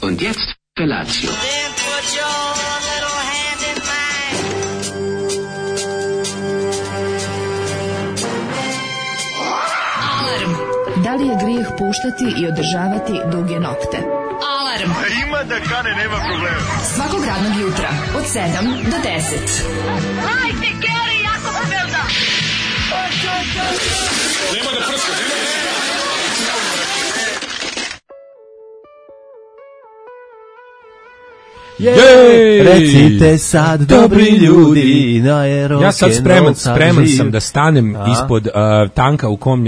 Und jetzt Felatio. Then put your little hand in mine. Alarm. Da li je grijeh puštati i održavati duge nokte? Alarm. Ima da kane, nema problema. Svakog radnog jutra od 7 do 10. Hajde, Geri, jako se velda. Nema da prska, nema da... Jej! Recite sad, dobri ljudi, na Ja sad spreman sam da stanem ispod tanka u kom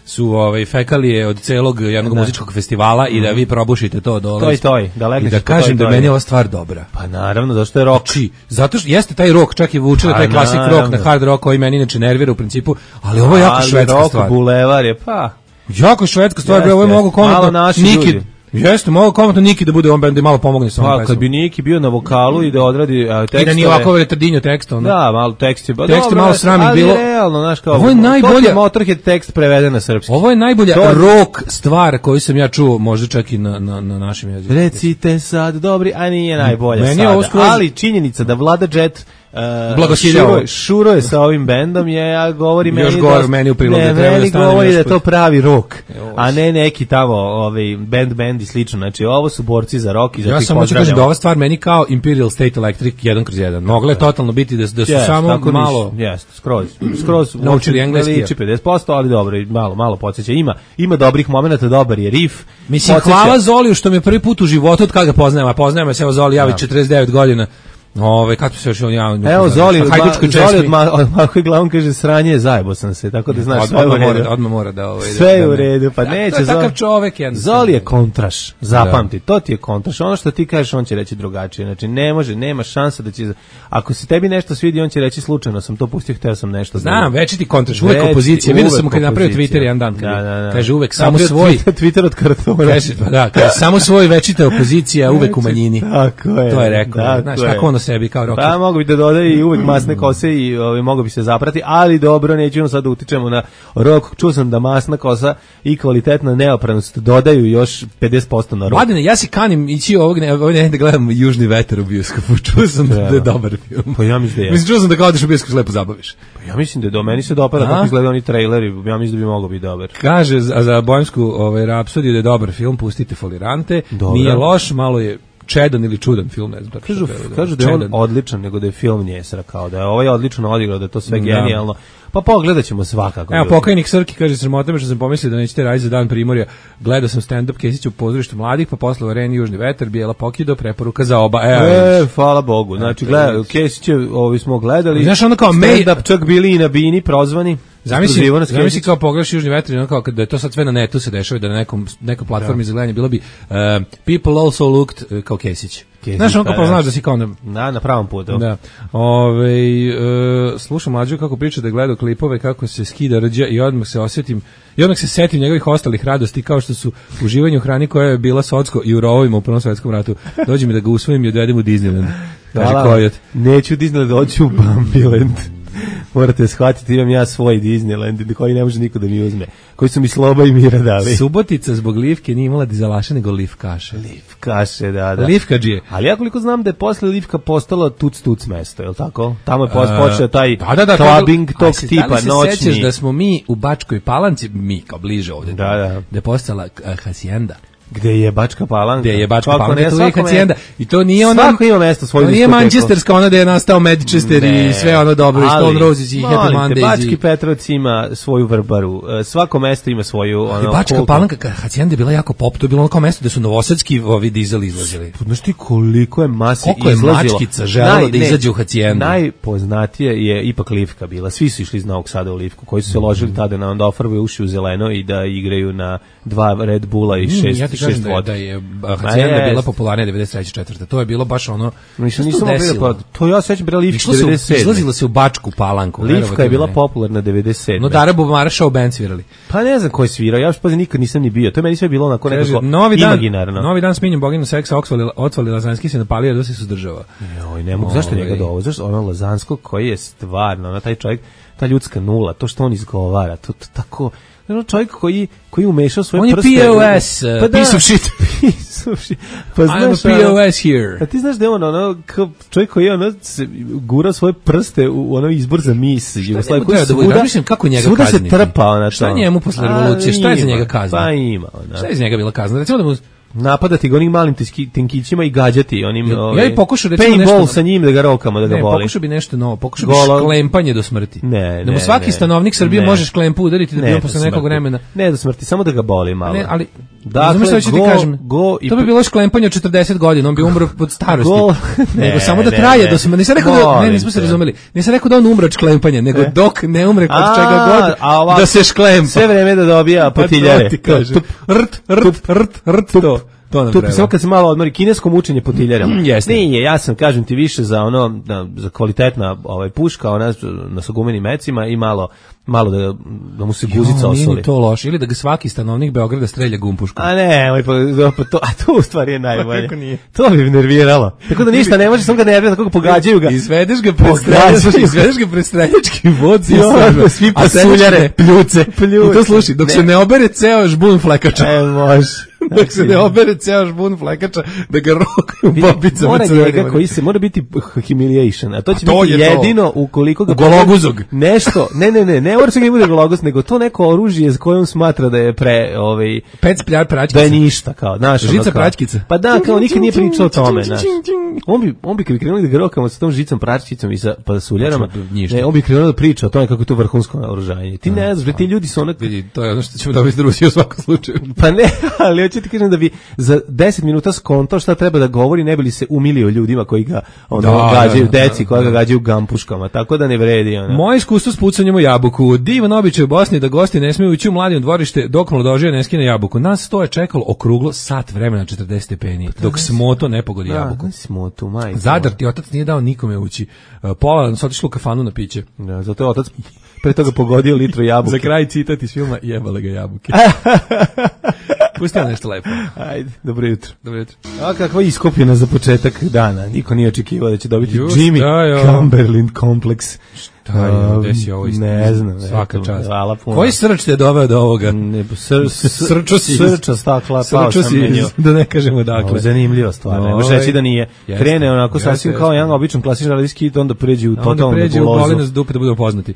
su fekalije od celog jednog muzičkog festivala i da vi probušite to dole. Toj, da legneš. I da kažem da meni je ova stvar dobra. Pa naravno, zašto je rock? Znači, zato što jeste taj rock, čak i vuče taj klasik rock na hard rock koji meni inače nervira u principu, ali ovo je jako švedska stvar. Rock bulevar je, pa... Jako švedska stvar, ovo je mogu komotno Niki. Jeste, mogu komotno Niki da bude on band da malo pomogne sa ovom pesmom. Kad bi Niki bio na vokalu i da odradi tekstove... I da nije ovako retardinjo tekst, ono. Da, malo tekst je... Tekst je malo sramih bilo. Ali realno, znaš kao... Ovo je najbolja... Motorhead tekst preveden na srpski. Ovo je najbolja rock stvar koju sam ja čuo, možda čak i na našem jeziku. Recite sad, dobri, a nije najbolja meni sada. Skroz... Ali činjenica da Vlada Jet... Šuro je sa ovim bendom ja govori meni još gore meni u prilog da treba da stane govori da to pravi rock a ne neki tamo band i slično, znači ovo su borci za rock i za ja samo ću kažem da ova stvar meni kao Imperial State Electric 1/1 mogla je totalno biti da su samo malo skroz naučili engleski 50%, ali dobro, malo podsjeća, ima dobrih momenata, dobar je riff, mislim hvala Zoliju što me prvi put u životu od kada ga poznajem se, evo Zoli javi 49 godina. Kako se još on javno? Evo Zoli od Marko glavom kaže sranje je zajebo sam se, tako da znaš odmah mora da sve je u redu, pa neće. To je takav čovek jednostavno. Zoli je kontraš, zapamti, to ti je kontraš, ono što ti kažeš on će reći drugačije, znači nema šanse da će, ako se tebi nešto svidi on će reći slučajno sam to pustio, hteo sam nešto. Znam, večiti kontraš, uvek opozicija, vidio sam kad napravio Twitter jedan dan, kaže uvek samo svoj Twitter od kartona, kaže samo svoj, večita opozicija, uvek u manjini, to je rekao, znaš kako sebi kao rocker. Pa mogu bi da dodaje i uvek masne kose i mogu bi se zaprati, ali dobro, nećemo sad da utičemo na rock. Čuo sam da masna kosa i kvalitetna neopranost dodaju još 50% na rock. Mladene, ja si kanim ići ovog ne da gledam Južni vetar u bioskopu. Čuo sam da je dobar film. Pa ja mislim da je. Mislim, čuo sam da kao odeš u bioskop lepo zabaviš. Pa ja mislim da je do meni se dopada kako izgledaju oni traileri, ja mislim da bi mogao biti dobar. Kaže za Bohemsku Rapsodiju da je dobar film, pustite folirante. Nije loš, malo je čedan ili čudan film, ne znam. Kažu da je on odličan, nego da je film njesra, kao da je ovaj odlično odigrao, da je to sve genijalno. Pa pogledat ćemo svakako. Evo, pokajnik Srki kaže, sramota me što sam pomislio da nećete raditi za dan Primorja. Gledao sam stand-up Kesića u pozorištu mladih, pa posle u areni Južni vetar, Bijela Pokido, preporuka za oba. Hvala Bogu. Znači, Kesiće smo gledali. Znaš, ono kao stand-up čak bili i na Bini prozvani. Zamisli kao pogledaš Južni vetar, ono kao da je to sad sve na netu se dešava, da na nekoj platformi za gledanje bilo bi People also looked kao Kesić. Znaš, on kao poznaš da si kao na pravom putu. Da. Slušam Mlađu kako priča da gleda klipove kako se skida rđa i odmah se setim njegovih ostalih radosti kao što su uživanje u hrani koja je bila socko i u rovovima u Prvom svetskom ratu. Dođi mi da ga usvojim i odvedem u Disneyland. Kaže Kojot. Neću u Disneyland, dođu u Bambiland. Morate shvatiti, imam ja svoj Disneyland koji ne može niko da mi uzme, koji su mi Sloba i Mira dali. Subotica zbog Livke nije imala dizelaše nego Livkaše. Livkaše, da. Livkađije. Ali ja koliko znam da je posle Livka postala tuc mesto, je li tako? Tamo je počeo taj clubbing tog tipa noćni. Da li se sećaš da smo mi u Bačkoj Palanci, mi kao bliže ovdje, da je postala hacijenda. Gde je Bačka Palanka? Gde je Bačka Palanka, to je hacijenda. I to nije ona... Svako ima mesto svoju diskoteku. Nije Manchesterska, ona da je nastao Manchester i sve ono dobro, i Stone Roses i Happy Mondays. Bački Petrovac ima svoju vrbaru. Svako mesto ima svoju... Bačka Palanka, hacijenda je bila jako pop, to je bilo ono kao mesto gde su novosadski dizeli izlazili. Znaš ti koliko je masi izlazilo? Koliko je mačkica želala da izađe u hacijendu? Najpoznatije je ipak Livka bila. Svi su išli iz Novog Sada u Livku, koji su se ložili tada na onda ofarbaju uši u zeleno i da igraju na 2 Red Bulla i 6 voda. Da je hacijenda bila popularnija 93-4. To je bilo baš ono... Nisam bilo, to ja sećam bila Livka 97. Izlazila se u Bačku Palanku. Livka je bila popularna 97. No Dara Bubamara show band svirali. Pa ne znam ko je svirao, ja još pazi nikad nisam ni bio. To je meni sve bilo onako nekako imaginarno. Novi dan s Minjom Boginu seksa otvali Lazanski se napalio da se suzdržava. Joj, ne mogu, zašto njega dovo? Zašto ono Lazanskog koji je stvarno, taj čovjek, ta ljudska nula, to što on izgovara, to tako... Čovjek koji umešao svoje on prste. On je POS, piece of shit. Piece of shit. Pa znaš, I'm a POS here. A ti znaš da je ono, čovjek koji je gura svoje prste u ono izbor za mis. Šta njemu treba da mislim kako njega kazniti? Svuda se trpa ona. Šta njemu posle revolucije? Šta je za njega kazna? Pa ima. Šta je za njega bila kazna? Recimo da mu napadati ga onim malim tenkićima i gađati onim ja i pokušao recimo nešto sa njim da ga rokamo da ga boli. Pokušao bi nešto novo, pokušao bi šklempanje do smrti. Da mu svaki stanovnik Srbije može šklempu udariti da bi on posle nekog vremena. Ne do smrti, samo da ga boli malo. Ne, ali dakle, što ti kažem. To bi bilo šklempanje od 40 godina, on bi umro od starosti. Nego samo da traje do smrti. Nisam rekao da nismo se razumeli. Nisam rekao da on umre od šklempanja, nego dok ne umre kod čega god da se šklempa. Sve vreme da dobija potiljare. To nam treba. Samo kad se malo odmori, kinesko mučenje potiljarama. Nije, ja sam, kažem ti, više za ono, za kvalitetna puška, ona na sagumenim mecima i malo da mu se guzica osoli. Nije to loše, ili da ga svaki stanovnik Beograda strelja gumpuškom. A ne, to u stvari je najbolje. To bi nerviralo. Tako da ništa ne može, samo ga nervira, tako ga pogađaju ga. Izvedeš ga pred streljački voci. Svi pasuljare, pljuce. I to sluši, dok se ne obere ceo žbun flekača. Može. Dok se ne obere ceo žbun flekača, da ga rokaju bobicama. Mora njega koji se, mora biti humiliation, a to će biti jedino ukoliko ga... Gologuzog. Nešto, ne mora se ga bude gologuz, nego to neko oružje s kojom smatra da je pec pljar praćkica. Da je ništa, kao, znaš. Žica praćkica. Pa da, kao nikad nije pričao o tome, znaš. On bi kad bi krenuli da ga rokamo sa tom žicom praćkicom i sa pasuljarama, on bi krenuo da priča o tome kako je to vrhunsko oružanje. Ti ne znaš, ti ljudi su onak... Vidi, to je ono što ćemo dobiti Rusiju u svakom slučaju. Pa ne, ali hoću ti kažem da bi za 10 minuta skontao šta treba da govori, ne bi li se umilio ljudima koji ga gađaju, deci koja ga gađaju gampuškama, tako da ne vredi. Moje iskustvo s pucanjem u jabuku. Divan običaj u Bosni da gosti ne smiju ući u mladino dvorište dok mladožija ne skine jabuku. Nas to je čekalo okruglo sat vremena 40 stepeni, dok smoto ne pogodi jabuku. Smotu, majko. Zadar ti otac nije dao nikome ući. Pola nas otišlo u kafanu na piće. Da, zato je otac pre toga pogodio litru jabuke. Za kraj citat iz filma Jebale ga jabuke. Pustimo nešto lepo. Ajde, dobro jutro. Dobro jutro. A kakva iskopljena za početak dana. Niko nije očekivao da će dobiti Jimmy Cumberland kompleks. Gde si ovo isto? Ne znam. Svaka čast. Hvala puno. Koji srč te doveo do ovoga? Srča stakla. Srča si, da ne kažemo dakle. Zanimljiva stvar. Ne može reći da nije. Krene onako sasvim kao jedan običan klasičan radijski hit, onda pređe u totalnu nebulozu. Onda pređe u bolinu dupe da budemo poznati.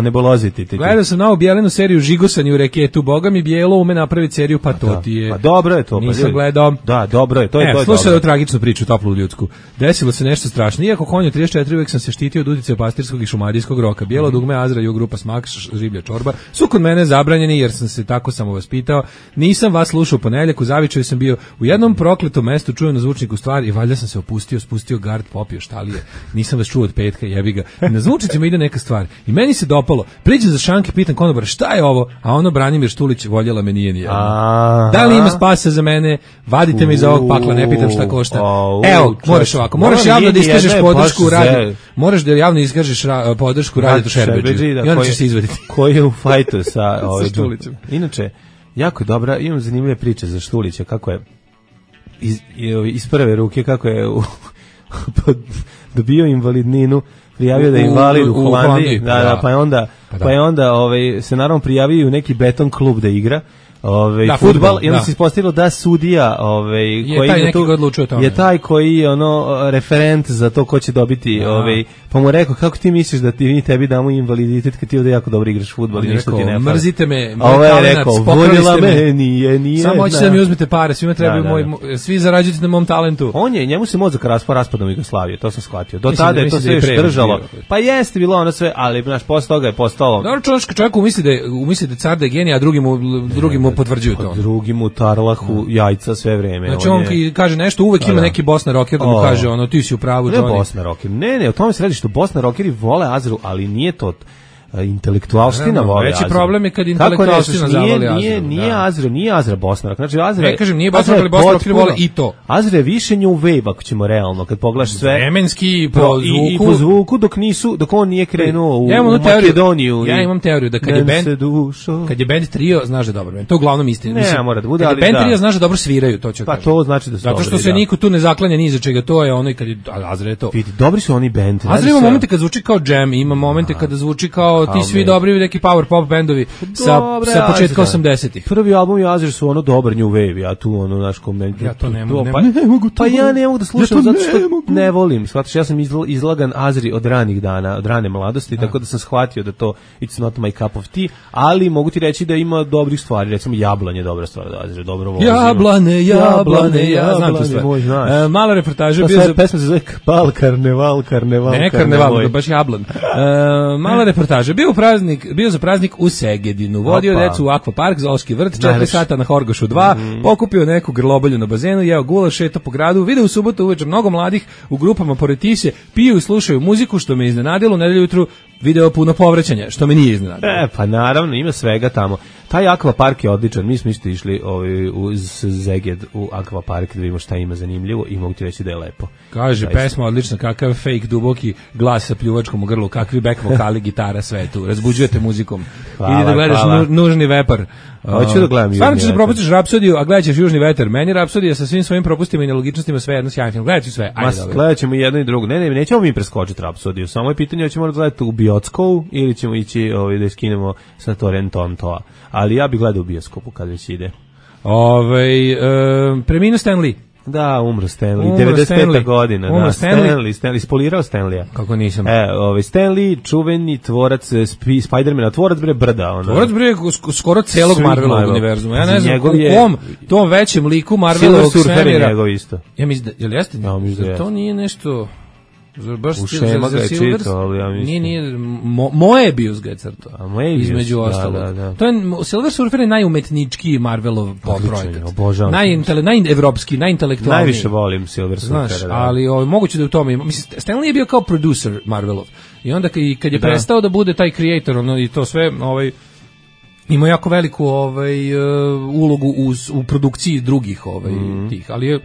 Nebuloziti. Gledao sam novu Bijelinu seriju Žigosani u reketu. Boga mi Bijelo ume napraviti seriju, pa to ti je. Pa dobro je to. Nisam gledao. Da, dobro je. To je dobro. Slušaj ovu tragičnu priču, toplu ljudsku. Desilo se nešto strašno. Iako konju 34 uvek sam se štitio od uticaja pastirskog i šumadijskog roka. Bijelo dugme, Azra, Jug grupa Smak, Žiblja čorba su kod mene zabranjeni jer sam se tako samo vaspitao. Nisam vas slušao u ponedjeljak, u Zavičaju sam bio u jednom prokletom mestu, čuo na zvučniku stvar i valjda sam se opustio, spustio gard, popio štalije. Nisam vas čuo od petka, jebi ga. Na zvučnicima ide neka stvar. I meni se dopalo. Priđem za šanke, pitam konobara šta je ovo, a ono Branimir Štulić, voljela me nije nijedno. Da li ima spasa za mene? Vadite me iz ovog pakla, ne pitam šta košta. Evo, moraš ovako, moraš javno da iskažeš podršku radi. Moraš da javno iskažeš podršku Radi Šerbeđi i onda ćeš se izvaditi. Koji je u fajtu sa Štulićem. Inače, jako je dobra, imam zanimljive priče za Štulića, kako je iz prve ruke, kako je dobio invalidninu, prijavio da je invalid u Holandiji, pa je onda se naravno prijavio u neki beton klub da igra, fudbal, i onda se ispostavilo da sudija je taj koji je referent za to ko će dobiti, pa mu rekao, kako ti misliš da tebi damo invaliditet kad ti ovdje jako dobro igraš fudbal i ništa ti ne fali. Mrzite me, moj talenat, voljela me, nije. Samo hoćete da mi uzmete pare, svima trebaju svi zarađujete na mom talentu. Njemu se mozak raspao raspadom Jugoslavije, to sam shvatio. Do tada je to sve još držalo. Pa jeste bilo ono sve, ali posle toga je postalo. Dobro, čovjek umisli da car da je genij, a drugi mu potvrđuju to. Drugi mu tarlahu jajca sve vreme. Znači on kaže nešto, uvek ima neki Bosna rocker da mu kaže ti si u pravu, Johnny. Ne Bosna rocker, ne, o tome se radi što Bosna rockeri vole Azru, ali nije to intelektualština voli Azra. Veći problem je kad intelektualština zavoli Azra. Nije Azra Bosna. Znači Azra, ne kažem, nije Bosna, ali Bosna rockeri vole i to. Azra je više new wave, ako ćemo realno, kad pogledaš sve. Vremenski, po zvuku, dok on nije krenuo u Makedoniju. Ja imam teoriju da kad je band trio, znaš da je dobro. To je uglavnom istina. Ne, mora da bude, ali da. Kad je band trio, znaš da dobro sviraju, to ću kažem. Pa to znači da su zato što se niko tu ne zaklanja ni za čega, to je ono i kad je Azra je to. Vidi, dobri su oni band. Azra ima momente kad zvuči kao jam, ima momente kada zvuči kao kao ti svi dobri neki power pop bendovi sa početka 80-ih. Prvi album i Azir su ono dobar New Wave, ja tu ono naš koment. Ja to ne mogu pa ja ne mogu da slušam zato što ne volim. Shvatiš, ja sam izlagan Azri od ranih dana, od rane mladosti, tako da sam shvatio da to it's not my cup of tea, ali mogu ti reći da ima dobrih stvari, recimo Jablanje je dobra stvar od Azri, dobro volim. Jablane, znam tu stvar. Mala reportaža bio za pesma se zove Karneval. Ne, Karneval, baš Jablan. Mala reportaža, bio za praznik u Segedinu, vodio decu u Akvapark, Zoološki vrt, 4 sata na Horgošu 2, pokupio neku grlobolju na bazenu, jeo gulaš, šetao po gradu, video u subotu uveče mnogo mladih u grupama pored Tise, piju i slušaju muziku, što me iznenadilo, u nedelju jutru video puno povraćanja, što me nije iznenadilo. Pa naravno, ima svega tamo. Taj akvapark je odličan, mi smo isto išli uz Zeged u akvapark da vidimo šta ima zanimljivo i mogu ti reći da je lepo. Kaže, pesma odlična, kakav fake duboki glas sa pljuvačkom u grlu, kakvi back vokali, gitara, sve tu, razbuđujete muzikom. Idi da gledaš Nužni vepar. Hoću da gledam. Stvarno ćeš da propustiš Rapsodiju, a gledat ćeš Južni vetar. Meni Rapsodija sa svim svojim propustima i nelogičnostima sve jedno sjajan film. Gledat ću sve. Gledat ćemo jedno i drugo. Ne, nećemo mi preskočiti Rapsodiju. Samo je pitanje hoćemo da gledati u bioskopu ili ćemo ići da skinemo sa torrentom toa. Ali ja bih gledao u bioskopu kad već ide. Preminuo Stan Lee. Da, umro Stanley, 95. godina. Da, Stanley, spolirao Stanleya. Kako nisam. Stanley, čuveni tvorac Spider-mana, tvorac bre brda. Ono. Tvorac bre skoro celog Marvelovog univerzuma. Ja ne znam u kom tom većem liku Marvelovog svemira. Njegov isto. Ja mislim da, jeste? Ja, to nije nešto... U Šema ga je čitao, ali ja mislim... Nije, moje Bius ga je crtao, između ostalog. Da. To je, Silver Surfer je najumetnički Marvelov projekat. Obožavam. Najevropski, najintelektualniji. Najviše volim Silver Surfer. Znaš, ali moguće da u tome ima. Mislim, Stan Lee je bio kao producer Marvelov. I onda kad je prestao da bude taj creator, i to sve, ima jako veliku ulogu u produkciji drugih tih, ali je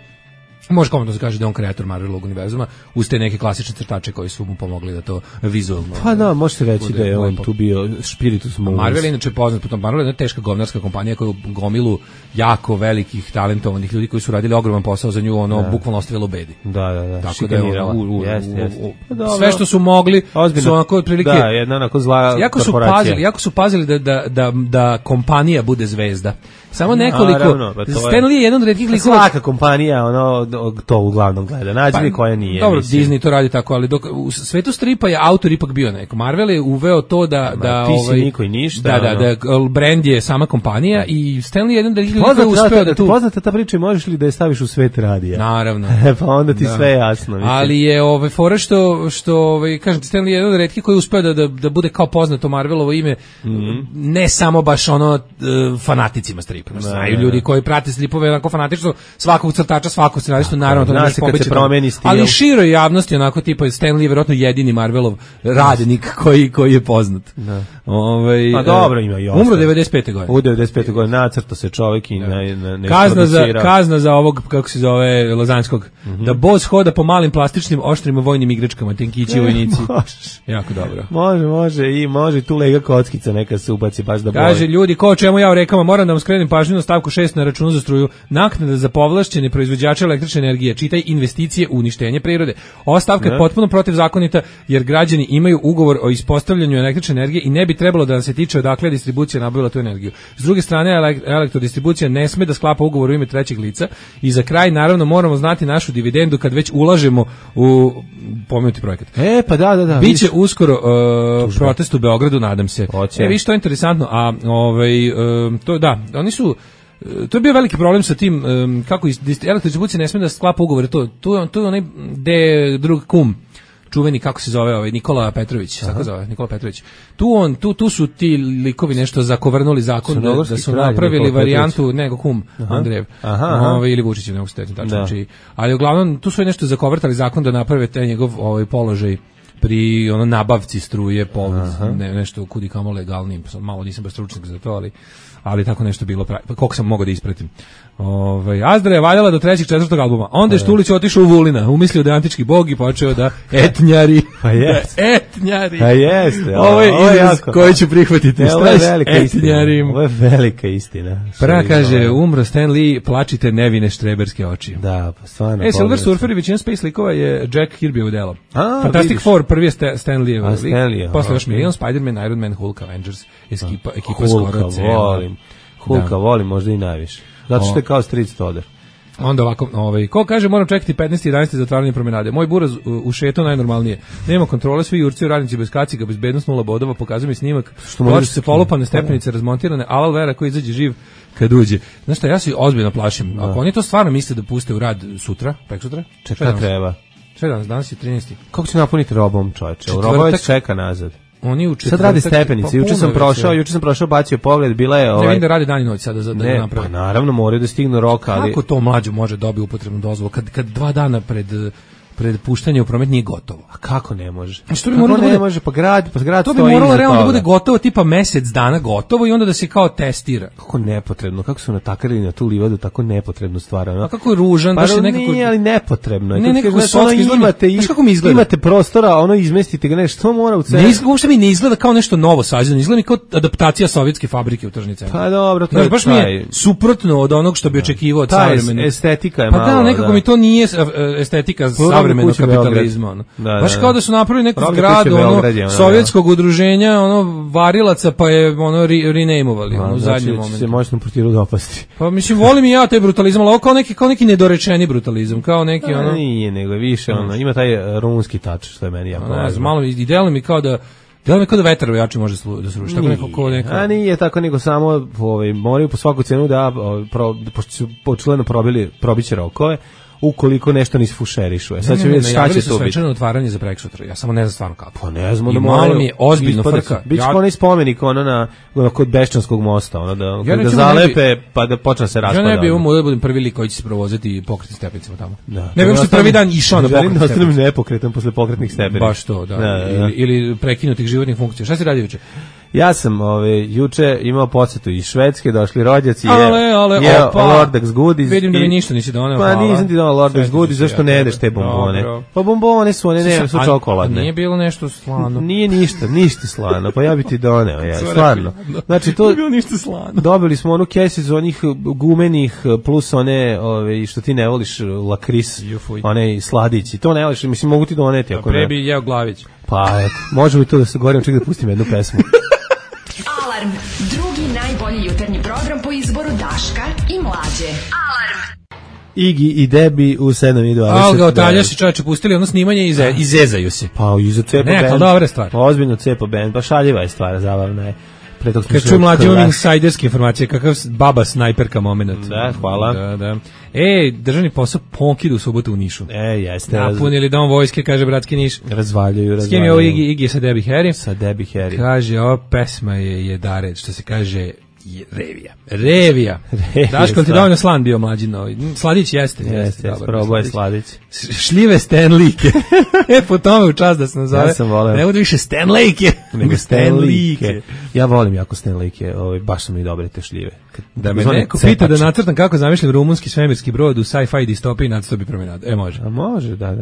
može komotno se kaže da je on kreator Marvelovog univerzuma uz te neke klasične crtače koji su mu pomogli da to vizualno... Pa da, možete reći da je on tu bio spiritus movus. Marvel je inače poznat po tom. Marvel je jedna teška govnarska kompanija koja je gomilu jako velikih talentovanih ljudi koji su radili ogroman posao za nju, bukvalno ostavilo u bedi. Da. Tako da je sve što su mogli su onako otprilike... Da, jedna onako zla korporacija. Jako su pazili da kompanija bude zvezda. Samo nekoliko... Stan Lee je jedan od retkih likova... Svaka kompanija, to uglavnom gleda. Nađi mi koja nije. Dobro, Disney to radi tako, ali u svetu stripa je autor ipak bio neko. Marvel je uveo to da ti si niko i ništa. Da brand je sama kompanija i Stan Lee je jedan od retkih likova uspeo da tu... Poznata ta priča, možeš li da je staviš u svet radija? Naravno. Pa onda ti sve jasno. Ali je fora što kažem ti, Stan Lee je jedan od retkih koji uspeo da bude kao poznato Marvelovo ime, ne samo baš fanaticima stripa. Znaju ljudi koji prate stripove onako fanatično, svakog crtača, svakog scenaristu, naravno to ne može pobeći. Ali široj javnosti onako tipa Stan Lee je vjerojatno jedini Marvelov radnik koji je poznat. Pa dobro, ima i umro 95. godine. U 95. godine nacrto se čovjek i kazna za ovog, kako se zove, Lozanskog, da boss hoda po malim plastičnim oštrim vojnim igračkama, tenkići vojnici. Jako dobro. Može i tu lega kockica neka se ubaci baš da boli. Kaže ljudi, ko čemu ja u rekama, moram da vam skrenem pažnju na stavku 6 na računu za struju, naknada za povlašćene proizvođače električne energije, čitaj investicije u uništenje prirode. Ova stavka je potpuno protivzakonita jer građani imaju ugovor o ispostavljanju električne energije i ne bi trebalo da se tiče odakle distribucija nabavila tu energiju. S druge strane, elektrodistribucija ne sme da sklapa ugovor u ime trećeg lica i za kraj naravno moramo znati našu dividendu kad već ulažemo u pomenuti projekat. Pa da. Biće uskoro protest u Beogradu, nadam se. Viš, to je interesantno, a to da, oni su to je bio veliki problem sa tim kako elektrodistribucija ne sme da sklapa ugovore, to je onaj drug kum čuveni, kako se zove, Nikola Petrović, tako zove, Nikola Petrović. Tu su ti likovi nešto zakovrnuli zakon da su napravili varijantu nego kum Andrejev. Ili Vučić, ne mogu se tačno tačno. Ali uglavnom tu su nešto zakovrtali zakon da naprave taj njegov položaj pri nabavci struje nešto kudi kamo legalnim, malo nisam baš stručnjak za to, ali ali tako nešto bilo, koliko sam mogao da ispratim. Azdra je valjala do 3. 4. albuma. Onda je Štulić otišao u Vulina, umislio da je antički bog i počeo da etnjari. Pa jeste. Etnjari. Pa jeste. Ovo je izraz koji ću prihvatiti. Ovo je velika istina. Ovo je velika istina. Prva kaže, umro Stan Lee, plačite nevine štreberske oči. Da, pa stvarno. Silver Surfer i većina Space likova je Jack Kirby delo. Fantastic Four, prvi je Stan Lee. Posle još Million, Spider-Man, Iron Man, Hulk, Avengers, ekipa skoro cela. Hulka volim možda i najviše. Zato što je kao Street Stoder. Onda ovako, ko kaže moram čekati 15. 11. zatvaranje promenade. Moj buraz u šeto najnormalnije. Nema kontrole, svi jurci u radnici bez kaciga, bezbednost 0 bodova, pokazuje mi snimak. Ploče se polupane stepenice razmontirane, Alal Vera koji izađe živ kad uđe. Znaš šta, ja se ozbiljno plašim. Ako oni to stvarno misle da puste u rad sutra, preksutra? Čeka treba. Sve danas je 13. Kako će napuniti robom, čoveče? Roba već čeka nazad. Oni u sad radi stepenice. Juče sam prošao, bacio pogled, bila je Ne vidim da radi dan i noć sada da napravi. Pa naravno, moraju da stignu rok, ali kako to mlađo može dobiti upotrebnu dozvolu kad 2 dana pred puštanje u promet nije gotovo. A kako ne može? Što bi moralo da bude, može, pa grad to bi moralo realno da bude gotovo tipa mesec dana gotovo i onda da se kao testira. Kako nepotrebno, kako su natakarili na tu livadu tako nepotrebnu stvar. A kako je ružan, baš je nekako. Nije, ali nepotrebno. Ne, nekako imate prostora, ono izmestite ga nešto, mora u centru. Ne, uopšte mi ne izgleda kao nešto novo sađeno, izgleda mi kao adaptacija sovjetske fabrike u tržni centar. Pa dobro, to je baš mi je suprotno od onog što bi očekivao od savremenog. Estetika je malo. Pa da, nekako mi to nije estetika savremenog kapitalizma. Baš kao da su napravili neku zgradu sovjetskog udruženja, varilaca, pa je renamevali u zadnjem momentu. Se moćno protiru dopasti. Pa mislim, volim i ja taj brutalizam, ali ovo kao neki nedorečeni brutalizam, kao neki Nije, nego je više, ima taj rumunski tač, što je meni jako važno. Malo i deluje mi kao da vetar jači može da se ruši. A nije tako, nego samo moraju po svaku cenu da, pošto su očigledno probiće rokove, ukoliko nešto ne isfušerišu. Sad će vidjeti šta će to biti. Svečano otvaranje za preksutra. Ja samo ne znam stvarno kako. Pa ne znam. I malo mi je ozbiljno frka. Biće onaj spomenik kod Beščanskog mosta, da zalepe pa da počne se raspada. Ja ne bi da budem prvi lik koji će se provozati pokretnim stepenicama tamo. Ne bih prvi dan išao na pokretnim stepenicama. Želim da ostanem nepokretan posle pokretnih stepenica. Baš to, da. Ili prekinutih životnih funkcija. Šta si radio juče? Ja sam juče imao posetu iz Švedske, došli rođaci, Lordex Goodies. Vidim da mi ništa nisi doneo. Pa nisam ti doneo Lordex Goodies, zašto ne jedeš te bombone? Pa bombone su, one su čokoladne. Nije bilo nešto slano. Nije ništa slano, pa ja bi ti doneo, stvarno. Znači to nije bilo ništa slano. Dobili smo onu kesicu onih gumenih plus one što ti ne voliš, lakris, one sladići. To ne voliš, mislim mogu ti doneti ako ne. Pre bi jeo Glavić. Pa eto, može li to da se govorim, ček da pustim jednu pesmu. Alarm, drugi najbolji jutarnji program po izboru Daška i Mlađe. Alarm. Igi i Debi u 7:20. Alga otaljaši čovječe pustili ono snimanje i izezaju se. Pa iza cepa band. Neka dobra stvar. Pa ozbiljno cepa band, pa šaljiva je stvar, zabavna je. Kad čujem Mlađe imam insajderske informacije, kakav baba snajperka moment. Da, hvala. Da. Državni posao Ponkidu u subotu u Nišu. Jeste. Napunili dom vojske, kaže bratski Niš. Razvaljuju. S kim je ovo Igi sa Debbie Harry? Sa Debbie Harry. Kaže, ova pesma je Dared, što se kaže Revija. Daško, ti dovoljno slan bio mlađi novi. Sladić jeste. Jeste, probao je Sladić. Šljive Stanleyke. Po tome u čast da se nazove. Ja sam voleo. Ne budu više Stanleyke, nego Stanleyke. Ja volim jako Stanleyke, baš su mi dobre te šljive. Da me neko pita da nacrtam kako zamišljam rumunski svemirski brod u sci-fi distopiji, nacrto bi promenade. Može. A može, da.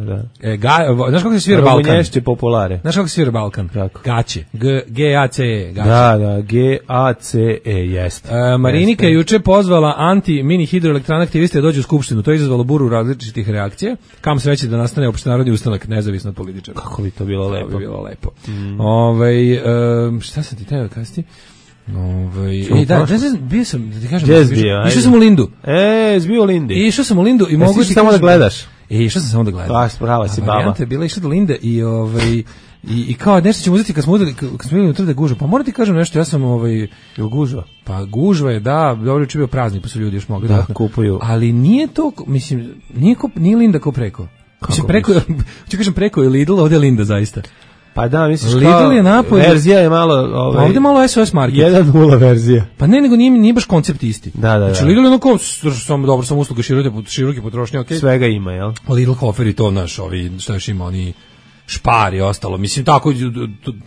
Znaš kako se svira Balkan? Rumunješće populare. Znaš kako se svira Balkan? Gaće. G-A-C-E. Da, G-A-C-E, jest. Marinika je juče pozvala anti-mini hidroelektrana aktiviste da dođu u skupštinu. To je izazvalo buru različitih reakcija. Kam sreće da nastane opštenarodni ustanak, nezavisno od političara. Kako bi to bilo lepo. To bi bilo lepo. Šta sam ti teo kasti? Bio sam, da ti kažem, išao sam u Lindu. Zbio u Lindi. Išao sam u Lindu i mogu ti samo da gledaš. Išao sam samo da gledam. Baš, prava si baba. Varijanta je bila išla do Linde i kao nešto ćemo uzeti kad smo bili unutra da gužva. Pa moram ti kažem nešto, ja sam gužva. Pa gužva je, da, dobro je bio praznik, pa su ljudi još mogli da kupuju. Ali nije to, mislim, nije Linda ko preko. Mislim, preko je Lidl, ovdje je Linda zaista. Pa da, misliš Lidl je napolje. Verzija je malo... ovdje malo SOS market. 1.0 verzija. Pa ne, nego nije baš koncept isti. Da. Znači Lidl je onako, dobro sam usluga široke potrošnje, okej. Svega ima, jel? Lidl Hofer i to, šta još ima, Špar i ostalo. Mislim, tako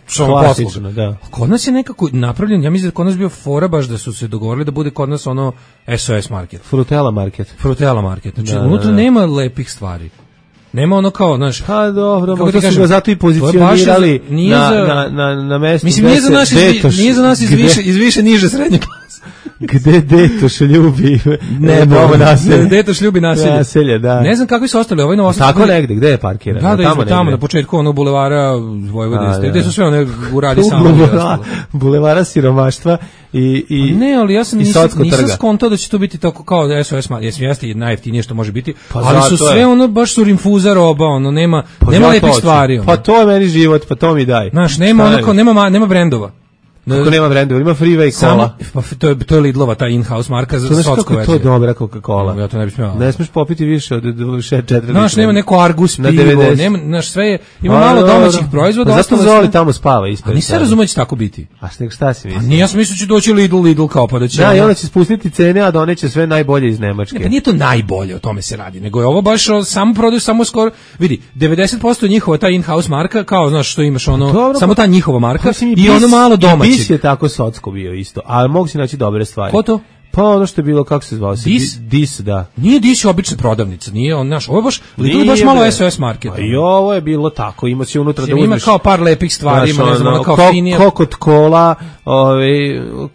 samo klasično, da. Kod nas je nekako napravljen, ja mislim da kod nas bio fora baš da su se dogovorili da bude kod nas ono SOS market. Frutella market. Znači, unutra nema lepih stvari. Nema ono kao, znaš... Pa dobro, možda su ga zato i pozicionirali na mestu. Mislim, nije za nas iz više niže srednje klase. Gde Detoš ljubi novo naselje. Detoš ljubi naselje. Da. Ne znam kakvi su ostali, ovaj novosadski. Tako negde, gde je parkiran? Da, tamo na početku onog bulevara Vojvodine. Gde su sve one uradi samo. Bulevara siromaštva i ne, ali ja sam nisam skontao da će to biti tako kao SOS market. Jeste najjeftinije što može biti, ali su sve ono baš su rinfuza roba, ono nema lepih stvari. Pa to je meni život, pa to mi daj. Znaš, nema brendova. Kako nema brendova, ima Freeway Cola. To je Lidlova, ta in-house marka za socko veće. To je dobra Coca-Cola. Ja to ne bih smeo. Ne smeš popiti više od 4 litra. Znaš, nema neko Argus pivo, znaš, sve je, ima malo domaćih proizvoda. Pa zašto Zoli tamo spava ispred? A nisam razumio da će tako biti. A šta si misliš? Nije, ja sam mislio će doći Lidl kao pa da će... Da, i onda će spustiti cene, a doneće sve najbolje iz Nemačke. Pa nije to najbolje, o tome se radi, nego je ovo baš samo prodaju, samo skoro, vidi, 90% njihova ta in-house marka, kao, znaš, što imaš ono, samo ta njihova marka i ono malo domaćeg. Bis je tako socko bio isto, ali mogu si naći dobre stvari. Ko to? Pa ono što je bilo, kako se zvao? Dis, da. Nije Dis obična prodavnica, nije on naš. Ovo je baš, Lidl baš malo SOS market. Pa i ovo je bilo tako, ima se unutra da uzmeš. Ima kao par lepih stvari, ima ne znam, kao finija. Kokot kola,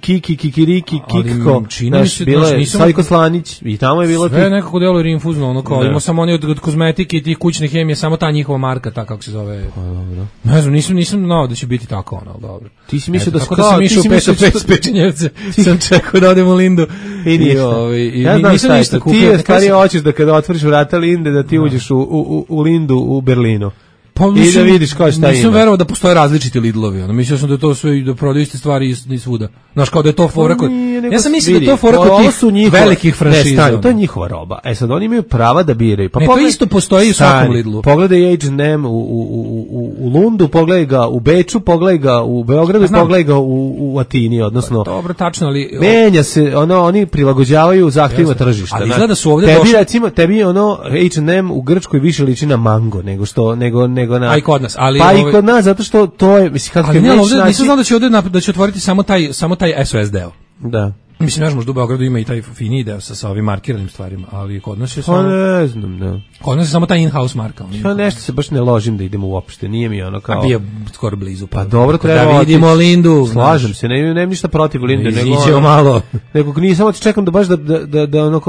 kikiriki, kikko. Znaš, bilo je Sajko Slanić i tamo je bilo... Sve nekako deluje rinfuzno, ono kao, ima samo oni od kozmetike i tih kućne hemije, samo ta njihova marka, ta kako se zove. Ne znam, nisam znao da će biti tako, ono, dobro. Ti si mislio da tako da sam išao u Pečenjevce, sam čekao da odem u Lindu. I ništa. Ja znam šta je to. Ti je starije hoćeš da kada otvoriš vrata Linde da ti uđeš u Lindu u Berlinu. Pa, i da vidiš kao šta ima. Nisam verovao da postoje različiti Lidlovi. Mislio sam da to sve da prodaju iste stvari i svuda. Znaš, kao da je to fora kod... Ja sam mislio da je to fora kod tih velikih franšiza. To je njihova roba. Sad oni imaju prava da biraju. Pa to isto postoji u svakom Lidlu. Pogledaj H&M u Lundu, pogledaj ga u Beču, pogledaj ga u Beogradu, pogledaj ga u Atini, odnosno... Dobro, tačno, ali... Menja se, oni prilagođavaju zahtjevima tržišta. Ali izgleda su ovde došli... Tebi H&M u Grčkoj više liči na mango nego što a i kod nas, ali pa i kod nas zato što to je mislim kako je nisam znao da će otvoriti samo taj SOS deo. Da. Mislim, ne znam, možda u Beogradu ima i taj fini deo sa ovim markiranim stvarima, ali kod nas je samo... ne znam, da. Kod nas je samo taj in-house marka. Ja nešto se baš ne ložim da idemo uopšte, nije mi ono kao... A bio skoro blizu. Pa dobro, treba da vidimo Lindu. Slažem se, nemam ništa protiv Linde, nego malo. Nego nisam čekam da baš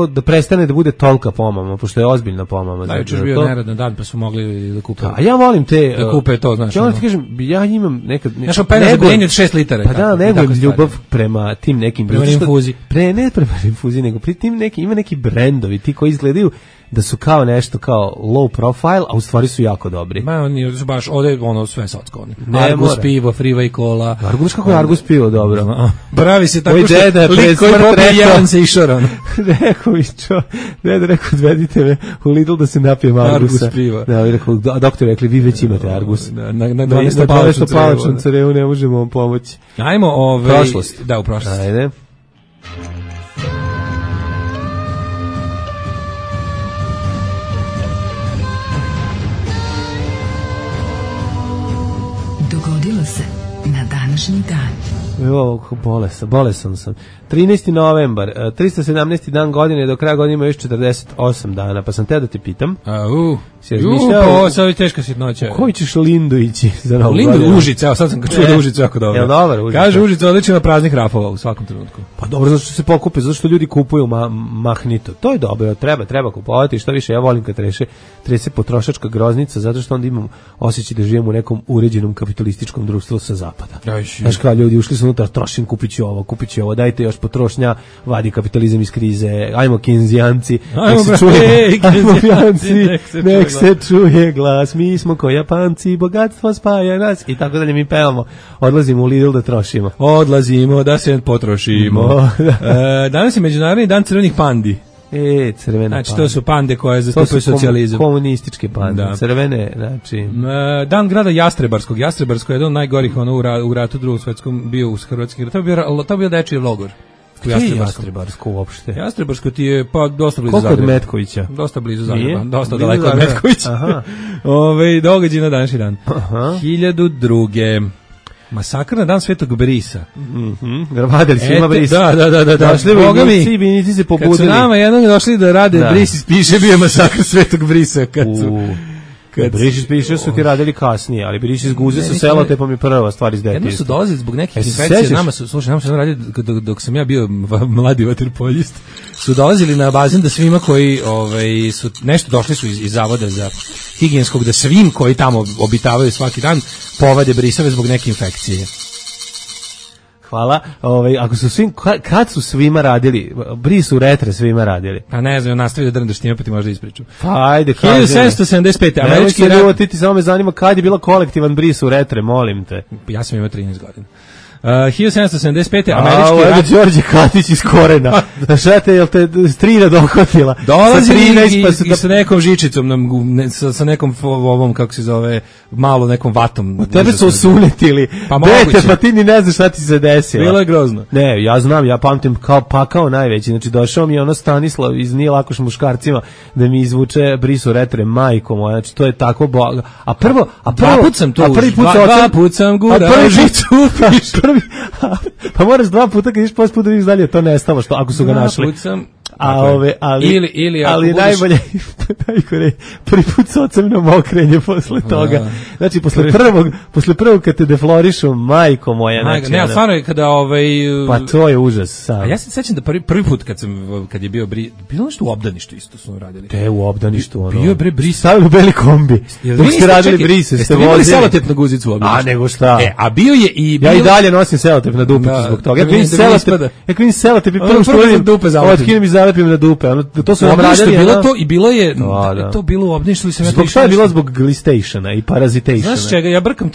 da prestane da bude tolika pomama, pošto je ozbiljna pomama. Da, jučer bio neradan dan, pa smo mogli da kupe. A ja volim te... Da kupe to, znaš. Ja ti kažem, ja imam nekad... Ja sam pena za grenje od 6 litara. Pa da, nego ljubav prema tim nekim... Prema infuziji. Ne prema infuziji, nego pri tim ima neki brendovi, ti koji izgledaju da su kao nešto kao low profile, a u stvari su jako dobri. Ma oni su baš ovde ono sve socko. Argus pivo, Freeway Cola. Argus kako je Argus pivo dobro. Pravi se tako što lik koji popije jedan se išoran. Rekao odvedite me u Lidl da se napijem Argusa. Argus piva. Da, rekao doktor rekli vi već imate Argus. Na 12 palačnom carevu ne možemo vam pomoći. Ajmo prošlost. Da, u prošlost. Ajde. Dogodilo se na današnji dan. Evo, bolesan sam. 13. novembar, 317. dan godine, do kraja godine ima još 48 dana, pa sam te da te pitam. Pa sad je teška sitnoća. Koji ćeš Lindu ići za novu godinu? Lindu Užice, evo sad sam čuo da Užice jako dobro. Jel dobar Užice? Kaže Užice odlično na praznih rafova u svakom trenutku. Pa dobro, zato što se pokupe, zato što ljudi kupuju mahnito. To je dobro, treba kupovati, što više, ja volim kad trese potrošačka groznica, zato što onda imam osjećaj da živim u nekom uređenom kapitalističkom društvu sa zapada. Znaš kao ljudi ušli su unutra, trošim, kupit ću ovo, dajte još potrošnja, vadi kapitalizam iz krize, ajmo kenzijanci, nek se čuje glas, mi smo ko Japanci, bogatstvo spaja nas i tako dalje, mi pevamo, odlazimo u Lidl da trošimo. Odlazimo da se potrošimo. Danas je Međunarodni dan crvenih pandi. Crvene znači, pande. To su pande koje zastupaju socijalizam. Komunističke pande, da. Crvene, znači... Dan grada Jastrebarskog. Jastrebarsko je jedan od najgorih u ratu drugog svetskom bio u hrvatskim. To je bio dečiji logor. Jastrebarsko uopšte? Jastrebarsko ti je pa dosta blizu Zagreba. Koliko od Metkovića? Dosta blizu Zagreba, dosta daleko od Metkovića. Aha. Događaj na današnji dan. 1002. Masakr na dan Svetog Brisa. Vadili svima Bris. Da. Došli vojnici se pobudili. Kad su nama jednog došli da rade Bris ispiše, bio je masakr Svetog Brisa. Bris ispiše su ti radili kasnije, ali Bris iz guze sa selotepom je prva stvar iz detinjstva. Jedno su dolazili zbog nekih infekcija, nama su radili, dok sam ja bio mladi vaterpoljist, su dolazili na bazen da svima koji su nešto došli su iz zavoda za higijenskog, da svim koji tamo obitavaju svaki dan povade brisave zbog neke infekcije. Hvala. Ako su svim, kad su svima radili, Brisu retre svima radili. Pa ne znam, nastavi da drndaš time, pa ti možda ispriču. Pa ajde, kaži. 1775. Američki rat. Ti samo me zanima kad je bila kolektivan Brisu retre, molim te. Ja sam imao 13 godina. 1775. Američki rat. Đorđe Katić iz Korena. Znaš, jel te strina dohvatila? Dolazi i sa nekom žičicom, sa nekom ovom, kako se zove, malo nekom vatom. U tebe su osunetili. Pa moguće. Pa ti ni ne znaš šta ti se desilo. Bilo je grozno. Ne, ja znam, ja pamtim kao pakao najveći. Znači, došao mi je ono Stanislav iz Nije lakoš muškarcima da mi izvuče Brisu retre, majko moja. Znači, to je tako boga. A prvi put sam gurao žicu. Pa moraš 2 puta kad iš posle puta vidiš dalje to nestalo što ako su ga našli. Ali najbolje prvi put s ocem na mokrenje posle toga. Znači posle prvog kad te deflorišu, majko moja. Znači, ne, stvarno je kada pa to je užas. A ja se sećam da prvi put kad je bio bilo nešto u obdaništu isto su radili. Te u obdaništu ono. Bio bre Bris. Stavili u beli kombi. Dok ste radili Brise, ste vozili selotep na guzicu u obdaništu. A nego šta? A bio je i ja i dalje nosim selotep na dupe zbog toga. Ja vidim selotep i prvo što vidim dupe zalepim na dupe. To su nam radili. Bilo to i bilo je to bilo u obdaništu ili sam ja to. Zbog šta je bilo zbog glistationa i parazitationa. Znaš čega, ja brkam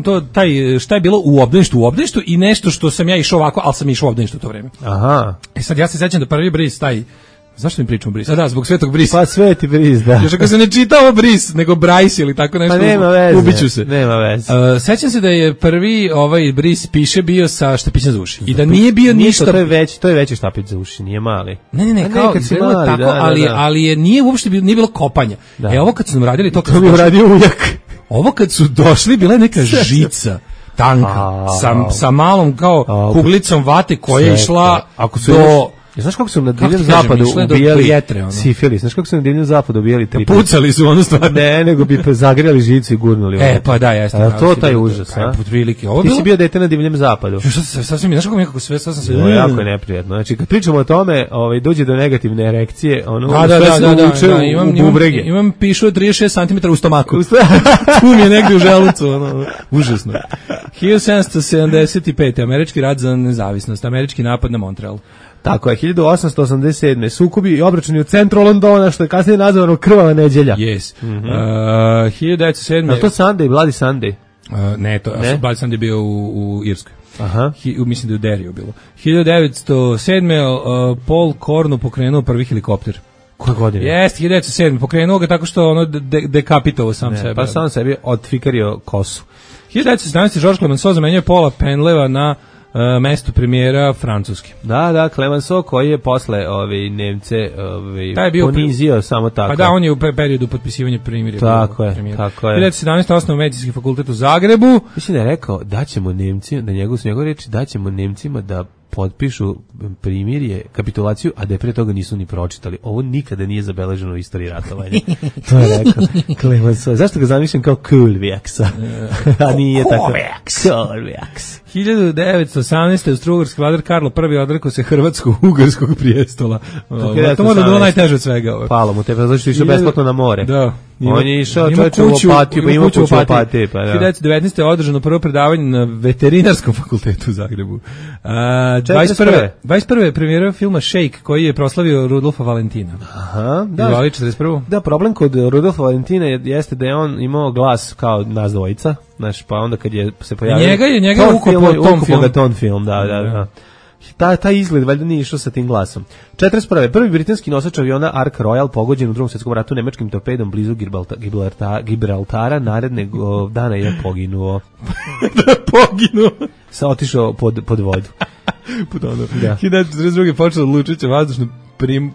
to taj šta je bilo u obdaništu i nešto što sam ja išao ovako, al sam išao u obdaništu to vreme. Aha. Sad ja se sećam da prvi Bris taj. Zašto mi pričamo Bris? Da, zbog Svetog Brisa. Pa Sveti Bris, da. Još ako se ne čita ovo Bris, nego Brajs ili tako nešto. Pa nema veze. Ubiću se. Nema veze. Sećam se da je prvi Bris piše bio sa štapićem za uši. I da nije bio ništa. To je veći štapić za uši, nije mali. Ne, kao bilo tako, ali je nije uopšte nije bilo kopanja. Ovo kad su nam radili to mi uradio ujak. Ovo kad su došli bila je neka žica tanka sa malom kao kuglicom vate koja je išla do. Znaš kako su na Divljem zapadu ubijali sifilis? Znaš kako su na Divljem zapadu ubijali tripu? Pucali su ono stvar. Ne, nego bi zagrijali žicu i gurnuli. Pa da, jeste. A to taj užas, a? Ti si bio dete na Divljem zapadu. Sasvim, znaš kako mi nekako sve sasvim se. Jako je neprijatno. Znači, kad pričamo o tome, dođe do negativne erekcije, ono sve se uvuče u bubrege. Imam pišu 36 cm u stomaku. Tu mi je negdje u želucu, ono, užasno. 1775. Američki rat za nezavisnost, američki napad na Montreal. Tako je, 1887. Sukobi i obračuni u centru Londona, što je kasnije nazvano Krvava neđelja. Yes. 1907. A to Sunday, Bloody Sunday? Ne, Bloody Sunday bio u Irskoj. Aha. Mislim da je u Deriju bilo. 1907. Paul Cornu pokrenuo prvi helikopter. Koje godine? Jeste, 1907. Pokrenuo ga tako što ono dekapitovao sam sebe. Pa sam sebi odfikario kosu. 1917. Georges Clemenceau zamenio Paula Penleva na mesto premijera Francuski. Da, Clemenceau koji je posle Nemce ponizio samo tako. Pa da, on je u periodu potpisivanja primirja. Tako je. 1917. osnovao Medicinski fakultet u Zagrebu. Mislim da je rekao da ćemo Nemci, da njegove reči, da ćemo Nemcima da potpišu primirje, kapitulaciju, a da je pre toga nisu ni pročitali. Ovo nikada nije zabeleženo u istoriji ratovanja. To je rekao Clemenceau. Zašto ga zamišljam kao Kulvijeksa? A nije tako. Kulvijeks. 1918. Austro-Ugarski vladar Karlo I odrekao se hrvatsko-ugarskog prijestola. To mora bilo najteže od svega. Palo mu te, zato što je išao besplatno na more. Da. On je išao čovječe u Opatiju, pa ima kuću u Opatiji. 1919. je održano prvo predavanje na veterinarskom fakultetu u Zagrebu. 21. je premijerao filma Shake, koji je proslavio Rudolfa Valentina. Aha, da. 41. Da, problem kod Rudolfa Valentina jeste da je on imao glas kao nas dvojica, znaš, pa onda kad je se pojavio... Njega je ukupio ton film, da. Taj izgled valjda nije išao sa tim glasom. 41. Prvi britanski nosač aviona Ark Royal pogođen u Drugom svjetskom ratu nemačkim torpedom blizu Gibraltara, narednog dana je poginuo. Poginuo? Otišao pod vodu. Putonuo. 1942. počela Lučića vazdušna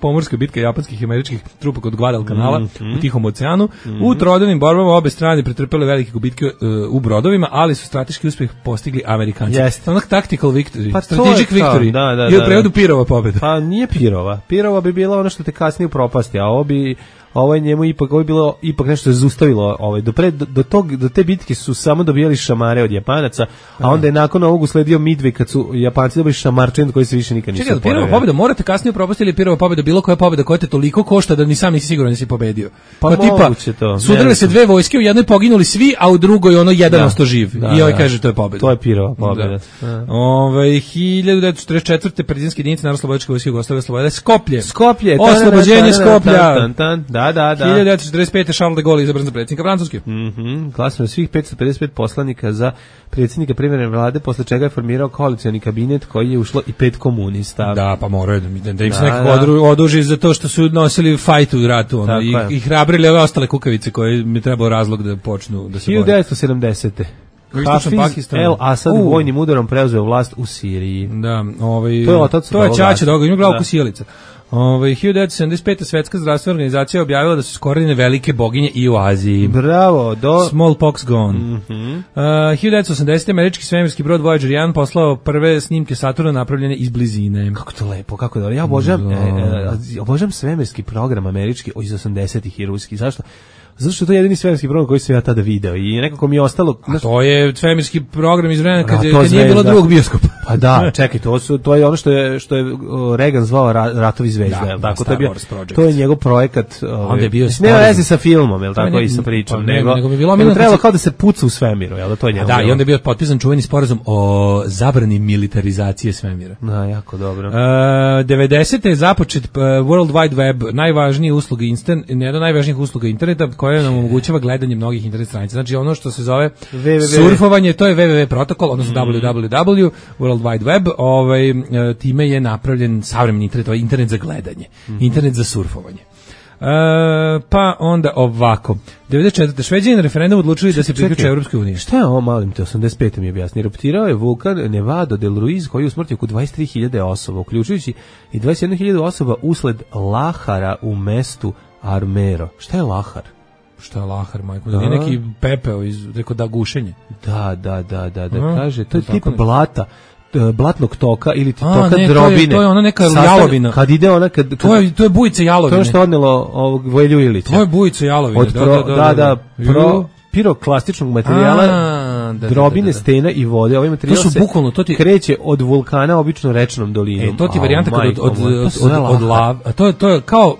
pomorska bitka japanskih i američkih trupa kod Guadalcanala u Tihom oceanu. U trodavnim borbama obe strane pretrpele velike gubitke u brodovima, ali su strateški uspjeh postigli Amerikanci. Onak tactical victory, strategic victory. I u prevodu Pirova pobjeda. Pa nije Pirova. Pirova bi bila ono što te kasnije upropasti, a ovo je njemu ipak bilo nešto je zaustavilo do te bitke su samo dobijali šamare od Japanaca, a onda je nakon ovog usledio Midway kad su Japanci dobili šamarčin koji se više nikad nisu oporavili. Pirova pobjeda morate kasnije propustiti ili Pirova pobjeda bilo koja pobjeda koja te toliko košta da ni sam nisi siguran da si pobedio. Pa moguće to. Sudarili se dve vojske, u jednoj poginuli svi, a u drugoj ono jedan ostao živ. I ovaj kaže to je pobjeda. To je Pirova pobjeda. 1944. partizanske jedinice Narodnooslobodilačke vojske Jugoslavije oslobodile Skoplje. Oslobođenje Skoplja. Da. 1945. Charles de Gaulle izabran za predsjednika Francuske. Glasno svih 555 poslanika za predsjednika privremene vlade, posle čega je formirao koalicioni kabinet koji je ušlo i 5 komunista. Da, pa moraju da im se nekako oduži za to što su nosili fajt u ratu i hrabrili ove ostale kukavice koje mi trebao razlog da počnu da se bore. 1970. Hafiz El Asad vojnim udarom preuzeo vlast u Siriji. Da, to je Čača doga, ima glavu ko sjelica. 1975. Svetska zdravstvena organizacija objavila da su iskorenjene velike boginje i u Aziji. Bravo, Smallpox gone. 1980. američki svemirski brod Voyager 1 poslao prve snimke Saturna napravljene iz blizine. Kako to lepo, kako dobro. Ja obožavam svemirski program američki iz 80-ih i ruski. Zašto? Zato što to je jedini svemirski program koji sam ja tada video i nekako mi je ostalo... to je svemirski program iz vremena kad nije bilo drugog bioskopa. Pa da, čekaj, to je ono što je Reagan zvao Ratovi zvezda, je li tako? To je njegov projekat. Onda je bio nema veze sa filmom, je li tako, i sa pričom, nego bi trebalo kao da se puca u svemiru, je li to je njegov. Da, i onda je bio potpisan čuveni sporazum o zabrani militarizacije svemira. Da, jako dobro. 90. je započet World Wide Web, najvažnije usluge jedna od najvažnijih usluga interneta koja nam omogućava gledanje mnogih internet stranica. Znači ono što se zove surfovanje, to je www protokol, odnosno www, World Wide Web, time je napravljen savremeni internet, internet za gledanje, internet za surfovanje. Pa onda ovako. 94. Šveđani na referendumu odlučili da se priključe Evropskoj uniji. Šta je ovo, malim te, 85. mi objasni? Eruptirao je vulkan Nevado del Ruiz koji je usmrtio oko 23.000 osoba, uključujući i 21.000 osoba usled lahara u mestu Armero. Šta je lahar? Šta je lahar, majko? Da nije neki pepeo rekao da gušenje. Da, kaže, to je tip blata, blatnog toka ili toka drobine. To je ona neka jalovina. Kad ide ona... To je bujica jalovine. To je što odnelo ovog Vojelju Ilića. To je bujica jalovine. Piroklastičnog materijala, drobine, stena i vode. Ovaj materijal se kreće od vulkana obično rečnom dolinom. To ti varijanta od lava. To je kao...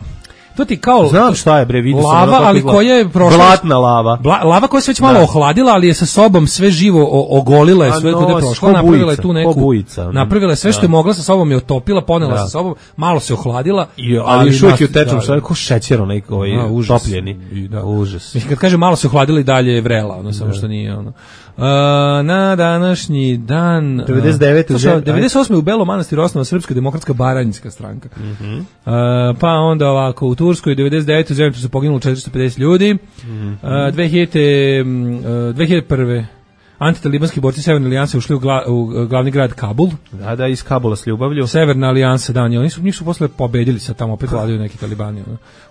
To ti kao znam šta je bre, vidio sam lava, ali koja je prošla blatna lava. Lava koja se već malo ohladila, ali je sa sobom sve živo ogolila je sve kada je prošla, napravila je tu neku napravila je sve što je mogla sa sobom, je otopila, ponela sa sobom, malo se ohladila, ali šuki u tečnom što je kao šećer onaj topljeni. Užas. Mislim kad kaže malo se ohladila i dalje je vrela, ono samo što nije ono. Na današnji dan 98. u Belom Manastiru osnovana Srpska demokratska baranjska stranka. Pa onda ovako u Turskoj 99. u zemlji su poginulo 450 ljudi. 2001. Antitalibanski borci Severne alijanse ušli u glavni grad Kabul. Da, iz Kabula s ljubavlju. Severna alijansa, da, oni su posle pobedili, sad tamo opet vladaju neki talibani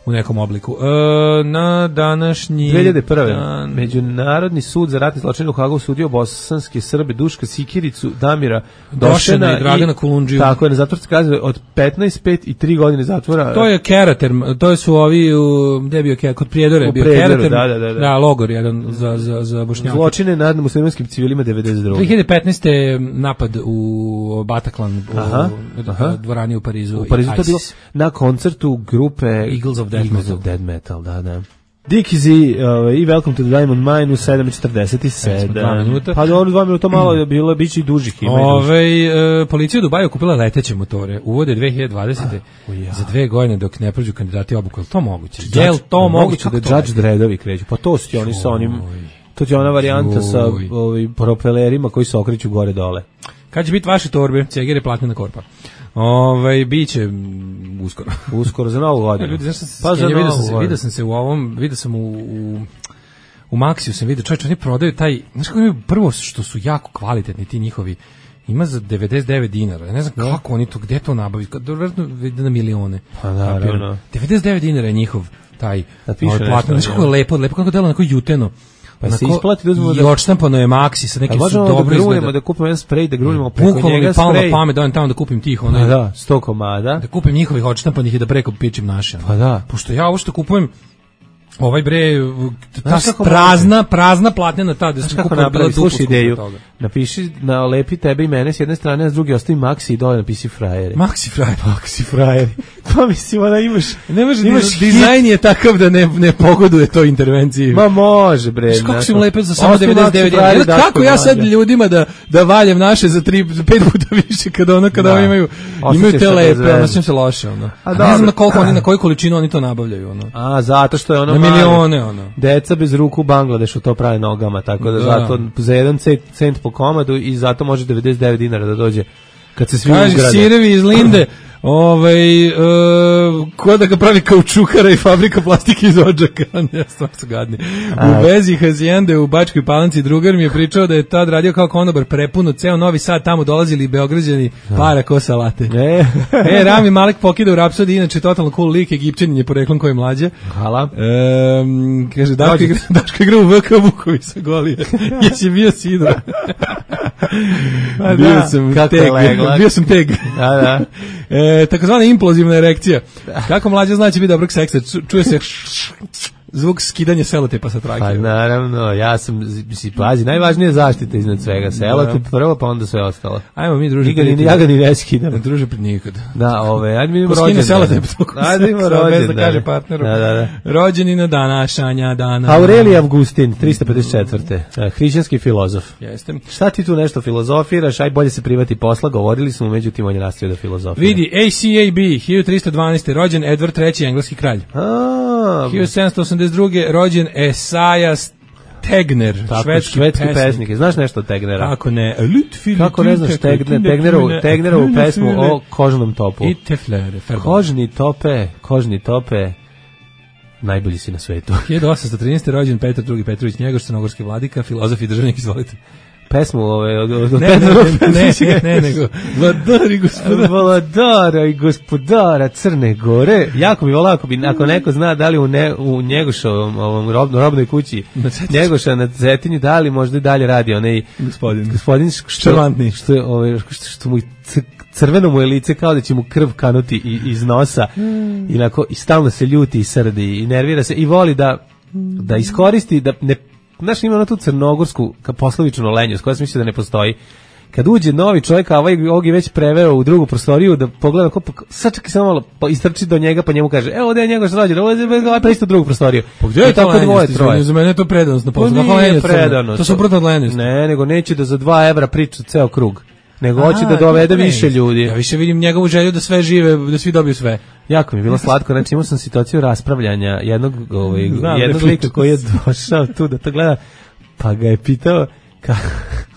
u nekom obliku. Na današnji 2001. Međunarodni sud za ratne zločine u Hagu sudio bosanske Srbe Duška Sikiricu, Damira Došena i Dragana Kulundžiju. Tako je, na zatvorske kazne od 15, 5 i 3 godine zatvora. To je Keraterm, to su ovi, gde je bio Keraterm? Kod Prijedore bio Keraterm. Da, logor jedan za Bošnjake. Zločine nad muslimanskim civilima 92. 2015. napad u Bataclan, u dvorani u Parizu. U Parizu to je bilo na koncertu grupe Eagles of Dead Metal, da. Dickie Z i Welcome to the Diamond Mine u 7:47. Pa dobro, 2 minuta malo je bilo, bit će i dužih. Policija u Dubaju kupila leteće motore. Uvode 2020. Za 2 godine dok ne prođu kandidati obuku. Je li to moguće? Je li to moguće da Judge Dreadovi kreću? Pa to su ti oni sa onim... To je ona varijanta sa propelerima koji se okreću gore dole. Kad će biti vaše torbe? Ceger je platnena korpa. Biće uskoro. Uskoro za Novu godinu. Ljudi, vidio sam se u ovom, vidio sam u Maxiju sam vidio, čovječ, oni prodaju taj, znaš kako imaju prvo što su jako kvalitetni ti njihovi ima za 99 dinara. Ja ne znam kako oni to, gde to nabavi, verovatno na milione. Pa naravno. 99 dinara je njihov taj platno. Znaš kako je lepo kako delo, onako juteno. Pa se isplati da uzmemo i odštampano je Maxi sa nekim su dobro izgleda. Da kupimo jedan sprej, da grunimo preko njega sprej. Bukvalno pamet da tamo da kupim tih onaj. Da, 100 komada. Da kupim njihovih odštampanih i da preko pičim naše. Pa da. Pošto ja ovo što kupujem ovaj bre prazna platnena ta da se kupila bila slušaj ideju. Napiši na lepi tebe i mene s jedne strane, a s druge ostavi Maxi i dole napisi frajeri. Maxi frajeri. Pa mislim da imaš dizajn je takav da ne pogoduje toj intervenciji. Ma može bre. Kako su im lepe za samo 99 dinara. Kako ja sad ljudima da valjem naše za 5 puta više kada imaju te lepe, osjećam se loše ono. Ne znam na koju količinu oni to nabavljaju ono. A zato što je ono milione ono. Deca bez ruku u Bangladešu to pravi nogama, tako da zato za 1 cent po komadu i zato može 99 dinara da dođe kad se svi ugrade. Kaže sirevi iz Linde, ko da ga pravi kaučukara i fabrika plastike iz Odžaka, ja stvarno su gadni. U vezi Hacijende u Bačkoj Palanci drugar mi je pričao da je tad radio kao konobar prepuno, ceo Novi Sad tamo dolazili Beograđani para ko salate. Rami Malek pokida u Rapsodi, inače totalno cool lik, Egipćanin je poreklom koji je mlađe. Hvala. Kaže, Daško igra u VK Vukovi sa Golije. Jesi bio Sidor? Bio sam teg. Da. Takozvana implozivna erekcija. Kako mlađa znači biti dobrog seksa? Čuje se zvuk skidanja selotepa sa trake. Pa naravno, ja sam, pazi, najvažnije je zaštita iznad svega. Selotep prvo, pa onda sve ostalo. Ajmo mi druže. Ja ga ni ne skidam. Druže nikad. Da, ajde mi idemo rođendan. Ajde idemo rođendan. Da kaže partneru. Da. Rođeni na današnja dana. Aurelije Avgustin, 354. Hrišćanski filozof. Jeste. Šta ti tu nešto filozofiraš? Aj bolje se privati posla. Govorili smo, međutim on je nastavio da filozofira. Vidi, ACAB, 1312. Rođen Edward III, engleski kralj. 1782. rođen Esajas Tegner, švedski pesnik. Znaš nešto o Tegnera? Kako ne? Kako ne znaš Tegnerovu pesmu o kožnom topu? I teflere. Kožni tope, najbolji si na svetu. 1813. rođen Petar II. Petrović Njegoš, crnogorski vladika, filozof i državnik, izvolite. Pesmu od ne, nego Vladara i gospodara Crne Gore. Jako bi volao ako neko zna da li u Njegošovom robnoj kući Njegoša na Cetinju, da li možda i dalje radi onaj gospodin Ščervantni, što mu crveno mu je lice kao da će mu krv kanuti iz nosa i stalno se ljuti i srdi i nervira se i voli da iskoristi, da ne. Znaš, ima na tu crnogorsku poslovičnu lenjost koja se misli da ne postoji. Kad uđe novi čovjek, a ovog je već preveo u drugu prostoriju, da pogleda, sad čekaj samo malo, pa istrči do njega, pa njemu kaže, evo ovdje je njegov rođen, ovo je pa isto drugu prostoriju. Pa gdje je to lenjost? Za mene je to predanost na poslu. Nije predanost. To su suprotno od lenjosti. Ne, nego neće da za 2 evra priča ceo krug. Nego hoće da dovede više ljudi. Ja više vidim njegovu želju da sve žive, da svi dobiju sve. Jako mi je bilo slatko, znači imao sam situaciju raspravljanja jednog lika koji je došao tu da to gleda, pa ga je pitao,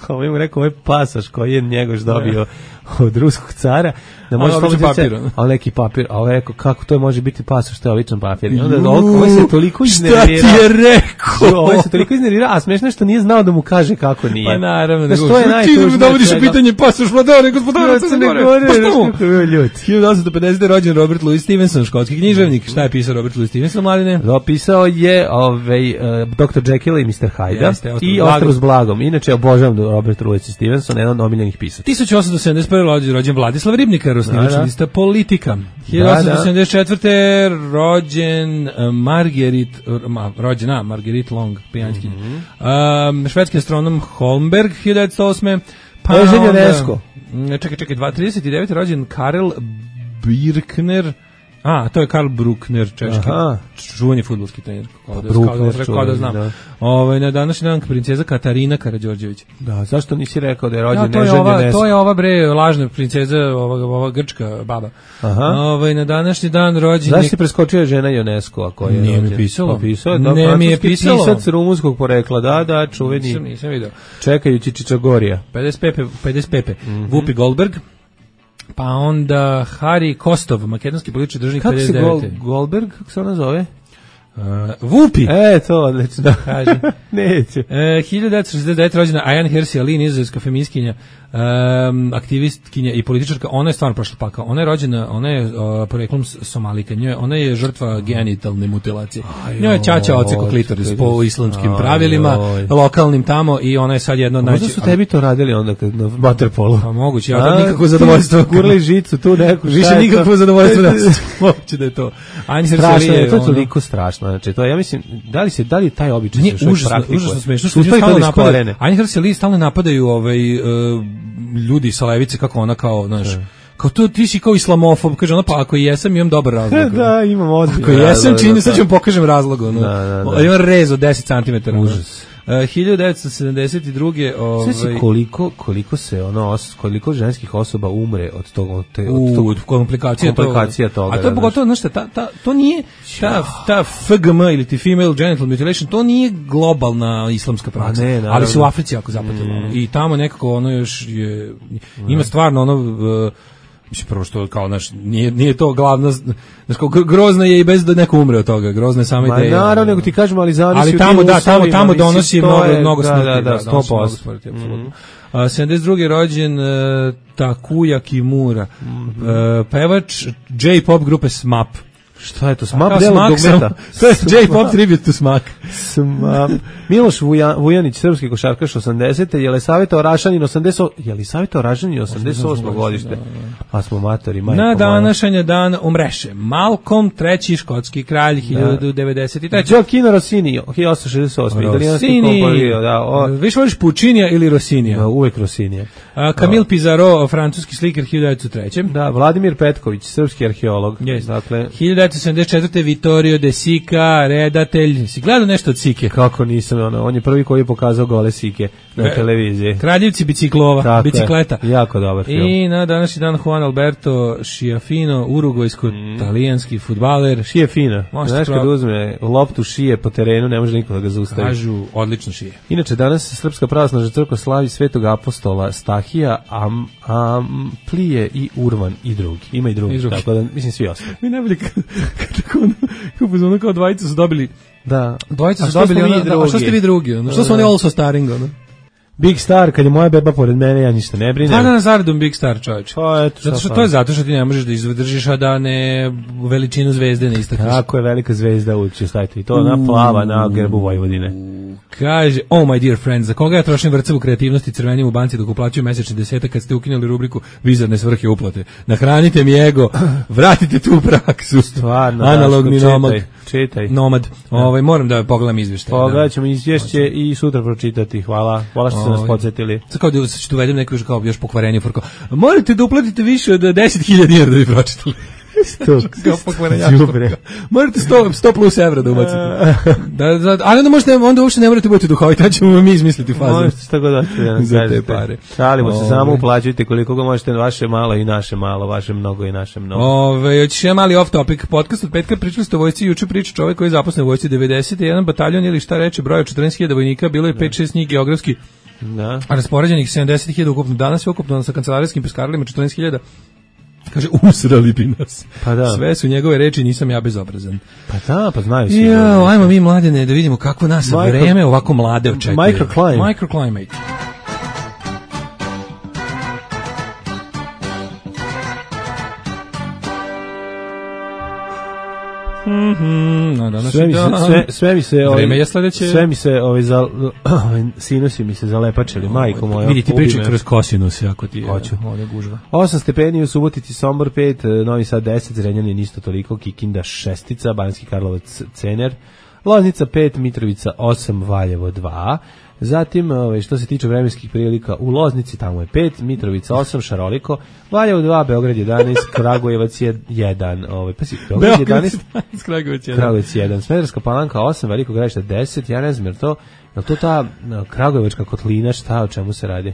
ovo mu rekao, ovo je pasoš koji je Njegoš dobio od ruskog cara, da može neki papir, a ovo je rekao, kako to može biti pasoš, to je običan papir. I onda ovo se toliko iznervirao. Šta ti je rekao? Ovo se toliko iznervirao, a smešno što nije znao da mu kaže kako nije. Pa naravno, nego što je najtužnije. Ti dovodiš u pitanje pasoš Vladara i gospodara Crne Gore. Pa što mu? 1850. rođen Robert Louis Stevenson, škotski književnik. Šta je pisao Robert Louis Stevenson, mladine? Dopisao je Dr. Jekyll i Mr. Hyde i Ostrov s blagom. Inače, obožavam Robert Louis Stevenson, jedan od omiljenih pisaca. 1871. rođen Vladislav Ribnikar, osnivač lista Politika. 1874. rođen Marguerite Long, pijanjskinja. Švedski astronom Holmberg, 1908. Eženje Resko. Čekaj, 39. rođen Karel Birkner. To je Karl Bruckner, češki, čuveni fudbalski trener, kao da znam. Na današnji dan princeza Katarina Karađorđević. Da, zašto nisi rekao da je rođen Neženje Nesko? To je ova lažna princeza, ova grčka baba. Na današnji dan rođen... Zašto si preskočio žena Ionesco? Nije mi pisalo. Ne mi je pisalo. Pisac rumunskog porekla, da, čuveni. Nisam vidio. Čekajući Čičagorija. 55. Whoopi Goldberg. Pa onda Hari Kostov, makedonski politički državnik 59. Kako se Goldberg, kako se ona zove? Vupi. To odlično. Kaže. Neće. 1969. rođena Ayan Hirsi Ali, nizozemska feministkinja, aktivistkinja i političarka. Ona je stvarno prošla pakao. Ona je rođena, ona je poreklom Somalika. Ona je žrtva genitalne mutilacije. Njoj je ćaća oceko klitoris po islamskim pravilima, lokalnim tamo, i ona je sad jedna od Možda su tebi to radili onda kad na waterpolu. Pa moguće, ja da nikakvo zadovoljstvo. Kurli žicu tu neku. Više nikakvo zadovoljstvo da moguće da je to. Strašno je, to je toliko strašno. Znači, to ja mislim, da li taj običaj se još praktikuje? Užasno smešno. Ayan Hirsi Ali stalno napadaju ljudi sa levice, kako ona kao, znaš, kao to, ti si kao islamofob, kaže ona, pa ako i jesam, imam dobar razlog. Da, imam odlično. Ako jesam, čini, sad ću vam pokažem razlog. Imam rez od 10 cm. Užas. 1972. Sve koliko ženskih osoba umre od toga, od komplikacija toga. A to je pogotovo, znaš šta, to nije, ta FGM ili ti female genital mutilation, to nije globalna islamska praksa, ali se u Africi jako zapatilo. I tamo nekako ono još je, ima stvarno ono, mislim, prvo što kao, znaš, nije to glavno, znaš, kao grozno je i bez da neko umre od toga, grozna je sama ideja. Naravno, nego ti kažemo, ali zavisi tamo donosi mnogo smrti. Da, 100%. 72. rođen Takuya Kimura, pevač J-pop grupe SMAP. Šta je to? SMAP delo dugmeta. To je J-pop tribute to SMAP. SMAP. Miloš Vujanić, srpski košarkaš 80. Jelisaveta Orašanin 88. godište. Pa smo matori, majko moja. Na današnji dan umreše Malcolm III, škotski kralj, 1093. Gioacchino Rossini, 1868. Rossini. Više voliš Puccinija ili Rossinija? Uvek Rossinija. Camille Pizarro, francuski slikar, 1903. Da, Vladimir Petković, srpski arheolog. Dakle, 1974. Vittorio De Sica, redatelj. Si gledao nešto od Sike? Kako nisam, on je prvi koji je pokazao gole Sike na televiziji. Kraljevci bicikleta. Jako dobar film. I na današnji dan Juan Alberto Schiaffino, urugvajsko-talijanski fudbaler. Schiaffino. Znaš kad uzme loptu šije po terenu, ne može niko da ga zaustavi. Kažu, odlično šije. Inače, danas Srpska pravoslavna crkva slavi Svetog apostola Stahija, Amplije i Urvan i drugi. Ima i drugi. Tako da, mislim, svi ostali. Mi najbolje kao dvojica su dobili. Da. Dvojica su dobili, a što ste vi drugi? Što su oni also starring, Big Star, kad je moja beba pored mene, ja ništa ne brinem. Pa da nas zaredom Big Star, čovječ. To je zato što ti ne možeš da izdržiš, a da ne veličinu zvezde ne istakneš. Kako je velika zvezda uči, stavite. I to ona plava na grbu Vojvodine. Kaže, oh my dear friends, za koga ja trošim vrcavu kreativnosti crvenim u banci dok uplaćuju mesečni desetak kad ste ukinuli rubriku bizarne svrhe uplate. Nahranite mi ego, vratite tu praksu. Stvarno, analogni čitaj. Nomad. Moram da pogledam izvještaj. Pogledat ćemo izvješće i sutra pročitati. Hvala što ste nas podsjetili. Sad kao da ću uvedem neku kao još pokvarenje forko. Morate da uplatite više od 10.000 dinara da bi pročitali. Morate 100 plus evra da ubacite. Ali onda uopšte ne morate biti duhoviti, tad ćemo mi izmisliti fazu. Možete šta god hoćete za te pare. Šalimo se, samo uplaćujte koliko ga možete, vaše malo i naše malo, vaše mnogo i naše mnogo. Hoćeš jedan mali off topic podcast od petka, pričali ste o vojsci, juče priča čovjek koji je zaposlen u vojsci 91 bataljon ili šta reče, broj 14.000 vojnika, bilo je 5-6 njih geografski raspoređenih, 70.000 ukupno, danas je ukupno sa kancelarijskim peskarilima 14.000. Kaže, usrali bi nas. Pa da. Sve su njegove reči, nisam ja bezobrazan. Pa da, pa znaju svi. Ajmo mi mladene da vidimo kako nas vreme ovako mlade očekuje. Microclimate. Sve mi se vreme je sledeće. Sve mi se sinusi mi se zalepačili, majko moja. Vidi ti pričaj kroz kosinus, ako ti je gužva. 8 stepeni u Subotici, Sombor 5, Novi Sad 10, Zrenjanin isto toliko, Kikinda 6, Banjski Karlovac Cener, Loznica 5, Mitrovica 8, Valjevo 2. Zatim, što se tiče vremenskih prilika, u Loznici tamo je 5, Mitrovica 8, Šaroliko, Valjevo 2, Beograd 11, Kragujevac 1, Beograd 11, Kragujevac 1, Smederska Palanka 8, Veliko Gradište 10, ja ne znam jer to ta Kragujevačka kotlina, šta, o čemu se radi?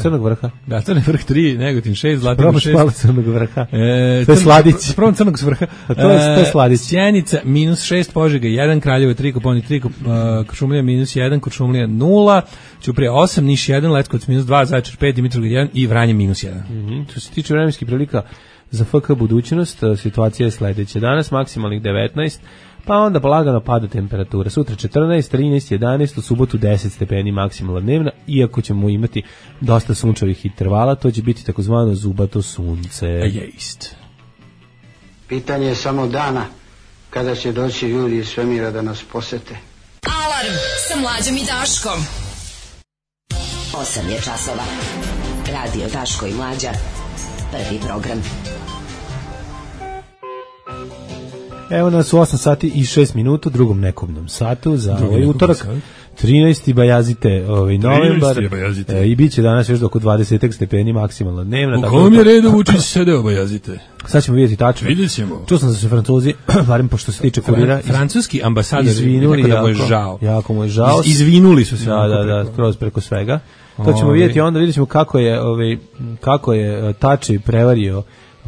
Crnog vrha? Da, Crnog vrh 3, Negotin 6, Zlatibor 6. Probaš Crnog vrha. To je Sladić. Prvom Crnog vrha. To je Sladić. Sjenica -6, Požega 1, Kraljevo 3, Koponik 3, Kuršumlija -1, Kuršumlija 0, Ćuprija 8, Niš 1, Letkovac -2, Zaječar 5, Dimitrovgrad 1 i Vranje -1. Što se tiče vremenskih prilika, Za FK budućnost situacija je sledeća. Danas maksimalnih 19, pa onda polagano pada temperatura. Sutra 14, 13, 11, u subotu 10 stepeni maksimalna dnevna, iako ćemo imati dosta sunčevih intervala, to će biti takozvano zubato sunce. Jest. Pitanje je samo dana kada će doći ljudi iz svemira da nas posete. Alarm sa Mlađom i Daškom. 8 je časova. Radio Daško i Mlađa. Prvi program. Evo nas u 8 sati i 6 minuta, drugom nekobnom satu za ovaj utorak. 13. Bajazite novembar i bit će danas još oko 20 stepeni maksimalna dnevna. U kom je redu Vučić sedeo Bajazite? Sad ćemo vidjeti tačno. Vidjet ćemo. Čuo sam da su Francuzi, barem pošto se tiče kurira, francuski ambasador izvinuli, da mu je žao. Jako mu je žao. Izvinuli su se. Da, kroz preko svega. To ćemo vidjeti, onda vidjet ćemo kako je Tači prevario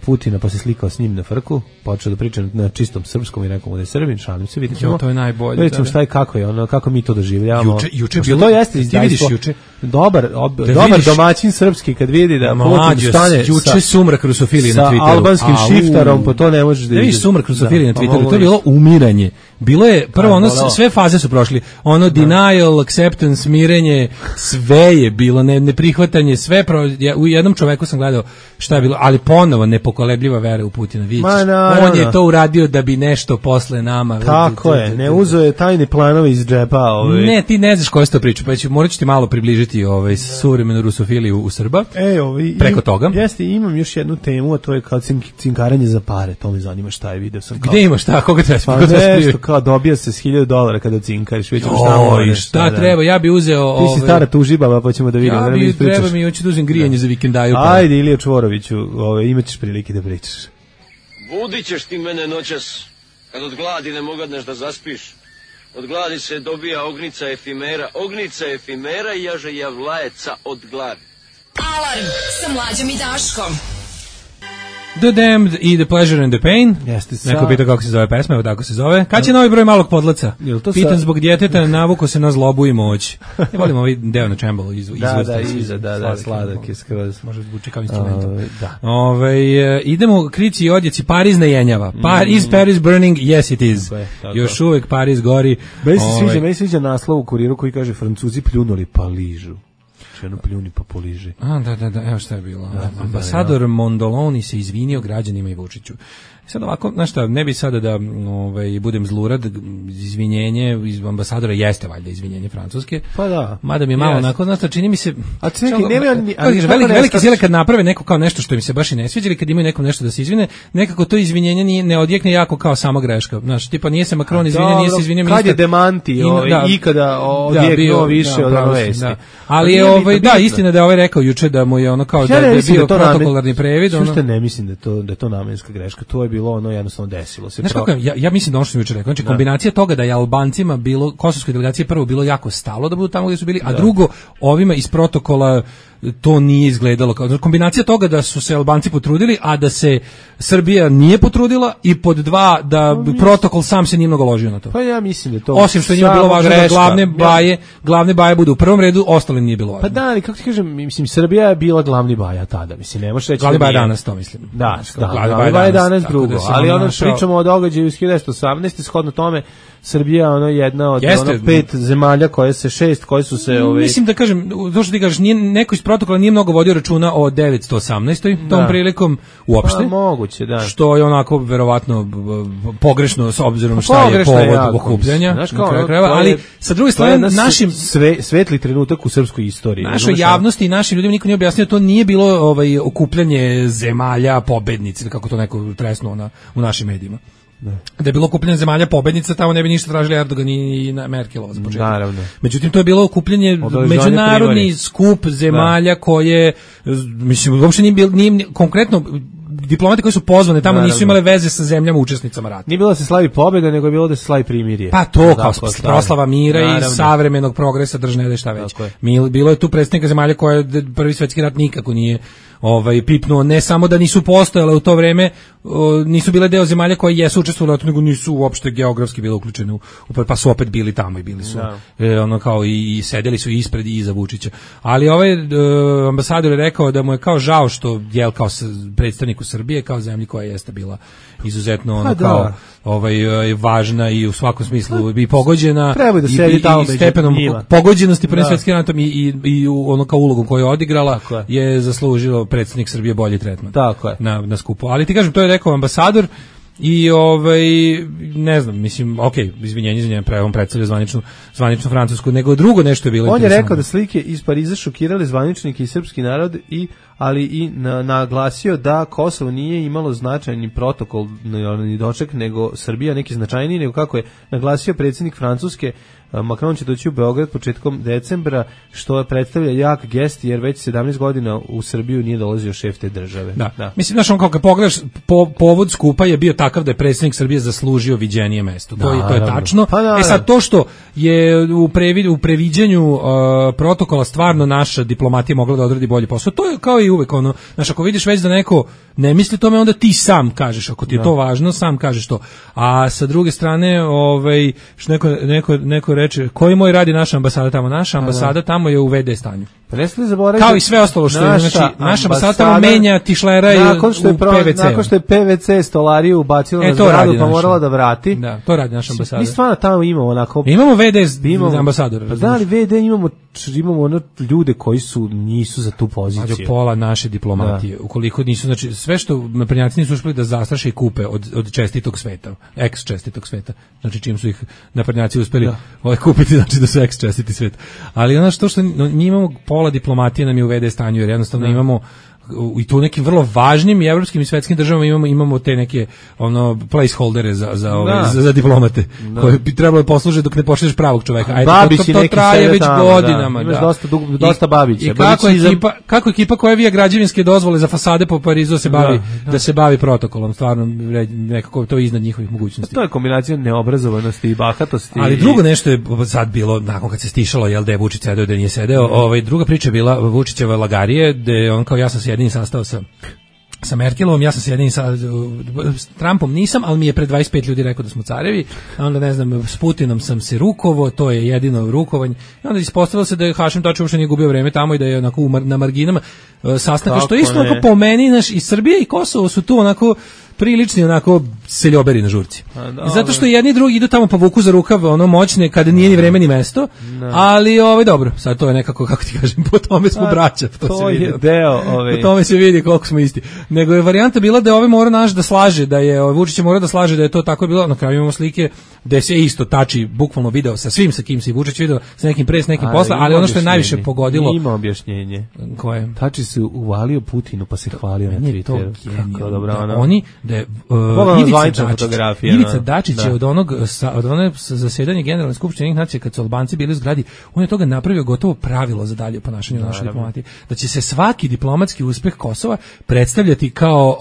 Putina, pa se slikao s njim na frku, počeo da priča na čistom srpskom i rekao mu da je Srbin, šalim se, vidjet ćemo. To je najbolje. Vidjet ćemo šta je, kako je ono, kako mi to doživljavamo. Juče bilo, to jeste izdajstvo. Dobar domaćin srpski kad vidi da Putin stane juče sumrak rusofilije na Twitteru. Sa albanskim šiftarom, pa to ne možeš da vidiš sumrak rusofilije na Twitteru, to je bilo umiranje. Bilo je, prvo ono, sve faze su prošli. Ono, denial, acceptance, mirenje, sve je bilo, neprihvatanje, sve, u jednom čoveku sam gledao šta je bilo, ali ponovo nepokolebljiva vera u Putina, vidiš. On je to uradio da bi nešto posle nama. Tako je, ne uzo je tajne planove iz džepa. Ne, ti ne znaš koja se to priča, pa morat ću ti malo približiti suvremenu rusofiliju u Srba, preko toga. Jeste, imam još jednu temu, a to je kao cinkaranje za pare, to me zanima šta je, video sam. Gde imaš šta, koga treba kao dobija se s $1000 kada cinkariš, već šta treba, ja bi uzeo... Ti si stara tužibaba, pa ćemo da vidimo. Treba mi, hoću da uzem grijanje za vikendaju. Ajde, Ilija Čvoroviću, imaćeš prilike da pričaš. Budit ćeš ti mene noćas, kad od gladi ne mogadneš da zaspiš. Od gladi se dobija ognica efimera i jaže javlajeca od gladi. Alarm sa Mlađom i Daškom. The Damned i The Pleasure and the Pain. Neko pita kako se zove pesma, evo tako se zove. Kad će novi broj Malog podlaca? Pitan zbog djeteta, navuko se na zlobu i moć. Ja volim ovaj deo na čembalo Da, sladak je skroz. Može zvuči kao instrument. Idemo, krici i odjeci, Paris ne jenjava. Is Paris burning? Yes it is. Još uvek Paris gori. Meni sviđa naslov u Kuriru koji kaže Francuzi pljunuli pa ližu. Jedno pljuni pa poliži. Da, evo šta je bilo. Ambasador Mondoloni se izvinio građanima i Vučiću. Sad ovako, znaš šta, ne bi sada da budem zlurad, izvinjenje iz ambasadora jeste valjda izvinjenje francuske. Pa da. Mada mi je malo onako, znaš šta, čini mi se... Veliki sile kad naprave neko kao nešto što im se baš i ne sviđa ili kad imaju nekom nešto da se izvine, nekako to izvinjenje ne odjekne jako kao sama greška. Znaš, tipa nije se Macron izvinio, nije se izvinio ministar. Kad je demanti ikada odjeknuo više od vesti. Ali je istina da je rekao juče da mu je ono kao da je bio protokolarni previd. Što ne mislim da je to namenska greška, to je bilo ono jednostavno desilo se. Znaš kako ja mislim da ono što sam jučer rekao, znači kombinacija toga da je Albancima bilo, kosovskoj delegaciji prvo bilo jako stalo da budu tamo gdje su bili, a drugo ovima iz protokola to nije izgledalo kao kombinacija toga da su se Albanci potrudili, a da se Srbija nije potrudila i pod dva da protokol sam se nije mnogo ložio na to. Pa ja mislim da to osim što nije bilo važno da glavne baje budu u prvom redu, ostali nije bilo važno. Pa da, ali kako ti kažem, mislim Srbija je bila glavni baja tada, mislim ne možeš reći glavni baja danas to mislim. Da, glavni baja danas drugo, ali ono pričamo o događaju iz 1918 shodno tome Srbija jedna od 5 zemalja koje su se mislim da kažem, to što ti kažeš, neko iz protokola nije mnogo vodio računa o 918. tom prilikom uopšte. Pa moguće, da. Što je onako verovatno pogrešno s obzirom šta je povod okupljanja. Ali sa druge strane našim svetli trenutak u srpskoj istoriji. Našoj javnosti i našim ljudima niko nije objasnio, to nije bilo okupljanje zemalja pobednici, kako to neko tresnuo u našim medijima. Da je bilo okupljanje zemalja pobednica, tamo ne bi ništa tražili Erdogan i Merkelova. Naravno. Međutim, to je bilo okupljanje međunarodni skup zemalja koje, mislim, uopšte nije konkretno diplomati koji su pozvane tamo nisu imale veze sa zemljama učesnicama rata. Nije bilo da se slavi pobjeda, nego je bilo da se slavi primirje. Pa to kao proslava mira i savremenog progresa držne šta već. Bilo je tu predstavnika zemalja koje Prvi svjetski rat nikako nije pipnuo, ne samo da nisu postojale u to vreme, nisu bile deo zemalja koje jesu učestvovale, nego nisu uopšte geografski bile uključene pa su opet bili tamo i bili su ono kao i sedeli su ispred i iza Vučića. Ali ambasador je rekao da mu je kao žao što kao predstavnik u Srbije kao zemlji koja jeste bila izuzetno ono kao važna i u svakom smislu i pogođena i stepenom pogođenosti prvim svetskim ratom i ono kao ulogom koju je odigrala je zaslužilo predsjednik Srbije bolji tretman na skupu. Ali ti kažem, to je rekao ambasador i ne znam, mislim, izvinjenje, on predstavlja zvaničnu Francusku, nego drugo nešto je bilo. On je rekao da slike iz Pariza šokirale zvaničnike i srpski narod, ali i naglasio da Kosovo nije imalo značajni protokol ni doček, nego Srbija neki značajniji, nego kako je naglasio predsjednik Francuske, Macron će doći u Beograd početkom decembra, što predstavlja jak gest, jer već 17 godina u Srbiju nije dolazio šef te države. Da. Mislim, znaš, on kao kad pogledaš, povod skupa je bio takav da je predsjednik Srbije zaslužio viđenije mesto. To je tačno. Sad, to što je u previđanju protokola stvarno naša diplomatija mogla da odradi bolji posao, to je kao i uvek, ono, znaš, ako vidiš već da neko ne misli tome, onda ti sam kažeš, ako ti je to važno, sam kažeš to. A sa druge strane, što neko reče, koji moj radi naša ambasada tamo? Naša ambasada tamo je u VD stanju. Kao i sve ostalo što je, znači, naša ambasada tamo menja tišlera i u PVC. Nakon što je PVC stolariju ubacilo na zgradu, pa morala da vrati. Da, to radi naša ambasada. Mi stvarno tamo imamo onako... Imamo VD ambasadora. Pa da li VD imamo ono ljude koji nisu za tu poziciju. Pola naše diplomatije. Ukoliko nisu, znači, sve što naprednjaci nisu uspeli da zastraše i kupe od čestitog sveta, ex čestitog sveta, znači čim su ih naprednjaci uspeli kupiti, znači da su ex čestiti svet. Ali ono što mi imamo, pola diplomatije nam je u VD stanju, jer jednostavno imamo i tu nekim vrlo važnim i evropskim i svetskim državama imamo te neke placeholdere za diplomate koje bi trebalo da posluže dok ne pošalješ pravog čoveka. Ajde, to traje već godinama. Imaš dosta Babića. I kako ekipa koja vija građevinske dozvole za fasade po Parizu da se bavi protokolom, stvarno nekako to je iznad njihovih mogućnosti. To je kombinacija neobrazovanosti i bahatosti. Ali drugo nešto je sad bilo, nakon kad se stišalo, jel da je Vučić sedeo, da nije sedeo, druga priča je bila Vučićeva lagarije, gde on kao, ja sam se jedini sastao sa Merkelovom, ja sam se jedini sa Trumpom nisam, ali mi je pred 25 ljudi rekao da smo carevi, a onda ne znam, s Putinom sam se rukovo, to je jedino rukovanje, i onda ispostavilo se da je Hašim Tači uopšte nije gubio vreme tamo i da je onako na marginama sastanka, što isto onako po meni, i Srbija i Kosovo su tu onako prilični onako seljoberi na žurci. Zato što jedni i drugi idu tamo pa vuku za rukav, ono moćne, kada nije ni vreme ni mesto, ali dobro, sad to je nekako, kako ti kažem, po tome smo braća. To je deo. Po tome se vidi koliko smo isti. Nego je varijanta bila da je mora naš da slaže, da je Vučić mora da slaže da je to tako bilo. Na kraju imamo slike gde se isto Tači bukvalno video sa svim sa kim se Vučić video, sa nekim pre, s nekim posle, ali ono što je najviše pogodilo. Ima objašnjenje. Koje? Tači se uvalio Putinu pa se hvalio na Twitteru. Kako dobro, oni da je Ivica Dačić je od onog zasedanja Generalne skupštine Ujedinjenih nacija kad su Albanci bili u zgradi, on je toga napravio gotovo pravilo za dalje ponašanje u našoj diplomatiji, da će se svaki diplomatski uspeh Kosova predstavljati kao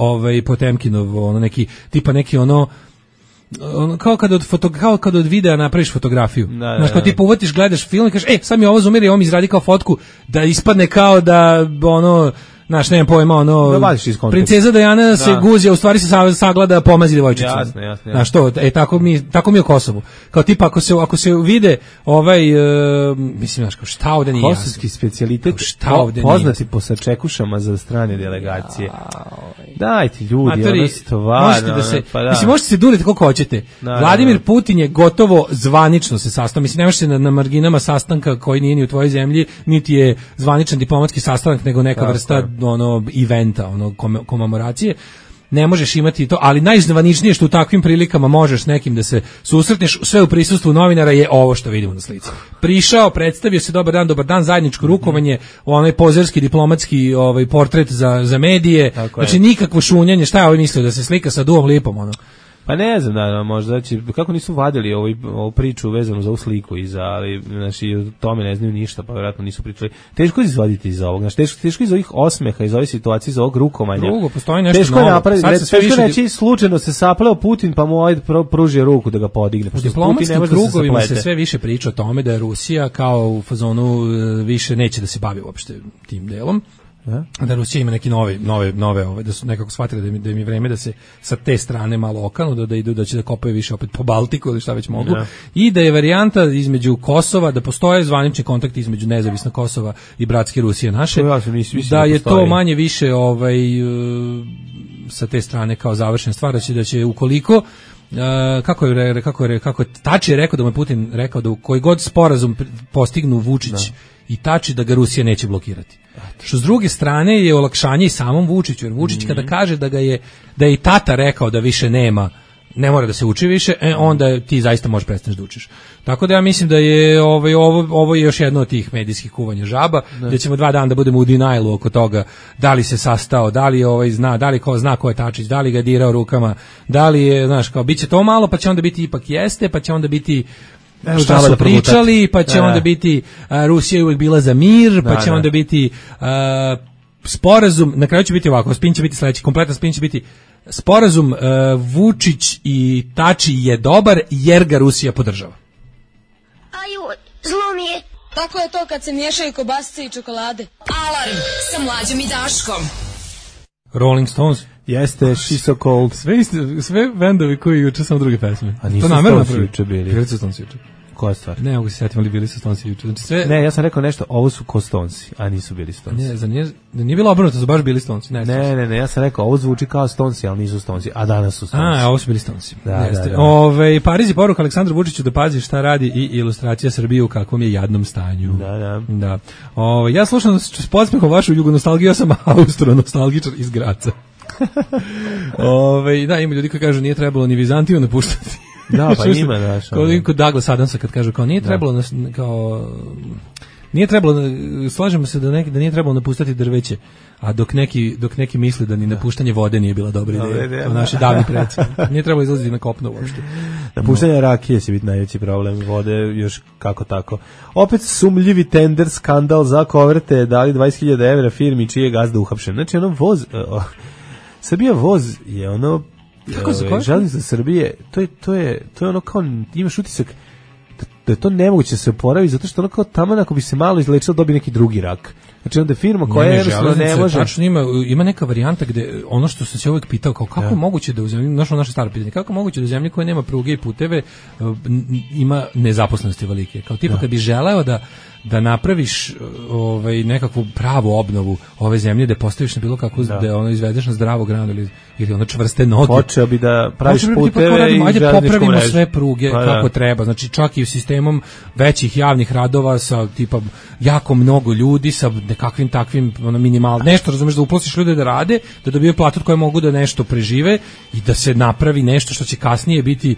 Potemkinov neki kao kad od videa napraviš fotografiju. Znaš, kao ti uvatiš, gledaš film i kažeš, sad mi ovo zoomira i ovo mi izradi kao fotku, da ispadne kao da znaš, nemam pojma, princeza Dajana se guzi, a u stvari se saglada pomazi devojčicu. Jasno. Znaš, tako mi je u Kosovu. Kao tipa, ako se vide mislim, znaš, kao šta ovde nije jasno. Kosovski specijalitet, poznati po sačekušama za strane delegacije. Dajte ljudi, ono stvarno. Mislim, možete se duriti koliko hoćete. Vladimir Putin je gotovo zvanično se sastao. Mislim, nemaš se na marginama sastanka koji nije ni u tvojoj zemlji, niti je zvaničan diplomatski sastanak, nego neka vrsta eventa, komemoracije. Ne možeš imati to, ali najzvaničnije što u takvim prilikama možeš s nekim da se susretneš, sve u prisustvu novinara, je ovo što vidimo na slici. Prišao, predstavio se, dobar dan, zajedničko rukovanje, onaj pozerski diplomatski portret za medije, znači nikakvo šunjanje, šta je ovaj mislio, da se slika sa Duom Lipom, Pa ne znam, možda kako nisu vadili ovu priču vezanu za ovu sliku ali znači o tome ne znaju ništa, pa vjerojatno nisu pričali. Teško je izvaditi iz ovog, znači teško iz ovih osmeha, iz ove situacije, iz ovog rukovanja. Drugo, postoji nešto teško novo. Teško reći, slučajno se sapleo Putin, pa mu pružio ruku da ga podigne. U diplomatskim krugovima se sve više priča o tome da je Rusija kao u fazonu više neće da se bavi uopšte tim delom. Da Rusija ima neki nove, da su nekako shvatili da im je vreme da se sa te strane malo okanu, da idu, da će da kopaju više opet po Baltiku ili šta već mogu, i da je varijanta između Kosova, da postoje zvanični kontakti između nezavisna Kosova i bratske Rusije naše, da je to manje više sa te strane kao završena stvar, da će ukoliko kako je Tači rekao da mu je Putin rekao da u koji god sporazum postignu Vučić i Tači da ga Rusija neće blokirati. Što s druge strane je olakšanje i samom Vučiću, jer Vučić kada kaže da je i tata rekao da više ne mora da se uči više, onda ti zaista možeš prestati da učiš. Tako da ja mislim da je ovo je još jedno od tih medijskih kuvanja žaba, da ćemo 2 dana da budemo u denialu oko toga da li se sastao, da li zna, da li zna ko je Tačić, da li ga dirao rukama, da li je, znaš, kao biće to malo, pa će onda biti ipak jeste, pa će onda biti šta su pričali, pa će onda biti Rusija je uvijek bila za mir, pa će onda biti sporazum, na kraju će biti ovako, spin će biti sledeći, kompletan spin će biti sporazum Vučić i Tači je dobar jer ga Rusija podržava. Aju, zlo mi je. Tako je to kad se miješaju kobasice i čokolade. Alarm sa Mlađom i Daškom. Rolling Stones. Jeste, She's So Cold. Sve bendovi koji juče samo druge pesme. A nisu Stonesi juče bili. Bili su Stonesi juče. Koja stvar? Ne, mogu se sjetiti, ali bili su Stonesi juče. Znači sve... Ne, ja sam rekao nešto, ovo su ko Stonesi, a nisu bili Stonesi. Nije bilo obrnuto, su baš bili Stonesi. Ne, ja sam rekao, ovo zvuči kao Stonesi, ali nisu Stonesi, a danas su Stonesi. Ovo su bili Stonesi. Da. Pariz je poruka Aleksandru Vučiću da pazi šta radi i ilustracija Srbije u kakvom je jadnom stanju. Da. Ja slušam s podsmehom vašu jugonostalgiju, ja sam austro-nostalgičar iz Graca. Da, ima ljudi koji kažu nije trebalo ni Vizantiju napuštati. Da, pa ima, daš. Koliko Douglas Adamsa kad kažu kao nije trebalo nije trebalo, slažemo se da nije trebalo napuštati drveće, a dok neki misle da ni napuštanje vode nije bila dobra ideja. Naši davni preci. Nije trebalo izlaziti na kopno uopšte. Napuštanje rakije će biti najveći problem, vode još kako tako. Opet sumljivi tender skandal za koverte, dali 20.000 evra firmi čiji je gazda uhapšen. Znači voz, Srbija voz je železnica Srbije, to je ono kao, imaš utisak da je to nemoguće se oporaviti, zato što ono kao tamo ako bi se malo izlečilo dobije neki drugi rak. Znači onda je firma koja ne može... Tačno ima neka varijanta gde, ono što sam se uvijek pitao, kao kako je moguće da u zemlji, naše staro pitanje, kako je moguće da u zemlji koja nema pruge i puteve ima nezaposlenosti velike. Kao tipa kad bi želeo da napraviš nekakvu pravu obnovu ove zemlje, da postaviš na bilo kako, da ono izvedeš na zdravo granu ili ono čvrste noge. Počeo bi da praviš puteve i ajde popravimo sve pruge kako treba, znači čak i u sistemom većih javnih radova sa tipa jako mnogo ljudi, sa nekakvim takvim minimalno, nešto razumeš da uposliš ljude da rade, da dobiju platu od koje mogu da nešto prežive i da se napravi nešto što će kasnije biti.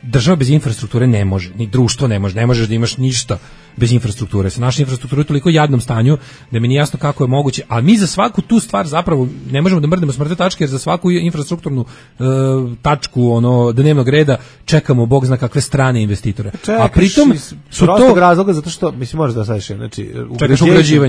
Država bez infrastrukture ne može, ni društvo ne možeš da imaš ništa bez infrastrukture. Sa naša infrastruktura je toliko jadnom stanju da mi nije jasno kako je moguće, a mi za svaku tu stvar zapravo ne možemo da mrdnemo s mrtve tačke, jer za svaku infrastrukturnu tačku dnevnog reda čekamo bog zna kakve strane investitore. A pritom su to razloga zato što mislim možeš da sadeš, znači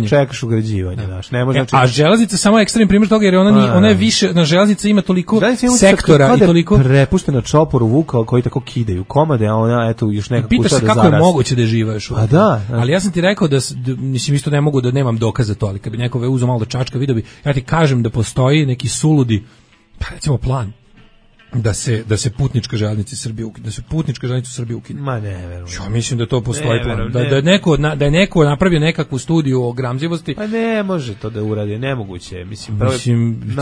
čekaš ugrađivanje, znaš, ne može. A železnica samo ekstremni primjer toga jer ona je više, na železnici ima toliko sektora i toliko prepuštena čoporu vuka koji tako kidaju komade, a ona eto još nekako pitaš se kako je moguće da živaš. A da. Ali ja sam ti rekao da mislim isto ne mogu da nemam dokaza to, ali kad bi neko uzeo malo da čačka, video bi, ja ti kažem da postoji neki suludi, pa recimo plan da se putnička železnica Srbije ukine, da se putnička železnica Srbije ukine. Ma ne verujem. Ja mislim da to postoji plan. Da je neko napravio nekakvu studiju o gramzivosti. Pa ne može to da uradi, nemoguće. Mislim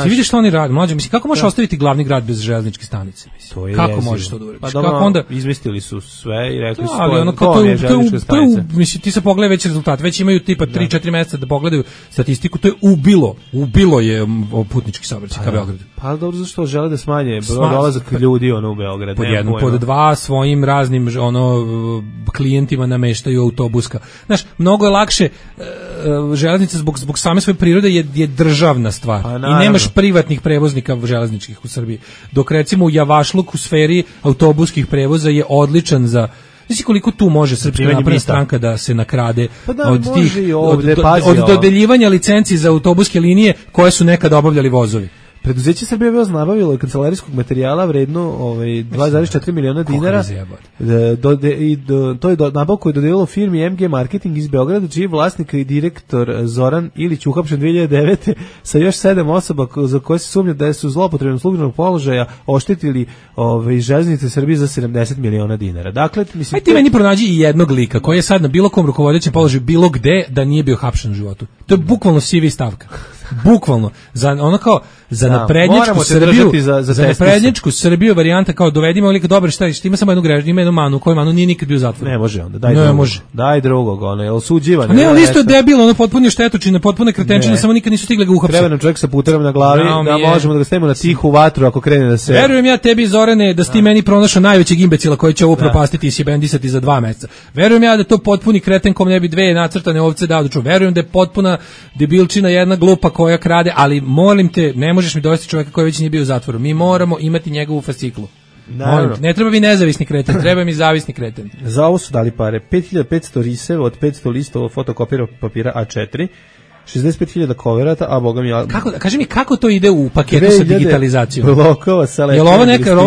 ti vidiš što oni rade, mlađe, mislim kako možeš ostaviti glavni grad bez železničke stanice, mislim. Kako možeš to da uradiš? Pa dobro, onda izmislili su sve i rekli su to je železnička stanica. Mislim ti se pogledaj već rezultat, već imaju tipa 3-4 meseca da pogledaju statistiku, to je ubilo je putnički saobraćaj ka Beogradu. Pa dobro, zašto žele da smanje dolazak ljudi u Beograd. Pod dva svojim raznim klijentima nameštaju autobuska. Znaš, mnogo je lakše železnica zbog same svoje prirode je državna stvar. I nemaš privatnih prevoznika železničkih u Srbiji. Dok recimo u Javašluk u sferi autobuskih prevoza je odličan za. Znači koliko tu može Srpska napredna stranka da se nakrade od dodeljivanja licenci za autobuske linije koje su nekada obavljali vozovi. Preduzeće Srbije voz nabavilo kancelarijskog materijala vredno 2,4 miliona dinara. To je nabavku je dodelilo firmi MG Marketing iz Beograda, čiji je vlasnik i direktor Zoran Ilić uhapšen 2009. sa još 7 osoba za koje se sumnja da su zloupotrebom službenog položaja oštetili železnice Srbije za 70 miliona dinara. Dakle, mislim, ti meni pronađi i jednog lika koji je sad na bilo kom rukovodećem položaju bilo gde da nije bio hapšen u životu. To je bukvalno CV stavka. Bukvalno za naprednjačku Srbiju, za naprednjačku Srbiju varijanta kao dovedimo lika dobar šta ima samo jednu grešku, ima jednu manu, koju manu nije nikad bio u zatvoru. Ne može onda, daj drugog. Daj drugog, ono je osuđivan. Ne, on isto je debil, ono potpuno štetočine, potpuno kretenčine, samo nikad nisu stigli ga uhapsiti. Treba nam čovjek sa puterom na glavi, da možemo da ga stavimo na tihu vatru ako krene da se. Verujem ja tebi Zorane da si ti meni pronašao najvećeg imbecila koji će ovo propastiti i sjebendisati za 2 meseca. Verujem ja da to potpuni kreten kom ne bi 2 nacrtane ovce dao da čuva. Verujem da je potpuna debilčina jedna glupa koja krade, ali molim te, ne možeš mi dovesti čovjeka koji već nije bio u zatvoru. Mi moramo imati njegovu fasciklu. Ne treba mi nezavisni kreten, treba mi zavisni kreten. Za ovo su dali pare 5500 riseva od 500 listova fotokopira papira A4, 65.000 koverata, a boga mi kaži mi kako to ide u paketu sa digitalizacijom? Blokova sa jel ovo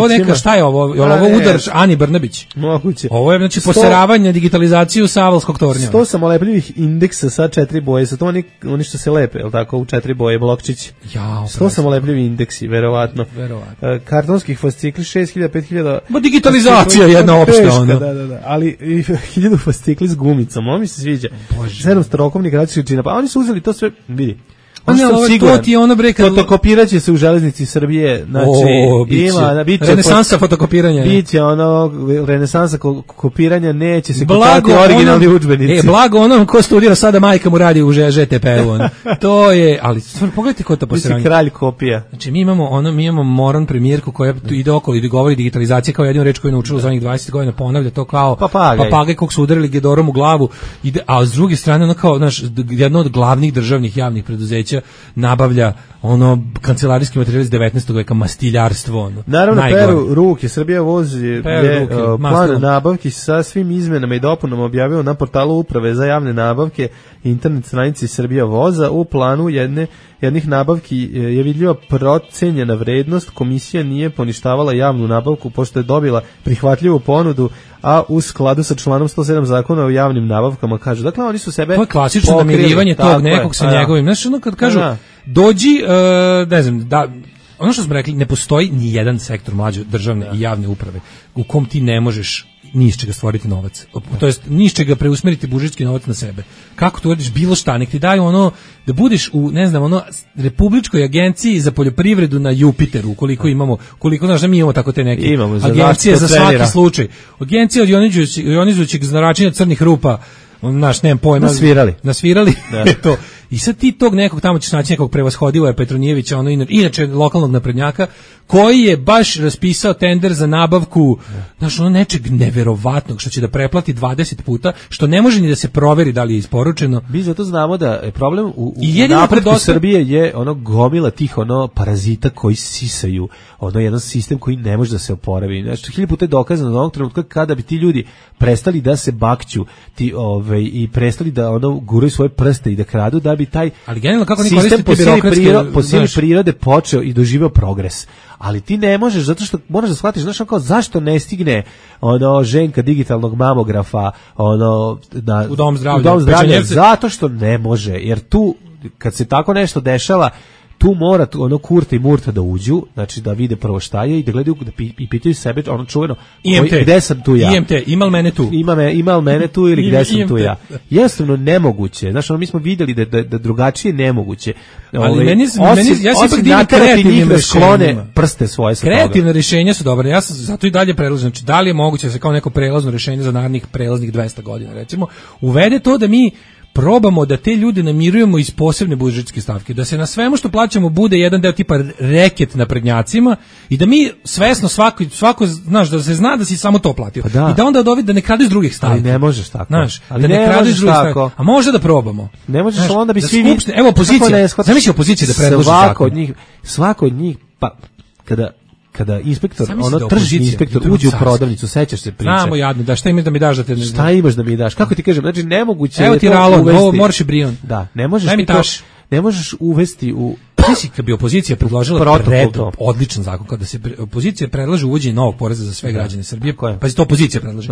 neka šta je ovo? Jel ovo udar Ani Brnabić? Moguće. Ovo je znači poseravanje digitalizaciju sa Avalskog tornja. 100 samolepljivih indeksa sa 4 boje, sa to oni što se lepe, jel tako, u 4 boje blokčići. 100 samolepljivi indeksi, verovatno. Kartonskih fascikli 6.000, 5.000. Ma digitalizacija jedna opšta ono. Da, ali 1000 fascikli s gumicom, ovo mi se sviđa. 7 starokovnih različitih čina, pa oni su uzeli to sve, vidi. To ti je ono bre kad fotokopiraće se u železnici Srbije, znači biće renesansa fotokopiranja. Biće ono renesansa kopiranja, neće se kopirati originalni udžbenici. Blago onom ko studira sada majka mu radi u ŽTP-u. To je, ali stvarno pogledajte ko to posranje. Kralj kopija. Znači mi imamo moron premijerku koja ide okolo i govori digitalizacija kao jedinu reč koju je naučila za onih 20 godina, ponavlja to kao papagaj kog su udarili gedorom u glavu, a s druge strane ono kao jedno od glavnih državnih javnih preduzeća nabavlja ono kancelarijski materijal iz 19. veka, mastiljarstvo ono. Naravno peru ruke, Srbija vozi plan nabavki sa svim izmenama i dopunama objavio na portalu Uprave za javne nabavke internet stranici Srbija voza. U planu jednih nabavki je vidljiva procenjena vrednost, komisija nije poništavala javnu nabavku pošto je dobila prihvatljivu ponudu, a u skladu sa članom 107 zakona o javnim nabavkama kažu. Dakle, oni su sebe to je klasično namirivanje tog nekog sa njegovim. Znaš, ono kad kažu dođi, ne znam, ono što smo rekli, ne postoji ni jedan sektor mlađe državne i javne uprave u kom ti ne možeš ni iz čega stvoriti novac. To jest ni iz čega preusmeriti budžetski novac na sebe. Kako to uradiš, bilo šta, nek ti daju ono da budeš u, ne znam, ono Republičkoj agenciji za poljoprivredu na Jupiteru, koliko znaš da mi imamo tako te neke agencije za svaki slučaj. Agencija od ionizujućeg zračenja crnih rupa, naš, nemam pojma. Nasvirali. To. I sad ti tog nekog tamo ćeš naći nekog prevashodivog Petronijevića, ono inače lokalnog naprednjaka, koji je baš raspisao tender za nabavku, znaš, ono nečeg neverovatnog, što će da preplati 20 puta, što ne može ni da se proveri da li je isporučeno. Mi zato znamo da je problem u napretku Srbije je ono gomila tih ono parazita koji sisaju, ono jedan sistem koji ne može da se oporavi. Znači, 1000 puta je dokazano da onog trenutka kada bi ti ljudi prestali da se bakću i prestali da ono guraju svoje prste i da kradu, da bi taj sistem po sili prirode počeo i doživeo progres. Ali ti ne možeš, zato što moraš da shvatiš, znaš, kao zašto ne stigne ono ženka digitalnog mamografa u dom zdravlja, zato što ne može, jer tu kad se tako nešto dešava, tu mora ono Kurta i Murta da uđu, znači da vide prvo šta je i da gledaju i pitaju sebe ono čuveno gde sam tu ja. IMT, imal mene tu. Imal mene tu ili gde sam tu ja. Jednostavno nemoguće. Znači, mi smo vidjeli da drugačije nemoguće. Ali ja se ipak divim kreativnim rješenjima. Prste svoje sa toga. Kreativne rješenja su dobre. Ja sam zato i dalje predlažem. Znači, da li je moguće da se kao neko prelazno rješenje za narednih prelaznih 200 godina, recimo, uvede to da mi probamo da te ljude namirujemo iz posebne budžetske stavke, da se na svemu što plaćamo bude jedan deo tipa reket naprednjacima i da mi svesno svako znaš da se zna da si samo to platio. I da onda da ne kradu iz drugih stavki. Ali ne možeš tako. Znaš, da ne kradu iz drugih stavki. A može da probamo. Ne možeš, znaš, onda bi svi evo opozicija. Zamisli opozicija da predloži zakon. Svako od njih pa kada inspektor, tržni inspektor uđe u prodavnicu, sećaš se priče. Znamo jadno, da šta imaš da mi daš da te... Šta imaš da mi daš? Kako ti kažem, znači nemoguće... Evo ti ralon, ovo morš i brion. Da, ne možeš uvesti u... Mislim, kad bi opozicija predložila odličan zakon, kada se opozicija predlaže uvođenje novog poreza za sve građane Srbije, pa to opozicija predlaže.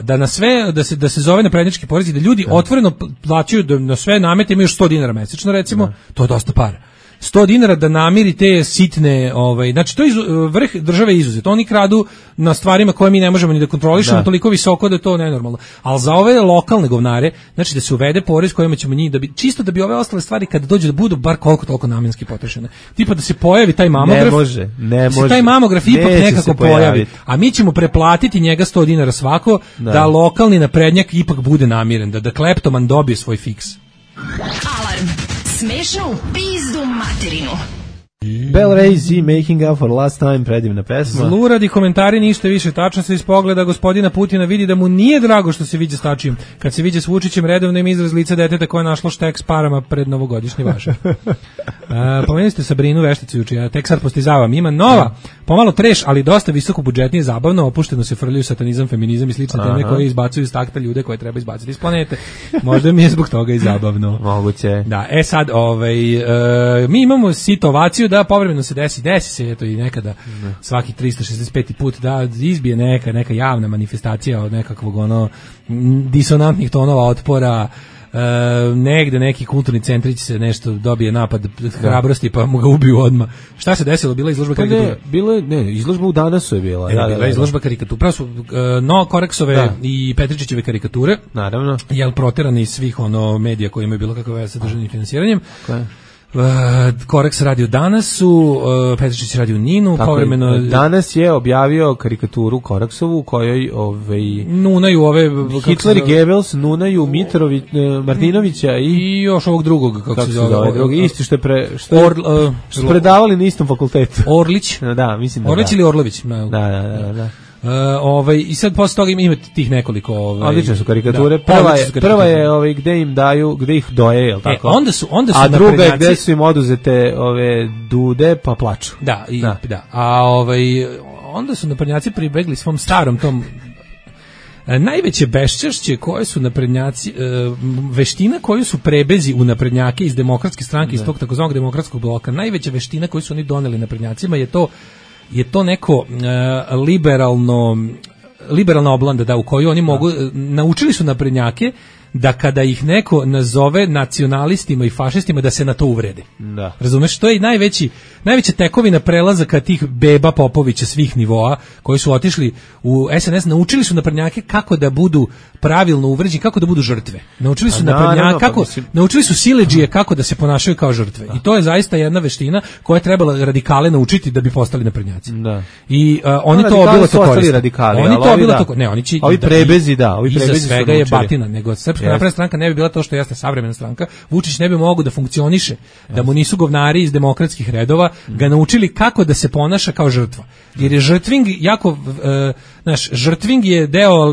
Da na sve, da se zove naprednjački porez i da ljudi otvoreno plaćaju na sve namete, imaju još 100 dinara mesečno, recimo, to je dosta para. 100 dinara da namiri te sitne, znači to je vrh države izuzet. Oni kradu na stvarima koje mi ne možemo ni da kontrolišemo, toliko visoko da je to nenormalno. Ali za ove lokalne govnare, znači da se uvede porez kojima ćemo njih, čisto da bi ove ostale stvari kada dođe da budu bar koliko toliko namenski potrošene. Tipa da se pojavi taj mamograf, ne može. Taj mamograf ipak nekako pojavi, a mi ćemo preplatiti njega 100 dinara svako, da lokalni naprednjak ipak bude namiren, da kleptoman dobije svoj fiks. Alarm. Smešno u pizdu materinu. Bell Ray Z, Making Up for Last Time, predivna pesma. Zluradi komentari, ništa više, tačno se iz pogleda gospodina Putina vidi da mu nije drago što se viđe s Tačijem. Kad se viđe s Vučićem, redovno im izraz lica deteta koje je našlo štek s parama pred novogodišnji vašar. Pomenuli ste Sabrinu Vešticu juče, ja tek sad postizavam. Ima nova, pomalo treš, ali dosta visoko budžetnije, zabavno, opušteno se frljaju satanizam, feminizam i slične teme koje izbacuju iz takta ljude koje treba izbaciti iz planete. Možda mi je zbog toga i zabavno. Moguće. Da, sad, mi imamo situaciju da povremeno se desi se eto i nekada svaki 365. put da izbije neka javna manifestacija od nekakvog disonantnih tonova otpora, negde neki kulturni centrić se nešto dobije napad hrabrosti pa mu ga ubiju odmah. Šta se desilo? Bila izložba karikatura? Izložba u Danasu je bila. Bila izložba karikatura. Pravo su Koreksove i Petričićeve karikature. Naravno. Jel proterani iz svih medija koji imaju bilo kakve veze sa državnim finansiranjem. Koreks radi u Danasu, Petričić radi u Ninu, povremeno... Danas je objavio karikaturu Koreksovu u kojoj nunaju ove... Hitler i Goebbels nunaju Martinovića i još ovog drugog, kako se zove. Isti što su predavali na istom fakultetu. Orlić? Da, mislim da. Orlić ili Orlović? Da. I sad posle toga imate tih nekoliko odlične su karikature. Prva je gde im daju, gde ih doje, je l' tako? Onda su a druga je gde su im oduzete dude pa plaču. Da. A onda su naprednjaci pribegli svom starom tom najveće beščašće koje su naprednjaci, veština koju su prebezi u naprednjake iz demokratske stranke, iz tog takozvanog demokratskog bloka, najveća veština koju su oni doneli naprednjacima je to neko liberalna oblanda u kojoj oni mogu, naučili su naprednjake da kada ih neko nazove nacionalistima i fašistima da se na to uvrede. Da. Razumeš, to je i najveća tekovina prelazaka tih beba Popovića svih nivoa koji su otišli u SNS, naučili su naprednjake kako da budu pravilno uvređeni, kako da budu žrtve. Naučili su naprednjake naučili su siledžije kako da se ponašaju kao žrtve. I to je zaista jedna veština koja je trebala radikale naučiti da bi postali naprednjaci. Da. I oni to bilo to koriste. Oni to bilo to. Ne, oni će ovi prebezi, ovi prebezi su svega je batina, nego Srpska napredna stranka ne bi bila to što jeste savremena stranka. Vučić ne bi mogao da funkcioniše da mu nisu govnari iz demokratskih redova ga naučili kako da se ponaša kao žrtva. Jer je žrtving jako žrtving je deo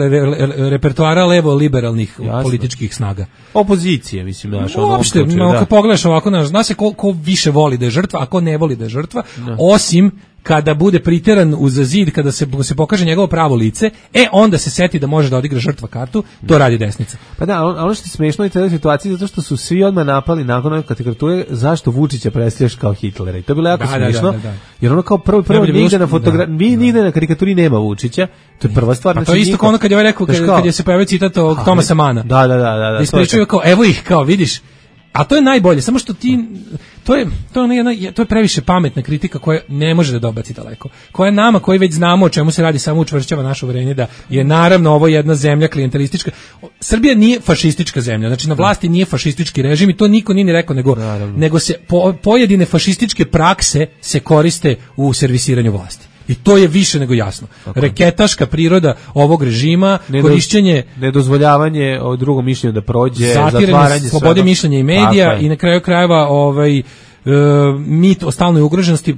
repertoara levo liberalnih političkih snaga. Opozicije, mislim, uopšte, kad pogledaš ovako, zna se ko više voli da je žrtva, a ko ne voli da je žrtva, osim kada bude priteran uz zid, kada se pokaže njegovo pravo lice, onda se seti da može da odigra žrtva kartu, to radi desnica. Pa da, ono što je smešno i tada situaciji, zato što su svi odmah napali nakon ove karikature zašto Vučića predstavljaš kao Hitlera. I to je bilo jako smešno, jer ono kao prvo nigde na karikaturi nema Vučića, to je prva stvar. Pa to je isto kao ono kad je rekao, kad je se pojavio citat od Tomasa Mana. Da. Ispričaju kao, evo ih, kao, vidiš. A to je najbolje, samo što to je previše pametna kritika koja ne može da dobaci daleko. Koja nama, koji već znamo o čemu se radi, samo učvršćava naše uverenje da je naravno ovo jedna zemlja klijentelistička. Srbija nije fašistička zemlja, znači na vlasti nije fašistički režim i to niko nije ni rekao, nego se pojedine fašističke prakse se koriste u servisiranju vlasti. I to je više nego jasno. Reketaška priroda ovog režima, korišćenje, nedozvoljavanje drugom mišljenju da prođe, zatvaranje slobode mišljenja i medija i na kraju krajeva mit o stalnoj ugroženosti,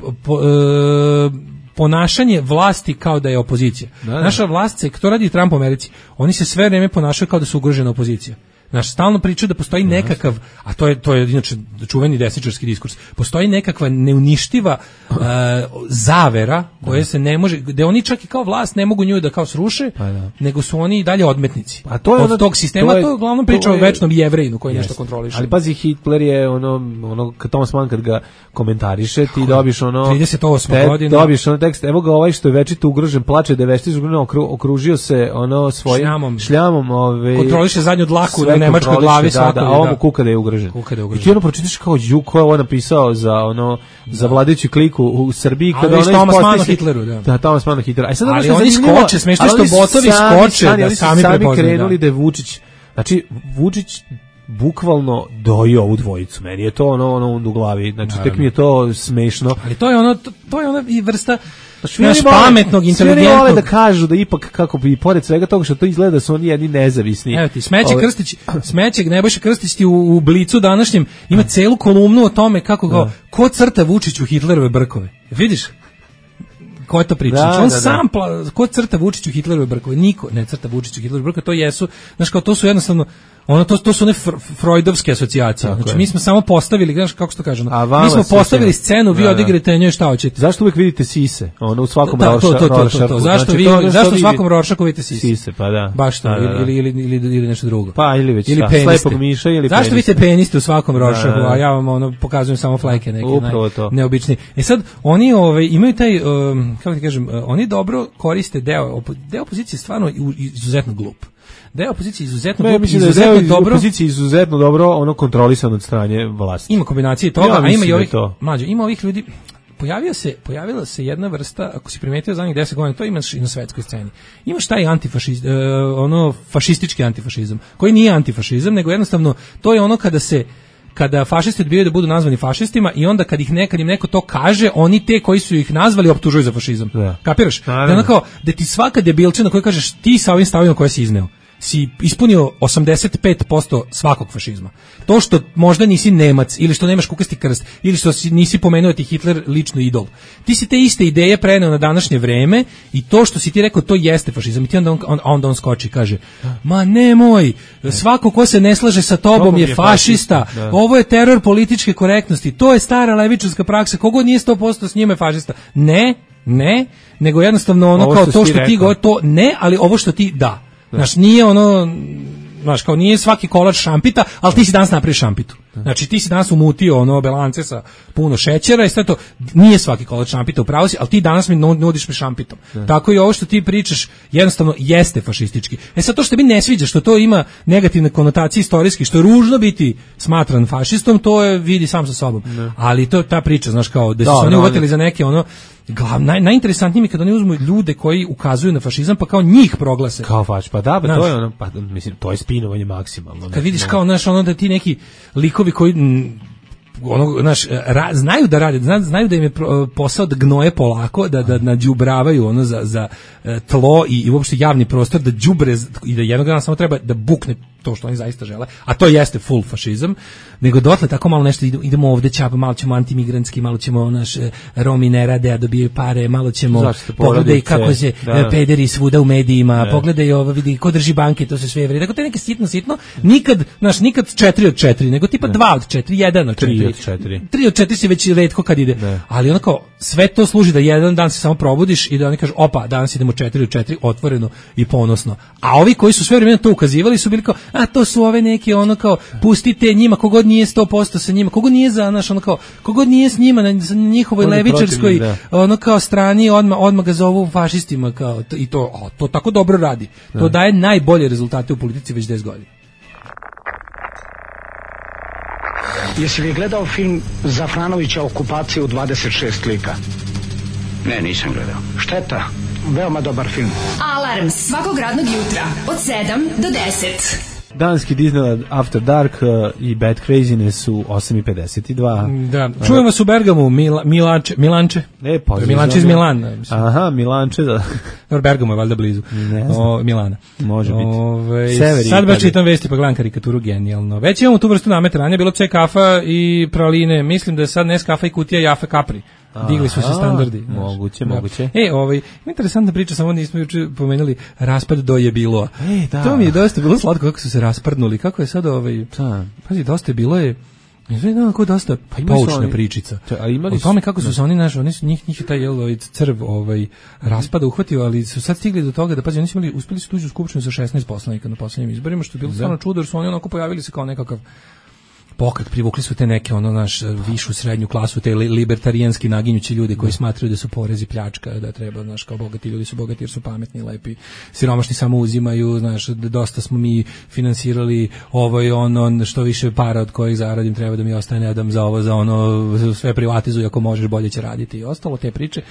ponašanje vlasti kao da je opozicija. Naša vlast se, to radi Trump u Americi, oni se sve vreme ponašaju kao da su ugrožena opozicija. Stalno pričaju da postoji nekakav, a to je inače čuveni desničarski diskurs, postoji nekakva neuništiva zavera koja se ne može, gde oni čak i kao vlast ne mogu nju da kao sruše, nego su oni i dalje odmetnici. A to je od tog sistema, to je uglavnom priča o večnom Jevrejinu koji nešto kontroliše. Ali pazi, Hitler je ono Thomas Mann kad ga komentariše, ti dobiš 38 godina. Dobiš tekst, evo ga ovaj što je večito ugrožen, plače da je večito okružio se svojim šljamom kontroliše zadnju dlaku nemačkoj glavi svako. A ovo kuka da je ugrožen. I ti ono pročitaš kao ko je ovo napisao za vladajuću kliku u Srbiji kada ono Thomas Mann o Hitleru, da, Thomas Mann o Hitleru. A sad ali oni skoče, smešno što botovi skoče da sami prepoznaju. Krenuli da je Vučić. Znači Vučić bukvalno dojio ovu dvojicu. Meni je to ono u glavi. Znači tek mi je to smešno. Ali to je ona i vrsta pametnog, inteligentnog. Svi vole da kažu da ipak kako bi pored svega toga što to izgleda da su oni jedni nezavisni. Evo ti Smeće Nebojša Krstić ti u Blicu današnjem ima celu kolumnu o tome kako ko crta Vučiću Hitlerove brkove. Vidiš? Ko je to priča? On sam ko crta Vučiću Hitlerove brkove? Niko ne crta Vučiću Hitlerove brkove, to jesu, znaš kao to su jednostavno to su one freudovske asocijacije. Znači mi smo samo postavili, znaš kako se to kaže, mi smo postavili scenu, vi odigrate njoj šta hoćete. Zašto uvek vidite sise? Ono u svakom Rorschachu. Zašto u svakom Rorschachu vidite sise? Sise, pa da. Baš to, ili nešto drugo. Pa ili već slepog miša ili peniste. Zašto vidite peniste u svakom Rorschachu, a ja vam pokazujem samo flajke neke neobičnije. Sad oni imaju taj, kako ti kažem, oni dobro koriste deo opozicije stvarno izuzetno glup. Da je opozicija izuzetno dobro, izuzetno dobro. Opozicija izuzetno dobro, ono kontrolisano od strane vlasti. Ima kombinacije toga, a ima i ovih mlađe, ima ovih ljudi. Pojavila se jedna vrsta, ako si primetio zadnjih 10 godina, to imaš i na svetskoj sceni. Imaš taj fašistički antifašizam, koji nije antifašizam, nego jednostavno to je ono kada fašisti odbijaju da budu nazvani fašistima i onda kad im neko to kaže, oni te koji su ih nazvali optužuju za fašizam. Kapiraš? Da ti svaka debilčina koja kažeš ti sa ovim stavima koje si izneo si ispunio 85% svakog fašizma. To što možda nisi Nemac ili što nemaš kukasti krst ili što nisi pomenuo ti Hitler lično idol. Ti si te iste ideje preneo na današnje vreme i to što si ti rekao to jeste fašizam. I ti onda on skoči i kaže ma nemoj, svako ko se ne slaže sa tobom je fašista. Ovo je teror političke korektnosti. To je stara levičarska praksa. Kogo nije 100% s njime fašista. Ne, nego jednostavno ono kao to što ti govori, to ne, ali ovo što ti da. Znaš, nije znaš, kao nije svaki kolač šampita, ali ti si danas napraviš šampitu. Znači, ti si danas umutio belance sa puno šećera i sve to, nije svaki kolač šampita, upravo si, ali ti danas mi nudiš me šampitom. Tako i ovo što ti pričaš, jednostavno jeste fašistički. Sad to što mi ne sviđa, što to ima negativne konotacije istorijski, što je ružno biti smatran fašistom, to je vidi sam sa sobom. Ali to je ta priča, znaš, kao da su se oni uvatili za neke najinteresantnije mi kada oni uzmu ljude koji ukazuju na fašizam pa kao njih proglase. Kao pa to je mislim, to je spinovanje maksimalno. Kad vidiš kao, znaš, da ti neki likovi koji znaju da rade, znaju da im je posao da gnoje polako, da nađubravaju za tlo i uopšte javni prostor, da đubre i da jednog dana samo treba da bukne to što oni zaista žele, a to jeste full fašizam, nego dotle tako malo nešto idemo ovde ćapa, malo ćemo antimigrantski, malo ćemo Romi ne rade, a dobijaju pare, malo ćemo pogledaj kako se pederi svuda u medijima, pogledaj ovo, vidi ko drži banke, to se sve veri. Dakle, to je neke sitno, nikad 4 od 4, nego tipa 2 od 4, 1 od 4. 3 od 4 si već retko kad ide, ali onako sve to služi da jedan dan se samo probudiš i da oni kažu, opa, danas idemo 4 od 4, otvoreno i ponosno. A ovi koji su sve vremena to ukazivali su bili kao, a to su ove neke kao pustite njima, kogod nije 100% sa njima, kogod nije za kogod nije s njima na njihovoj levičarskoj kao strani, odmah ga zovu fašistima kao, i to tako dobro radi. To daje najbolje rezultate u politici već 10 godina. Jesi li gledao film Zafranovića Okupacija u 26 lika? Ne, nisam gledao. Šteta, veoma dobar film. Alarm svakog radnog jutra od 7 do 10. Danski Disneyland After Dark i Bad Craziness u 8:52. Da, čujem vas u Bergamu, Milanče. Milanče iz Milana. Aha, Milanče, da. Bergamo je valjda blizu. Milana. Može biti. Sad baš čitam vesti pa gledam karikaturu, genijalno. Već imamo tu vrstu nametranja, bilo C kafa i praline. Mislim da je sad Nes kafa i kutija Jafe Capri. Digli su se standardi. Moguće. Interesantna priča, samo nismo juče pomenuli raspad do je bilo. To mi je dosta bilo slatko kako su se raspadnuli, kako je sad pazi, dosta je bilo je dosta poučna pričica. O tome kako su se oni njih je taj crv raspada uhvatio, ali su sad stigli do toga da pazi, oni su uspeli su tuđu skupštinu sa 16 poslanika na poslednjim izborima, što je bilo stvarno čudo, jer su oni onako pojavili se kao nekakav pokret, privukli su te neke višu srednju klasu, te libertarijanski naginjući ljudi koji smatraju da su porezi pljačka, da treba, kao bogati ljudi su bogati jer su pametni, lepi, siromašni samo uzimaju, dosta smo mi finansirali ovo i ono, što više para od kojih zaradim treba da mi ostane, ne dam za ovo, za ono, sve privatizuj, ako možeš bolje će raditi i ostalo te priče.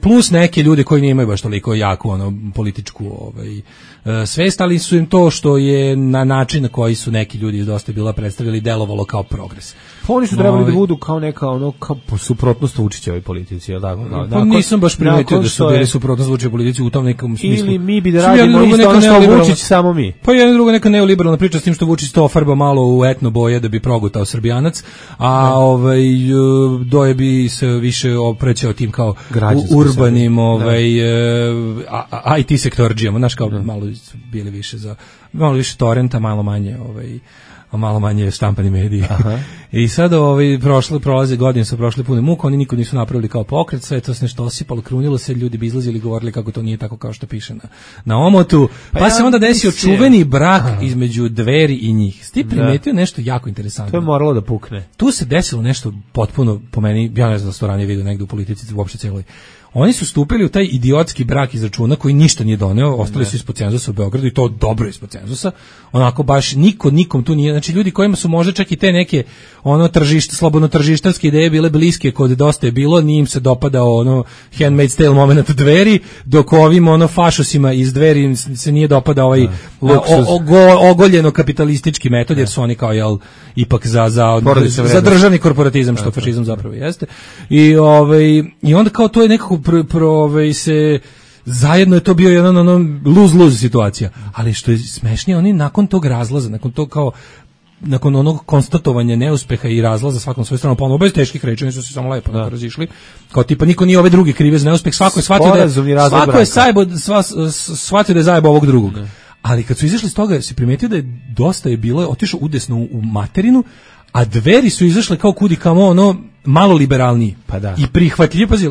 Plus neke ljude koji nemaju baš toliko jaku političku svest, ali su im to što je na način na koji su neki ljudi iz Dosta je bilo predstavili delovalo kao progres. Pa oni su trebali da budu kao neka kao suprotnost Vučićevoj politici, je tako? Pa nisam baš primetio da su bili suprotnost Vučićevoj politici u tom nekom smislu. Ili mi bi da radimo isto ono što Vučić, samo mi. Pa jedna druga neka neoliberalna priča s tim što Vučić to ofarba malo u etno boje da bi progutao Srbijanac, a Doje bi se više oprećao tim kao urbanim IT sektorđijama, znaš, kao malo bili više za malo više torrenta, malo manje štampani mediji. I sad prolaze godine, su prošle pune muka, oni nikad nisu napravili kao pokret, sve to se nešto osipalo, krunilo se, ljudi bi izlazili i govorili kako to nije tako kao što piše na omotu. Pa se onda desio čuveni brak između Dveri i njih. Sti primetio nešto jako interesantno. To je moralo da pukne. Tu se desilo nešto potpuno, po meni, ja ne znam da se to ranije vidio negde u politici, uopšte celoj. Oni su stupili u taj idiotski brak iz računa koji ništa nije doneo, ostali su ispod cenzusa u Beogradu i to dobro ispod cenzusa. Onako baš nikom tu nije, znači ljudi kojima su možda čak i te neke slobodno tržištarske ideje bile bliske kod Dosta je bilo, nije im se dopadao Handmaid's Tale moment Dveri, dok ovim fašosima iz Dveri se nije dopadao ogoljeno kapitalistički metod, jer su oni kao ipak za državni korporatizam, što fašizam zapravo jeste. I onda kao to je nekako se zajedno je to bio jedan lose-lose situacija, ali što je smešnije, oni nakon tog razlaza, nakon onog konstatovanja neuspeha i razlaza svakom svoju stranu, ponovno bez teških reči, oni su se samo lepo razišli, kao tipa niko nije ove druge krive za neuspeh, svako je shvatio da je zajebo ovog drugog. Ali kad su izašli s toga, se primetio da je Dosta je bilo otišao udesno u materinu, a Dveri su izašle kao kudi kamo malo liberalniji. Pa da. I prihvatljivi, pazi,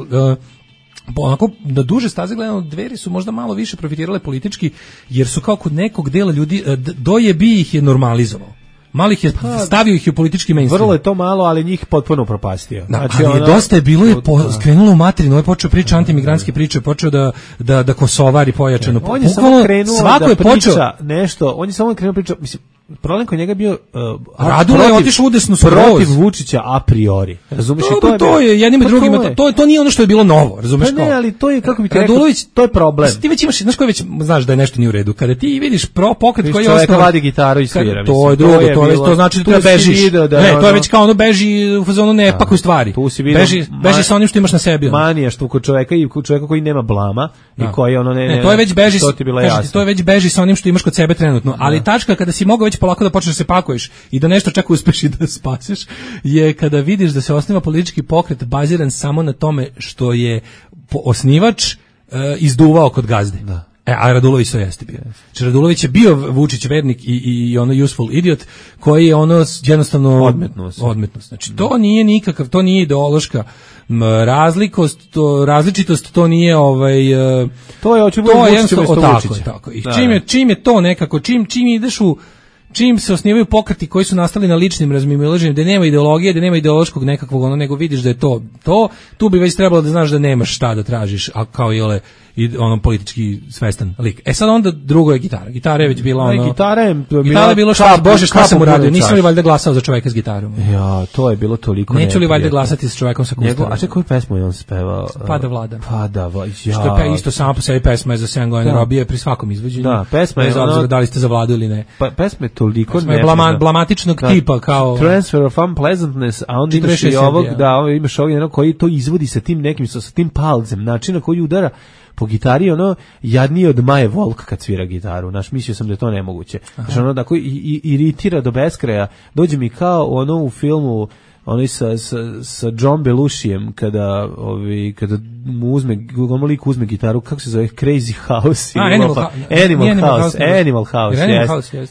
onako na duže staze gledano, Dveri su možda malo više profitirale politički, jer su kao kod nekog dela ljudi, Doje bi ih je normalizovao. Malih je stavio ih u politički mainstream. Vrlo je to malo, ali njih potpuno propastio. Znači, ali Dosta je bilo, skrenulo u materinu, on je počeo priča antimigrantske priče, počeo da kosovari pojačano. On je samo krenuo da priča nešto, on je samo krenuo priča, mislim, problem kod njega bio Radula je otišao udesno protiv Vučića a priori. Razumeš, to je jednim i drugim, to nije ono što je bilo novo, razumeš kao. Ne, ali to je, kako bi ti rekao, to je problem. Ti već imaš, znaš da je nešto nije u redu. Kada ti vidiš pokret koji je osnovan, vadi gitaru i svira, to je drugo, to znači da bežiš. Ne, to je već kao beži u fazonu ne pakuj stvari. Beži sa onim što imaš na sebi. Manija što kod čoveka i kod čoveka koji nema blama i koji ne. To je već beži. To je već beži sa onim što imaš kod sebe trenutno, ali tačka kada si mogao već polako da počneš da se pakuješ i da nešto čak uspeš i da spasiš, je kada vidiš da se osniva politički pokret baziran samo na tome što je osnivač izduvao kod gazde. Da. A Radulović to jeste bio. Znači, Radulović je bio Vučić vernik i useful idiot koji je jednostavno odmetnost. Znači, to nije nikakav, to nije ideološka različitost, to nije to je jednostavno tako. I čim je to nekako, čim ideš čim se osnivaju pokreti koji su nastali na ličnim razmimoilaženjem, da nema ideologije, da nema ideološkog nekakvog, nego vidiš da je to, tu bi već trebalo da znaš da nemaš šta da tražiš, a kao politički svestan lik. Sad onda drugo je gitara. Gitara je već bila Gitara je bilo šta sam uradio, nisam li valjda glasao za čoveka s gitarom? Ja, to je bilo toliko neću li valjda glasati s čovekom sa kustarom? A čekaj, koju pesmu je on spevao? Pada vlada. Ja. Što je isto sama po sebi pesma je za 7 godina robije pri svakom izvođenju. Da, pesma je da li ste za vladu ili ne. Pesma je toliko blamatičnog tipa kao Transfer of Unpleasantness, a onda imaš i ovog, imaš ovog koji to izvodi sa tim nekim, sa tim palcem, način na koji udara po gitari, jadnije od Maje Volk kad svira gitaru. Mislio sam da je to nemoguće. Znači, tako iritira do beskraja. Dođe mi kao u filmu onaj sa John Belushijem kada mu uzme, lik uzme gitaru, kako se zove, Crazy House.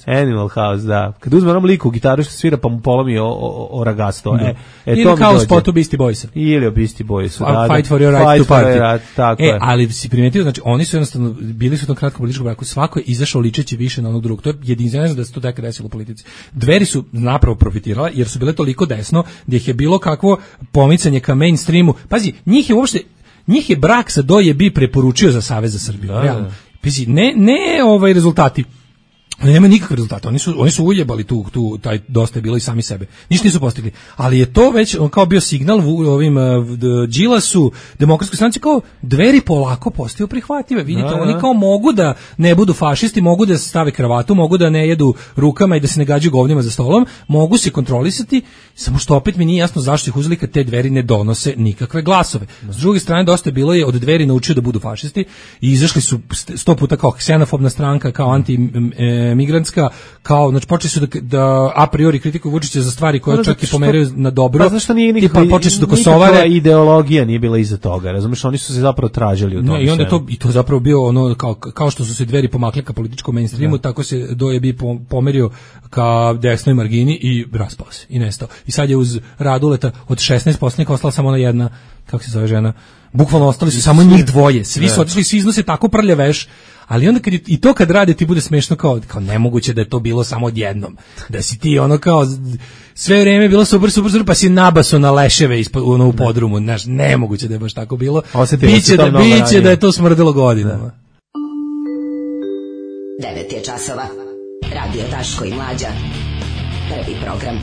Animal House, da. Kada uzme onom liku gitaru što svira pa mu polomi o ragasto. Ili kao u spotu Beastie Boysa. Ili o Beastie Boysu. Fight for your right to party. Tako je. Ali si primetio, znači oni su jednostavno bili su u tom kratkom političkom braku, svako je izašao ličeći više na onog drugog. To je jedinstveno da se to tako desilo u politici. Dveri su napravo profitirala jer su bile toliko desno da ih je bilo kakvo pomicanje ka mainstreamu. Pazi, njih je brak sa DOJB preporučio za Savez za Srbiju. Realno. Pazi, ne rezultati. Nema nikakve rezultate. Oni su ujebali taj dosta je bilo i sami sebe. Ništa nisu postigli. Ali je to već kao bio signal ovim Đilasu, Demokratskoj stranci, kao Dveri polako postaju prihvatljive. Vidite, oni kao mogu da ne budu fašisti, mogu da stave kravatu, mogu da ne jedu rukama i da se ne gađaju govnima za stolom, mogu se kontrolisati, samo što opet mi nije jasno zašto ih uzeli kad te Dveri ne donose nikakve glasove. S druge strane, dosta je bilo je od Dveri naučio da budu fašisti i izašli su 100 puta kao ksenofobna stranka, kao migrantska, kao, znači počeli su da a priori kritikuju Vučića za stvari koje čak i pomeraju na dobro. Pa zašto nije nikakva ideologija nije bila iza toga, razumiješ, oni su se zapravo tražili u tom. I onda to zapravo bio ono, kao što su se Dveri pomakle ka političkom mainstreamu, tako se DOJB pomerio ka desnoj margini i raspao se i nestao. I sad je uz Raduleta od 16 poslanika ostala samo ona jedna, kako se zove žena, bukvalno ostali su samo njih dvoje, svi su otišli, svi iznose tako prljaveš. Ali onda kad rade ti bude smešno kao nemoguće da je to bilo samo odjednom. Da si ti ono kao sve vrijeme bilo super pa si nabaso na leševe u podrumu. Znaš, nemoguće da je baš tako bilo. Biće da je to smrdelo godinama. 9 je časova. Radio Daško i Mlađa. Prvi program.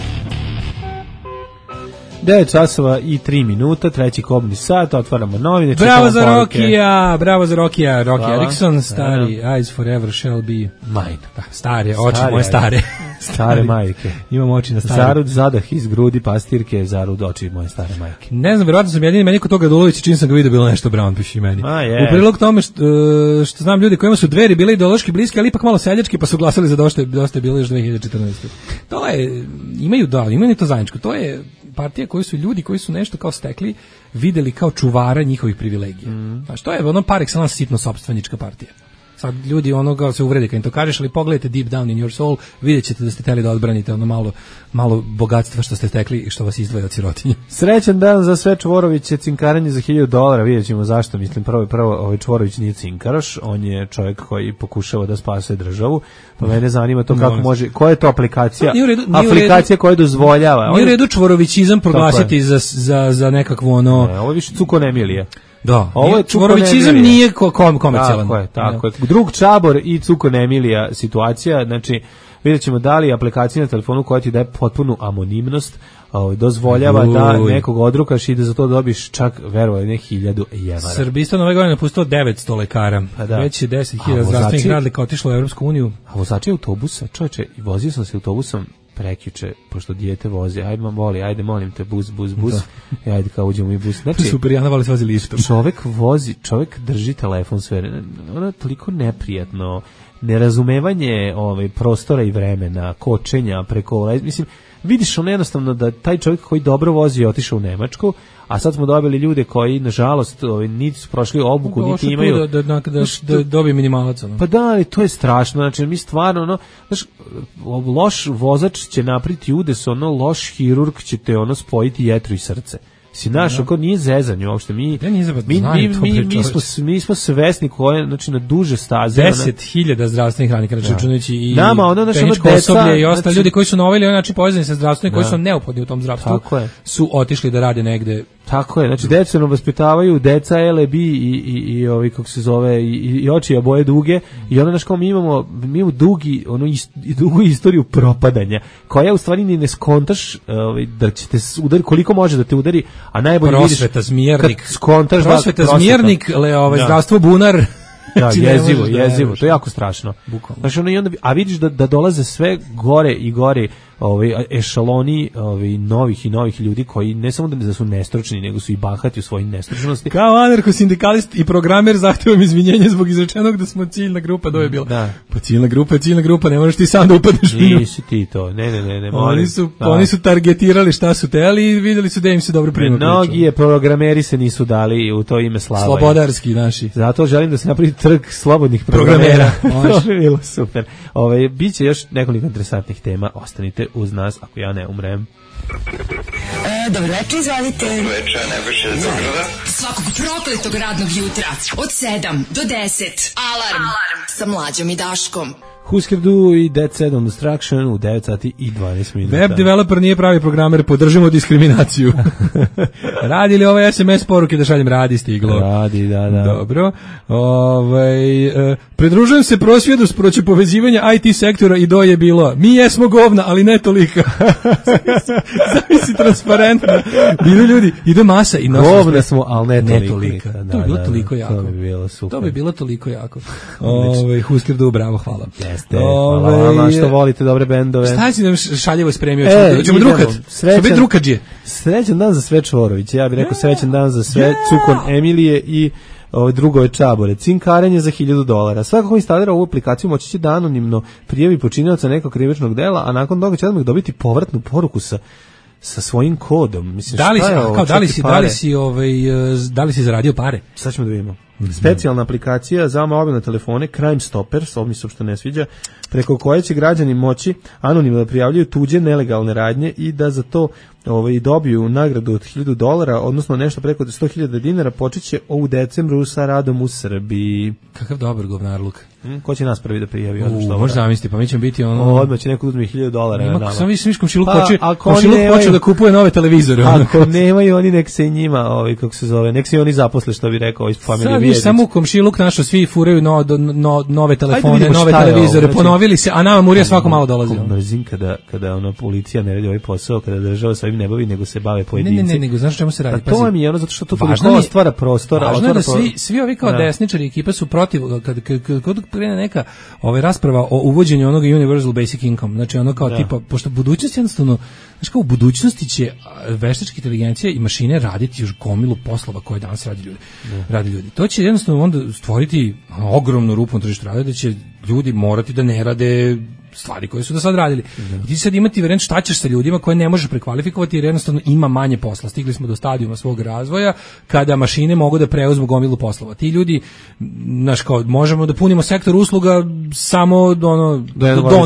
9 časova i 3 minuta, treći kobni sat, otvaramo novine. Bravo za Rokija, Rocky Erickson, stari, Eyes Forever Shall Be Mine. Stare, oči moje stare. Stare majke. Imam oči na stare. Zarud zadah iz grudi pastirke, zarud oči moje stare majke. Ne znam, vjerojatno sam jedini, meni kod toga Dulovića čim sam ga vidio bilo nešto Brown, piši meni. U prilog tome što znam ljudi kojima su Dveri bile ideološki bliski, ali ipak malo seljački, pa su glasali za dosta je bilo još 2014. To je, imaju to zajedničko, to je partija koji su ljudi koji su nešto kao stekli videli kao čuvara njihovih privilegija. Znači, to je ono par excellence sitno sopstvenička partija. Sad ljudi onoga se uvrede kad im to kažeš, ali pogledajte deep down in your soul, vidjet ćete da ste hteli da odbranite ono malo bogatstva što ste stekli i što vas izdvaja od sirotinje. Srećan dan za sve Čvoroviće, cinkaranje za $1,000, vidjet ćemo zašto, mislim, prvo Čvorović nije cinkaroš, on je čovjek koji pokušava da spase državu, pa mene zanima to kako može, koja je to aplikacija, aplikacija koja dozvoljava. Nije u redu Čvorovićizam proglasiti za nekakvo ono... Ne, ovo je više Cukon Emilija. Da, ovo je Čvorovićizam nije komercijalan. Tako je. Drug Čabor i Cukon Emilija situacija, znači vidjet ćemo da li aplikacija na telefonu koja ti daje potpunu anonimnost dozvoljava da nekog odrukaš i da za to dobiš čak, verovali, ne $1,000. Srbistan ove godine napustilo 900 lekara. Već je 10.000 zdravstvenih radnika otišlo u Evropsku uniju. A vozači autobusa, čovječe, vozio sam se autobusom prekjuče, pošto dijete vozi, ajde molim te, bus, ajde kao uđemo i bus. Znači, super, Jana Vali se vozi liftom. Čovjek drži telefon sve, ono je toliko neprijatno, nerazumevanje prostora i vremena, kočenja preko, mislim, vidiš ono jednostavno da taj čovjek koji dobro vozi je otišao u Nemačku, a sad smo dobili ljude koji, nažalost, niti su prošli obuku, niti imaju... Da dobije minimalac. Pa da, ali to je strašno, znači mi stvarno, loš vozač će napriti udes, loš hirurg će te spojiti jetru i srce. Si naš, ako nije zezanje uopšte, mi smo svesni koje, znači na duže staze. 10.000 zdravstvenih radnika, računajući i tehničko osoblje i ostali ljudi koji su na ovaj način povezani sa zdravstvom i koji su neophodni u tom zdravstvu, su otišli da rade negde. Tako je, znači decu nam vaspitavaju, deca LB i ovi, kako se zove, i oči boje duge, i ono, znaš, kao mi imamo dugu istoriju propadanja, koja u stvari ni ne skontaš da će te udariti, koliko može da te udari, a najbolje vidiš prosveta zmijernik, zdravstvo bunar. Da, jezivo, to je jako strašno. Bukvalno. Znači, a vidiš da dolaze sve gore i gore ešaloni novih i novih ljudi koji ne samo da su nestručni, nego su i bahati u svojoj nestručnosti. Kao anarcho-sindikalist i programer zahtevam izvinjenje zbog izrečenog da smo ciljna grupa, do je bilo. Da. Pa ciljna grupa, ne možeš ti sam da upadneš u nju. Nisi ti to, ne. Oni su targetirali šta su teli i videli su da im se dobro prima priča. Mnogi programeri se nisu dali u to ime slava. Slobodarski naši. Zato želim da se napravi trg slobodnih programera. To bi bilo super. Biće još nekoliko interesantnih tema. Ostanite uz nas ako ja ne umrem. Dobro večer, izvolite. Dobro večer, najbrže do Zagrada. Svakog prokletog radnog jutra od 7 do 10. Alarm sa Mlađom i Daškom. Husker Du i Dead Set on Destruction u 9 sati i 12 minuta. Web developer nije pravi programer, podržimo diskriminaciju. Radi li ove SMS poruke da šaljem? Radi, stiglo. Radi, da. Dobro. Pridružujem se prosvjedu protiv povezivanja IT sektora i do je bilo. Mi jesmo govna, ali ne tolika. Zavisi transparentno. Bilo ljudi, ide masa i nosi. Govna smo, ali ne tolika. To bi bilo toliko jako. To bi bilo super. To bi bilo toliko jako. Husker Du, bravo, hvala. Jeste, hvala vam što volite dobre bendove. Šta si nam šaljevo spremio? Ćemo drukat. Biti drukadžije. Srećan dan za sve Čvoroviće. Ja bih rekao srećan dan za sve Cukon Emilije i drugove Čabore. Cinkarenje za $1.000. Svako ko instalira ovu aplikaciju moći će da anonimno prijavi počinioca nekog krivičnog dela, a nakon toga će odmah dobiti povratnu poruku sa svojim kodom. Mislim, da li si zaradio pare? Sad ćemo da vidimo. Specijalna aplikacija za mobilne telefone Crime Stoppers, ovo mi se uopšte ne sviđa, preko koje će građani moći anonimno da prijavljaju tuđe nelegalne radnje i da za to dobiju nagradu od $1.000, odnosno nešto preko 100.000 dinara. Počeće u decembru sa radom u Srbiji. Kakav dobar govnarluk. Ko će nas prvi da prijavi? Možda zamisliti, pa mi ćemo biti odmah će neko uzme $1.000. Sam viš komšiluk počeo da kupuje nove televizore. Ako nemaju oni, nek se i njima, kako se zove, nek se i oni zaposle, što bi rekao iz familije Vijedić. Samo komšiluk našo, svi furaju nove telefone, nove televizore, ponovili se, a nama Murija svako malo dolazi. Mrzim kada policija ne radi ovaj posao, kada država sa ovim ne bavi, nego se bave pojedinci. Ne, nego znaš čemu se radi? To mi je ono, zato što to toliko stvara prostora. Važno je da svi ovi kao desničari ekipa su protiv, kad krene neka rasprava o uvođenju onog universal basic income, znači ono kao tipa, pošto budućnost jednostavno, znači kao u budućnosti će veštačka inteligencija i mašine raditi još gomilu poslova koje danas radi ljudi. To će jednostavno onda stvoriti ogromnu rupu na tržištu rada, da će ljudi morati da ne rade stvari koje su do sad radili. I ti sad imati variant šta ćeš sa ljudima koje ne možeš prekvalifikovati jer jednostavno ima manje posla. Stigli smo do stadijuma svog razvoja kada mašine mogu da preuzmu gomilu poslova. Ti ljudi, znaš, kao možemo da punimo sektor usluga samo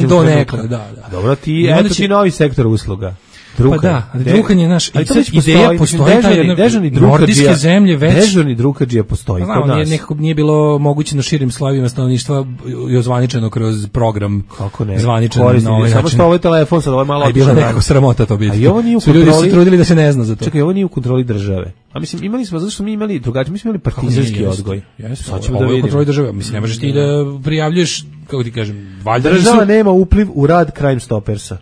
do nekla. Dobro, eto ti novi sektor usluga. Pa da, drukanje naš ideja postoji, dežurni nordijske zemlje već. Dežurni drukadžija postoji kod nas. Nekako nije bilo moguće na širim slojevima stanovništva i ozvaničeno kroz program. Kako ne? Zvaničeno na ovaj način. Samo što ovaj telefon sad, ovo je malo otišao. Bilo nekako sramota to biti. A i ovo nije u kontroli. Ljudi su trudili da se ne zna za to. Čekaj, ovo nije u kontroli države. A mislim, imali smo, zato što mi imali drugačije, mi smo imali partizanski odgoj. Sad ćemo da vidimo. Kontroli države. Mislim, ne možeš ti da prijavljuješ, kako ti kažem, valjda država nema upliv u rad Crime Stoppersa.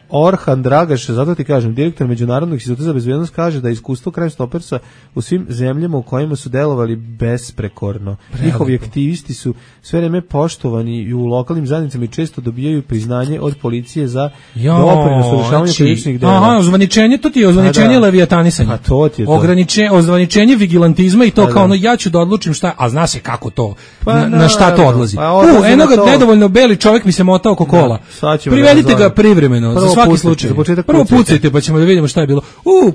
Orhan Dragaš, zato ti kažem, direktor Međunarodnog instituta za bezbednost, kaže da iskustvo Crime Stoppersa u svim zemljama u kojima su delovali besprekorno. Njihovi aktivisti su sve vreme poštovani i u lokalnim zajednicama i često dobijaju priznanje od policije za doprinos u rešavanju krivičnih dela. Aha, ozvaničenje, to ti je ozvaničenje leviatanisanja. A to ti je to. Ozvaničenje vigilantizma i to kao ono, ja ću da odlučim šta, a zna se kako to, na šta to odlazi. Eno ga nedovoljno beli čovjek mi se mota oko kola. Privedite ga privremeno, za svaki slučaj. Prvo pucajte pa ćemo da vidimo šta je bilo.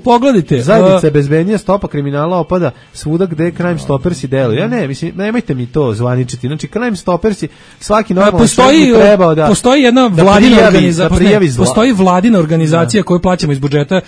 Pogledajte. Zajednica bezbednija, stopa kriminala opada svuda gde Crime Stoppersi deluju. Ja ne, mislim, nemojte mi to zvaničiti. Znači, Crime Stoppersi, svaki normalan čovjek bi trebao da postoji jedna vladina organizacija, postoji vladina organizacija koju plaćamo iz budžeta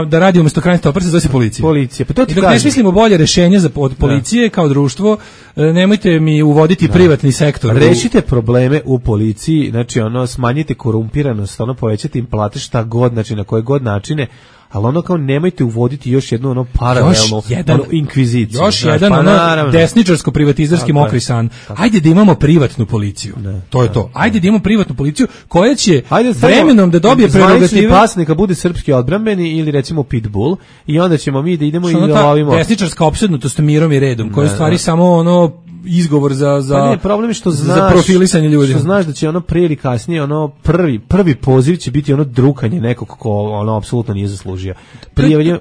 da radi umjesto Crime Stoppersa, zove se policija. Pa to ti kažem. Ne smislimo bolje rešenje od policije kao društvo, nemojte mi uvoditi privatni sektor. Rešite probleme u policiji, znači ono, smanjite korumpiranost, ono, povećate im plate šta god, znači na koje god načine, ali ono kao nemojte uvoditi još jednu ono paralelnu inkviziciju. Još jedan ono desničarsko-privatizarski mokri san. Ajde da imamo privatnu policiju. To je to. Ajde da imamo privatnu policiju koja će vremenom da dobije prerogative. Zvanični pas neka bude srpski odbrambeni ili recimo pitbull i onda ćemo mi da idemo i da lovimo. Desničarska opsednutost mirom i redom, koja je stvari samo ono izgovor za pa ne, problem je što znaš, za profilisanje ljudi. Što znaš da će ono prije ili kasnije ono prvi poziv će biti ono drukanje nekog ko ono apsolutno nije zaslužio. Prijavljanje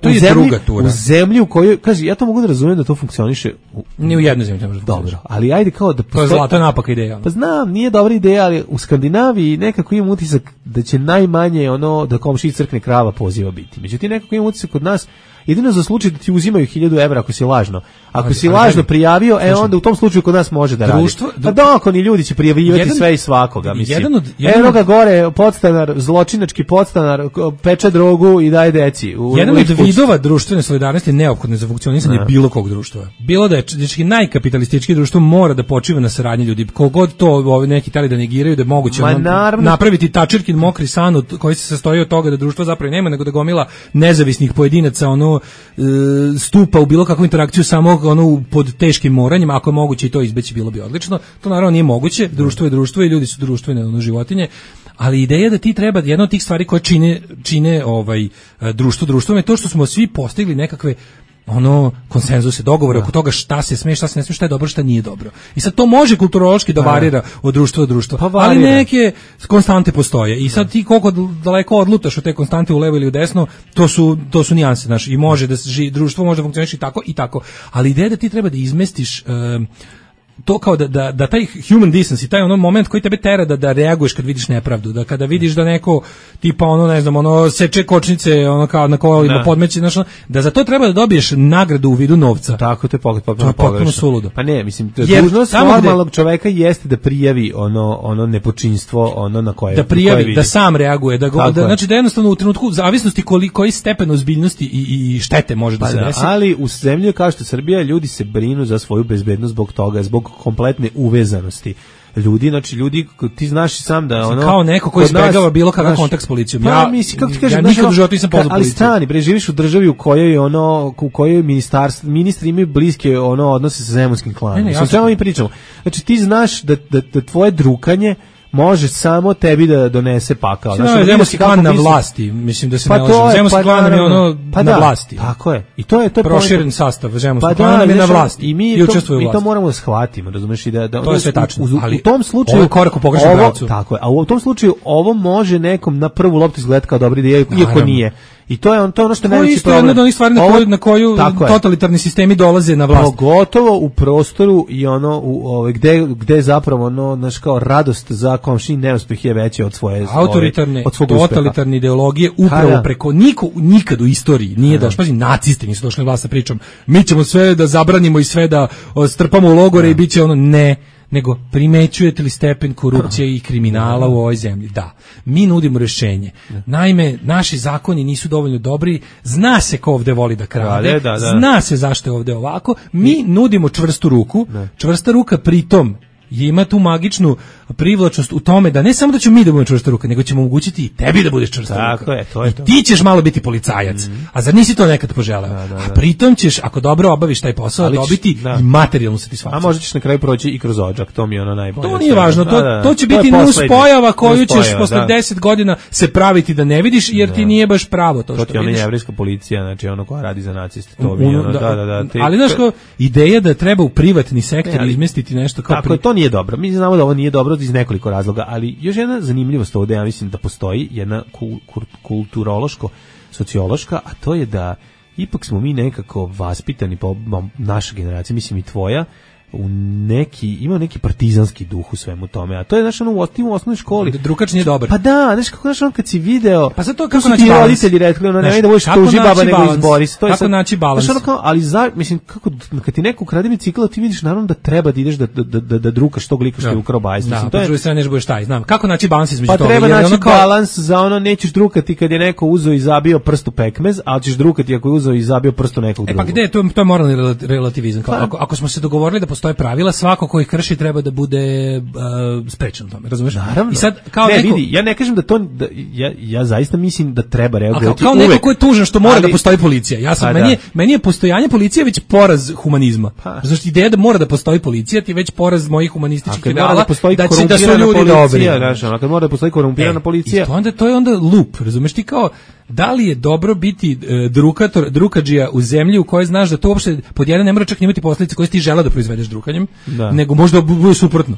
u zemlji u kojoj, kaže, ja to mogu da razumem da to funkcioniše ni u jednoj zemlji ne može. Dobro, ali ajde kao da to je zlata napaka ideja. Pa znam, nije dobra ideja, ali u Skandinaviji nekako imam utisak da će najmanje ono da komšiji crkne krava poziva biti. Međutim, nekako imam utisak kod nas jedino za slučaj da ti uzimaju 1000 evra ako si lažno. Ako si lažno prijavio, onda u tom slučaju kod nas može da radi. Pa dokoni ljudi će prijavljivati sve i svakoga, mislim. Eno ga gore, podstanar, zločinački podstanar, peče drogu i daje deci. Jedan od vidova društvene solidarnosti je neophodno za funkcionisanje bilo kog društva. Bilo da je najkapitalistički društvo mora da počiva na saradnji ljudi. Kogod to neki tali da negiraju da je moguće napraviti tačirkin mokri san koji se sastoji od toga da društvo zapravo nema, nego da gomila nezavisnih pojedinaca stupa u bilo kakvu interakciju samo pod teškim moranjem, ako je moguće i to izbeći bilo bi odlično. To naravno nije moguće, društvo je društvo i ljudi su društvene životinje, ali ideja da ti treba, jedna od tih stvari koje čine društvom je to što smo svi postigli nekakve konsenzuse, dogovore oko toga šta se sme, šta se ne sme, šta je dobro, šta nije dobro. I sad to može kulturološki da varira od društva do društva, ali neke konstante postoje. I sad ti koliko daleko odlutaš od te konstante u levo ili u desno, to su nijanse, znaš, i može da društvo može da funkcioniše i tako i tako. Ali ideja da ti treba da izmestiš to kao da taj human decency, taj moment koji tebe tera da reaguješ kad vidiš nepravdu, da kada vidiš da neko tipa seče kočnice kao na kolima podmeće, da za to treba da dobiješ nagradu u vidu novca. Tako, to je potpuno suludo. Pa ne, mislim, dužnost normalnog čoveka jeste da prijavi ono nepočinstvo, na koje da prijavi, da sam reaguje, znači da jednostavno u trenutku zavisnosti koji stepen ozbiljnosti i štete može da se desi. Ali u zemlji kao što je Srbija, ljudi se brinu za svoju bezbednost zbog toga, zbog kompletne uvezanosti ljudi, znači ljudi, ti znaš i sam da kao neko koji izbegava bilo kakav kontakt s policijom. Ja nikad u životu nisam pozvao policiju. Ali stani, živiš u državi u kojoj ministri imaju bliske odnose sa zemunskim klanom. O čemu mi pričamo? Znači ti znaš da tvoje drukanje može samo tebi da donese pakao. Zemunski klan na vlasti, mislim da se ne lažem. Zemunski klan je na vlasti. Tako je. I to je proširen sastav zemunskog klana je na vlasti. I mi to moramo da shvatimo, razumeš, i da to je sve tačno. U tom slučaju ovo je korak u pogrešnom pravcu. Tako je. A u tom slučaju ovo može nekom na prvu loptu izgledati kao dobra ideja, iako nije. I to je ono što je najveći problem. To je jedna od onih stvari na koju totalitarni sistemi dolaze na vlast. Pogotovo u prostoru i gde zapravo kao radost za komšin neuspeh je veće od svoje autoritarne, totalitarne ideologije upravo preko nikad u istoriji nije došlo. Pazi, nacisti nisu došli na vlast sa pričom mi ćemo sve da zabranimo i sve da strpamo u logore i bit će ne, nego primećujete li stepen korupcije i kriminala u ovoj zemlji? Da. Mi nudimo rješenje. Naime, naši zakoni nisu dovoljno dobri, zna se ko ovde voli da krade, zna se zašto je ovde ovako, mi nudimo čvrstu ruku, čvrsta ruka pritom ima tu magičnu privlačnost u tome da ne samo da ćemo mi da budemo čvrsta ruka, nego ćemo omogućiti i tebi da budeš čvrsta ruka. To je to. Ti ćeš malo biti policajac, a zar nisi to nekad poželeo? A pritom ćeš, ako dobro obaviš taj posao, dobiti i materijalnu satisfakciju. A možda ćeš na kraju proći i kroz odžak, to mi je najbolje. To nije važno, to će biti nus pojava koju ćeš posle 10 godina se praviti da ne vidiš, jer ti nije baš pravo to što vidiš. To ti je jevrejska policija, znači koja radi za naciste. To mi je ali znaš ko, ideja da treba u privatni sektor izmestiti nešto kao to nije dobro. Mi znamo da ovo nije dobro iz nekoliko razloga, ali još jedna zanimljivost ovdje, ja mislim da postoji jedna kulturološko-sociološka, a to je da ipak smo mi nekako vaspitani, po naša generacija, mislim i tvoja, ima neki partizanski duh u svemu tome, a to je u osnovnoj školi. Drukač nije dobar. Pa da, kad si video, pa zato kako naći balans? Roditelji rekli, nemoj da budeš tuži baba nego izbori. Kako naći balans? Ali mislim, kad ti neko ukrade bicikl, ti vidiš naravno da treba da ideš da drukaš tog lika što je ukrao bajs. Da, po drugoj strani ne budeš taj, znam. Kako naći balans između toga? Pa treba naći balans za nećeš drukati kad je neko uzeo i zabio prst u pekmez, a ćeš drukati ako je uzeo i zabio prst u nekog drugog. Pa gde, to je moralni relativizam. Ako smo se dogovorili da postoje pravila, svako ko ih krši treba da bude sprečen u tome, razumeš? Naravno. I sad vidi, ja ne kažem da to ja zaista mislim da treba reagovati. Kao neko ko je tužan što mora da postoji policija. Meni je postojanje policije već poraz humanizma. Znači ideja da mora da postoji policija ti je već poraz mojih humanističkih ideala da su ljudi dobri. Kad mora da postoji korumpirana policija. To je onda loop, razumeš, ti kao da li je dobro biti drukadžija u zemlji u kojoj znaš da to uopšte pod jedan ne mora čak imati posljedice koje ti želeo da proizvedeš drukanjem, nego možda bude suprotno.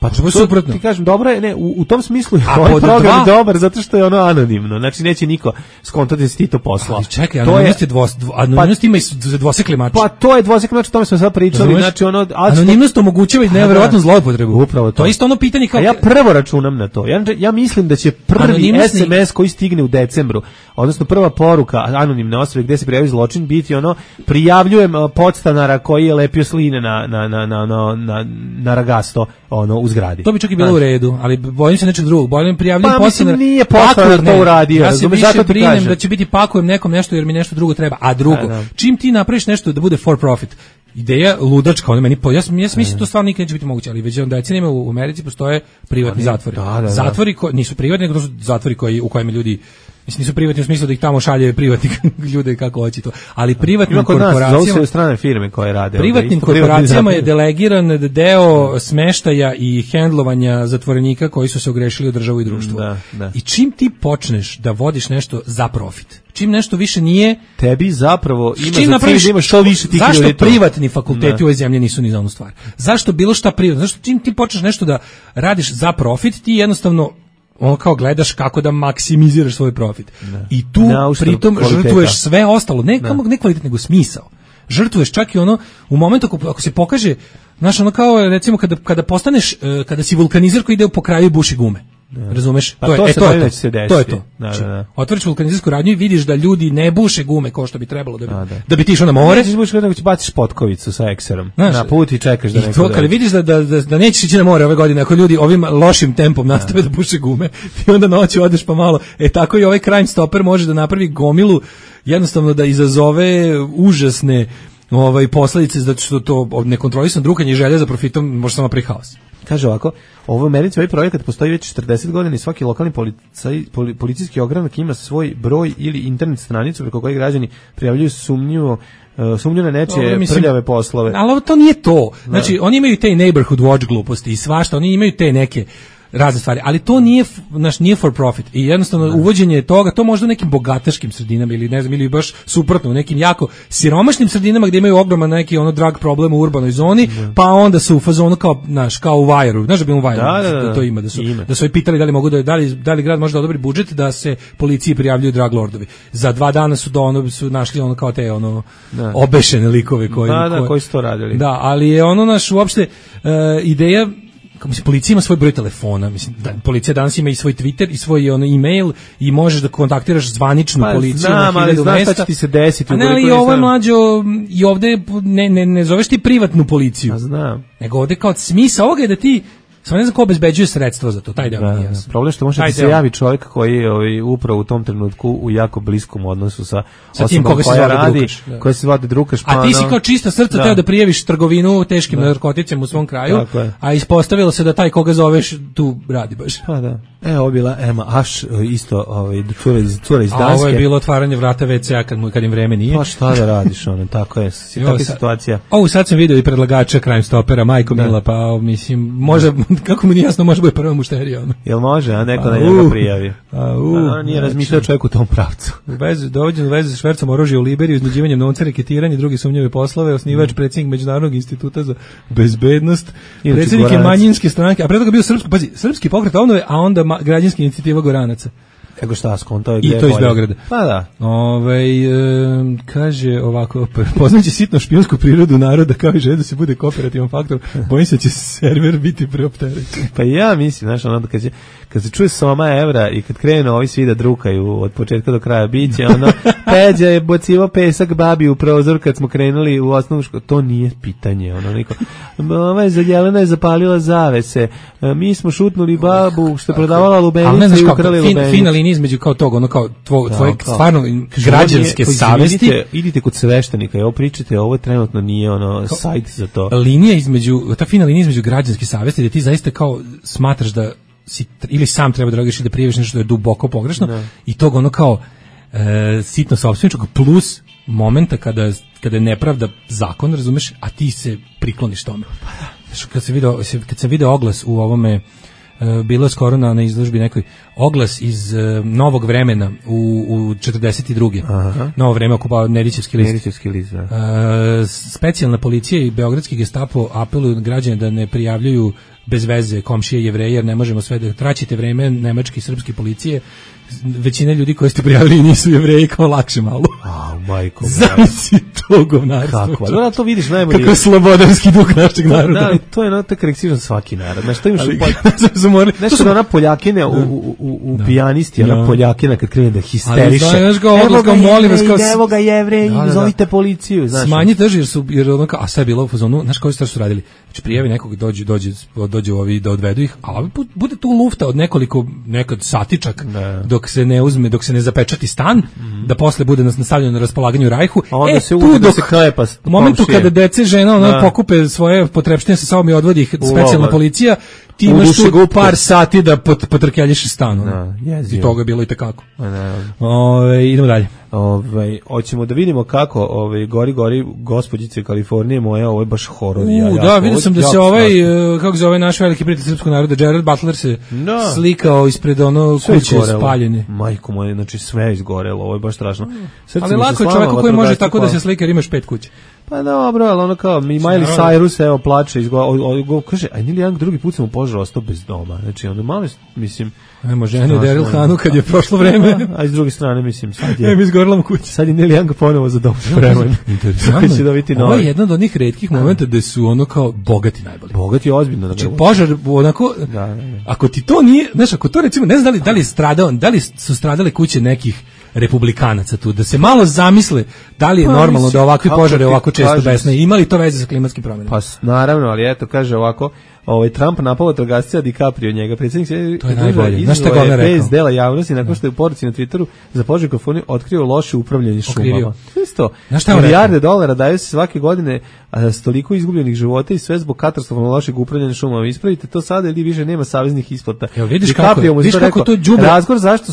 Pa to suprotno. Ti kažem, dobro je, ne, u tom smislu je ovaj program dobar zato što je ono anonimno. Znači neće niko skontati da si ti to poslao. Ali čekaj, anonimnost ima i dvosekli mač. Pa to je dvosekli mač, o tome smo sad pričali. Znači ono, anonimnost omogućava i neverovatnu zloupotrebu. Upravo to. To je isto ono pitanje kao... A ja prvo računam na to. Ja mislim da će prvi SMS koji stigne u decembru, odnosno prva poruka anonimne osobe gde se prijavi zločin biti ono, prijavljujem podstanara koji je lepio sline na ragasto, ono, u zgradi. To bi čak i bilo u redu, ali bojim se nečeg drugog. Bojim prijavljam podstanar. Nije podstanar to uradio. Ja se više brinem da će biti pakujem nekom nešto jer mi nešto drugo treba. A drugo, čim ti napraviš nešto da bude for profit, ideja ludačka, ona meni ja mislim to stvarno nikad neće biti moguće, ali već decenijama u Americi postoje privatni zatvori. Zatvori koji nisu privatni, nego su zatvori u kojima ljudi nisu privatni u smislu da ih tamo šalje privatni ljude kako hoće to. Ali privatnim korporacijama, strane firme koje rade. Privatnim korporacijama je delegiran deo smeštaja i hendlovanja zatvorenika koji su se ogrešili o državu i društvo. I čim ti počneš da vodiš nešto za profit, čim nešto više nije tebi zapravo ima za cilj da ima što više tih ljudi. Zašto privatni fakulteti u ovoj zemlji nisu ni za onu stvar? Zašto bilo šta privatno? Zašto čim ti počneš nešto da radiš za profit, ti jednostavno ono kao gledaš kako da maksimiziraš svoj profit. I tu pritom žrtvuješ sve ostalo, ne kvalitet, nego smisao. Žrtvuješ čak i ono u momentu ako se pokaže, znaš, ono kao recimo kada postaneš, kada si vulkanizer koji ide po kraju i buši gume. Razumeš? Pa to je to. Otvoriš vulkanizersku radnju i vidiš da ljudi ne buše gume kao što bi trebalo da bi ti išao na more. Nećeš bušiti, nego će baciš potkovicu sa ekserom na put i čekaš da neko dođe. I to kada vidiš da nećeš ići na more ove godine, ako ljudi ovim lošim tempom nastave da buše gume, ti onda noću odeš pa malo. Tako i ovaj Crime Stopper može da napravi gomilu, jednostavno da izazove užasne posledice, zato što to nekontrolisano drukanje i želja za profitom može samo napraviti haos. Kaže ovako, ovo u Americi ovaj projekat postoji već 40 godina i svaki lokalni policijski ogranak ima svoj broj ili internet stranicu preko koje građani prijavljuju sumnju na nečije prljave poslove. Ali to nije to. Znači, oni imaju te neighborhood watch gluposti i svašta, oni imaju te neke razne stvari, ali to nije for profit i jednostavno uvođenje toga, to možda u nekim bogataškim sredinama ili ne znam, ili baš suprotno u nekim jako siromašnim sredinama gdje imaju ogroman neki drug problem u urbanoj zoni, pa onda su u fazonu kao u Vajru, znaš da bi u Vajru da to ima, da su pitali da li mogu da li grad može da odobri budžet da se policiji prijavljuju drug lordovi. Za 2 dana su našli kao te obešene likove koji su to radili. Da, ali je uopšte ideja. Policija ima svoj broj telefona, policija danas ima i svoj Twitter i svoj e-mail i možeš da kontaktiraš zvaničnu policiju. Znam, ali znaš šta će ti se desiti. A ne, ali ovo je mlađo, i ovde ne zoveš ti privatnu policiju. A znam. Nego ovde kao smisao ovoga je da ti, samo ne znam ko obezbeđuje sredstva za to, taj deo nije jasno. Problem što može da se javi čovjek koji je upravo u tom trenutku u jako bliskom odnosu sa osobom koja radi, koja se zvati drukaš. A ti si kao čista srca teo da prijaviš trgovinu teškim narkoticima u svom kraju, a ispostavilo se da taj koga zoveš tu radi baš. Pa da. Ovo bila Emma Ash, isto cura iz Danske. A ovo je bilo otvaranje vrata WC-a kad im vreme nije. Pa šta da radiš, tako je, takva situacija. Sad sam vidio i predlagača Crime Stoppera, Majko Mila, pa mislim, može, kako mu nije jasno, može biti prva mušterija. Jel može, a neko na njega prijavi? Nije razmišljao čovjek u tom pravcu. Dovođen u vezi sa švercom oružja u Liberiju, iznuđivanjem novca, reketiranje, drugi sumnjive poslove, osnivač, predsjednik Međunarodnog instituta za bezbednost, predsjednik je manjinske stranke, a pre toga bio srpski pokret obnove, a onda građanska inicijativa Goranaca. Ego šta, skonto i to iz Beograda. Pa da. Kaže ovako, poznajući sitno špijunsku prirodu naroda kao i želju da se bude kooperativan faktor, bojim se da će server biti preopterećen. Pa ja mislim, znaš, kad se čuje soma evra i kad krenu ovi svi da drukaju od početka do kraja biće, Peđa je bocivo pesak babi u prozor kad smo krenuli u osnovnu školu, to nije pitanje, Jelena je zapalila zavese, mi smo šutnuli babu što je prodavala lubenice i ukrali lubenice. Fina linija između kao tog, kao tvoje stvarno građanske savesti. Idite kod sveštenika i ovo pričate, ovo trenutno nije sajt za to. Ta fina linija između građanske savesti da ti zaista kao smatraš da si ili sam treba da reagiraš i da prijaviš nešto što je duboko pogrešno i tog kao sitno sopstveničkog plus momenta kada je nepravda zakon, razumeš, a ti se prikloniš tome. Kad sam video oglas u ovome bilo skoro na izložbi nekoj oglas iz Novog vremena u 42. Aha. Novo vreme okupao Nedićevski list. Nedićevski list, da. Specijalna policija i beogradski Gestapo apeluju građane da ne prijavljuju bez veze komšije Jevreje, jer ne možemo sve da traćite vreme nemačke i srpske policije. Većina ljudi koji ste prijavili nisu Jevreji, kao lakše malo. Majko. Zamisli to govnarstvo. Kako? Da, to vidiš najbolje. Kako je slobodarski duh našeg naroda. Da, ali to je tak karakteristično svaki narod. Znaš, to imaš nešto da ona Poljakina u pijanisti, ona Poljakina kad krene da histeriše. Znaš ga odlaska, molim vas. Evo ga Jevreji, zovite policiju. Smanji drži, jer ono kao, a sve je bilo u fazonu, znaš koji su radili? Znači, prijavi nekog, dođu ovi da odvedu ih, a bude tu lufta od nekoliko, nekad satičak, dok se ne uzme, dok se ne zapečati stan, da posle bude nastavljeno na raspolaganju Rajhu. A onda se uvode da se klepa. U momentu kada dece žena pokupe svoje potrepštine sa sobom i odvodi ih specijalna policija, ti imaš tu par sati da potrkeljiš stan. I toga je bilo i tekako. Idemo dalje. Hoćemo da vidimo kako gori gospođice Kalifornije moja, ovo je baš horor. Da, vidio sam da se kako zove naš veliki prijatelj srpskog naroda, Gerard Butler se slikao ispred kuće spaljene. Majko moje, znači sve izgorelo, ovo je baš strašno. Ali lako je čoveku koji može tako da se slika jer imaš 5 kuće. Pa dobro, ali ono kao Miley Cyrus evo plače, kaže, a Neil Young drugi put sam u požaru ostao bez doma. Znači onda malo, mislim, ajmo ženu Daryl Hanu kad je prošlo vreme. A s druge strane, mislim, sad je izgorela mu kuća. Sad je Neil Young ponovo za dom spreman. Interesantno. Ovo je jedan od onih retkih momenta gde su ono kao bogati najbolji. Bogati ozbiljno. Znači požar onako, ako ti to nije, znaš, ako to recimo, ne znam da li su stradale kuće nekih republikanaca tu, da se malo zamisle da li je normalno da ovakvi požare ovako često besne, ima li to veze sa klimatskim promjenama? Pa naravno, ali eto, kaže ovako, Trump napao vatrogasca DiCaprio njega, predsjednik se to je najbolje. Znaš šta govna rekao? Bez dela javnosti, nakon što je u poruci na Twitteru za Požeg Kalifornije otkrio loše upravljanje šumama. Isto, milijarde dolara daju se svake godine, a toliko izgubljenih života i sve zbog katastrofalno lošeg upravljanja šumama. Ispravite to sada ili više nema saveznih isplata. Evo vidiš kako to đubre. Razlog zašto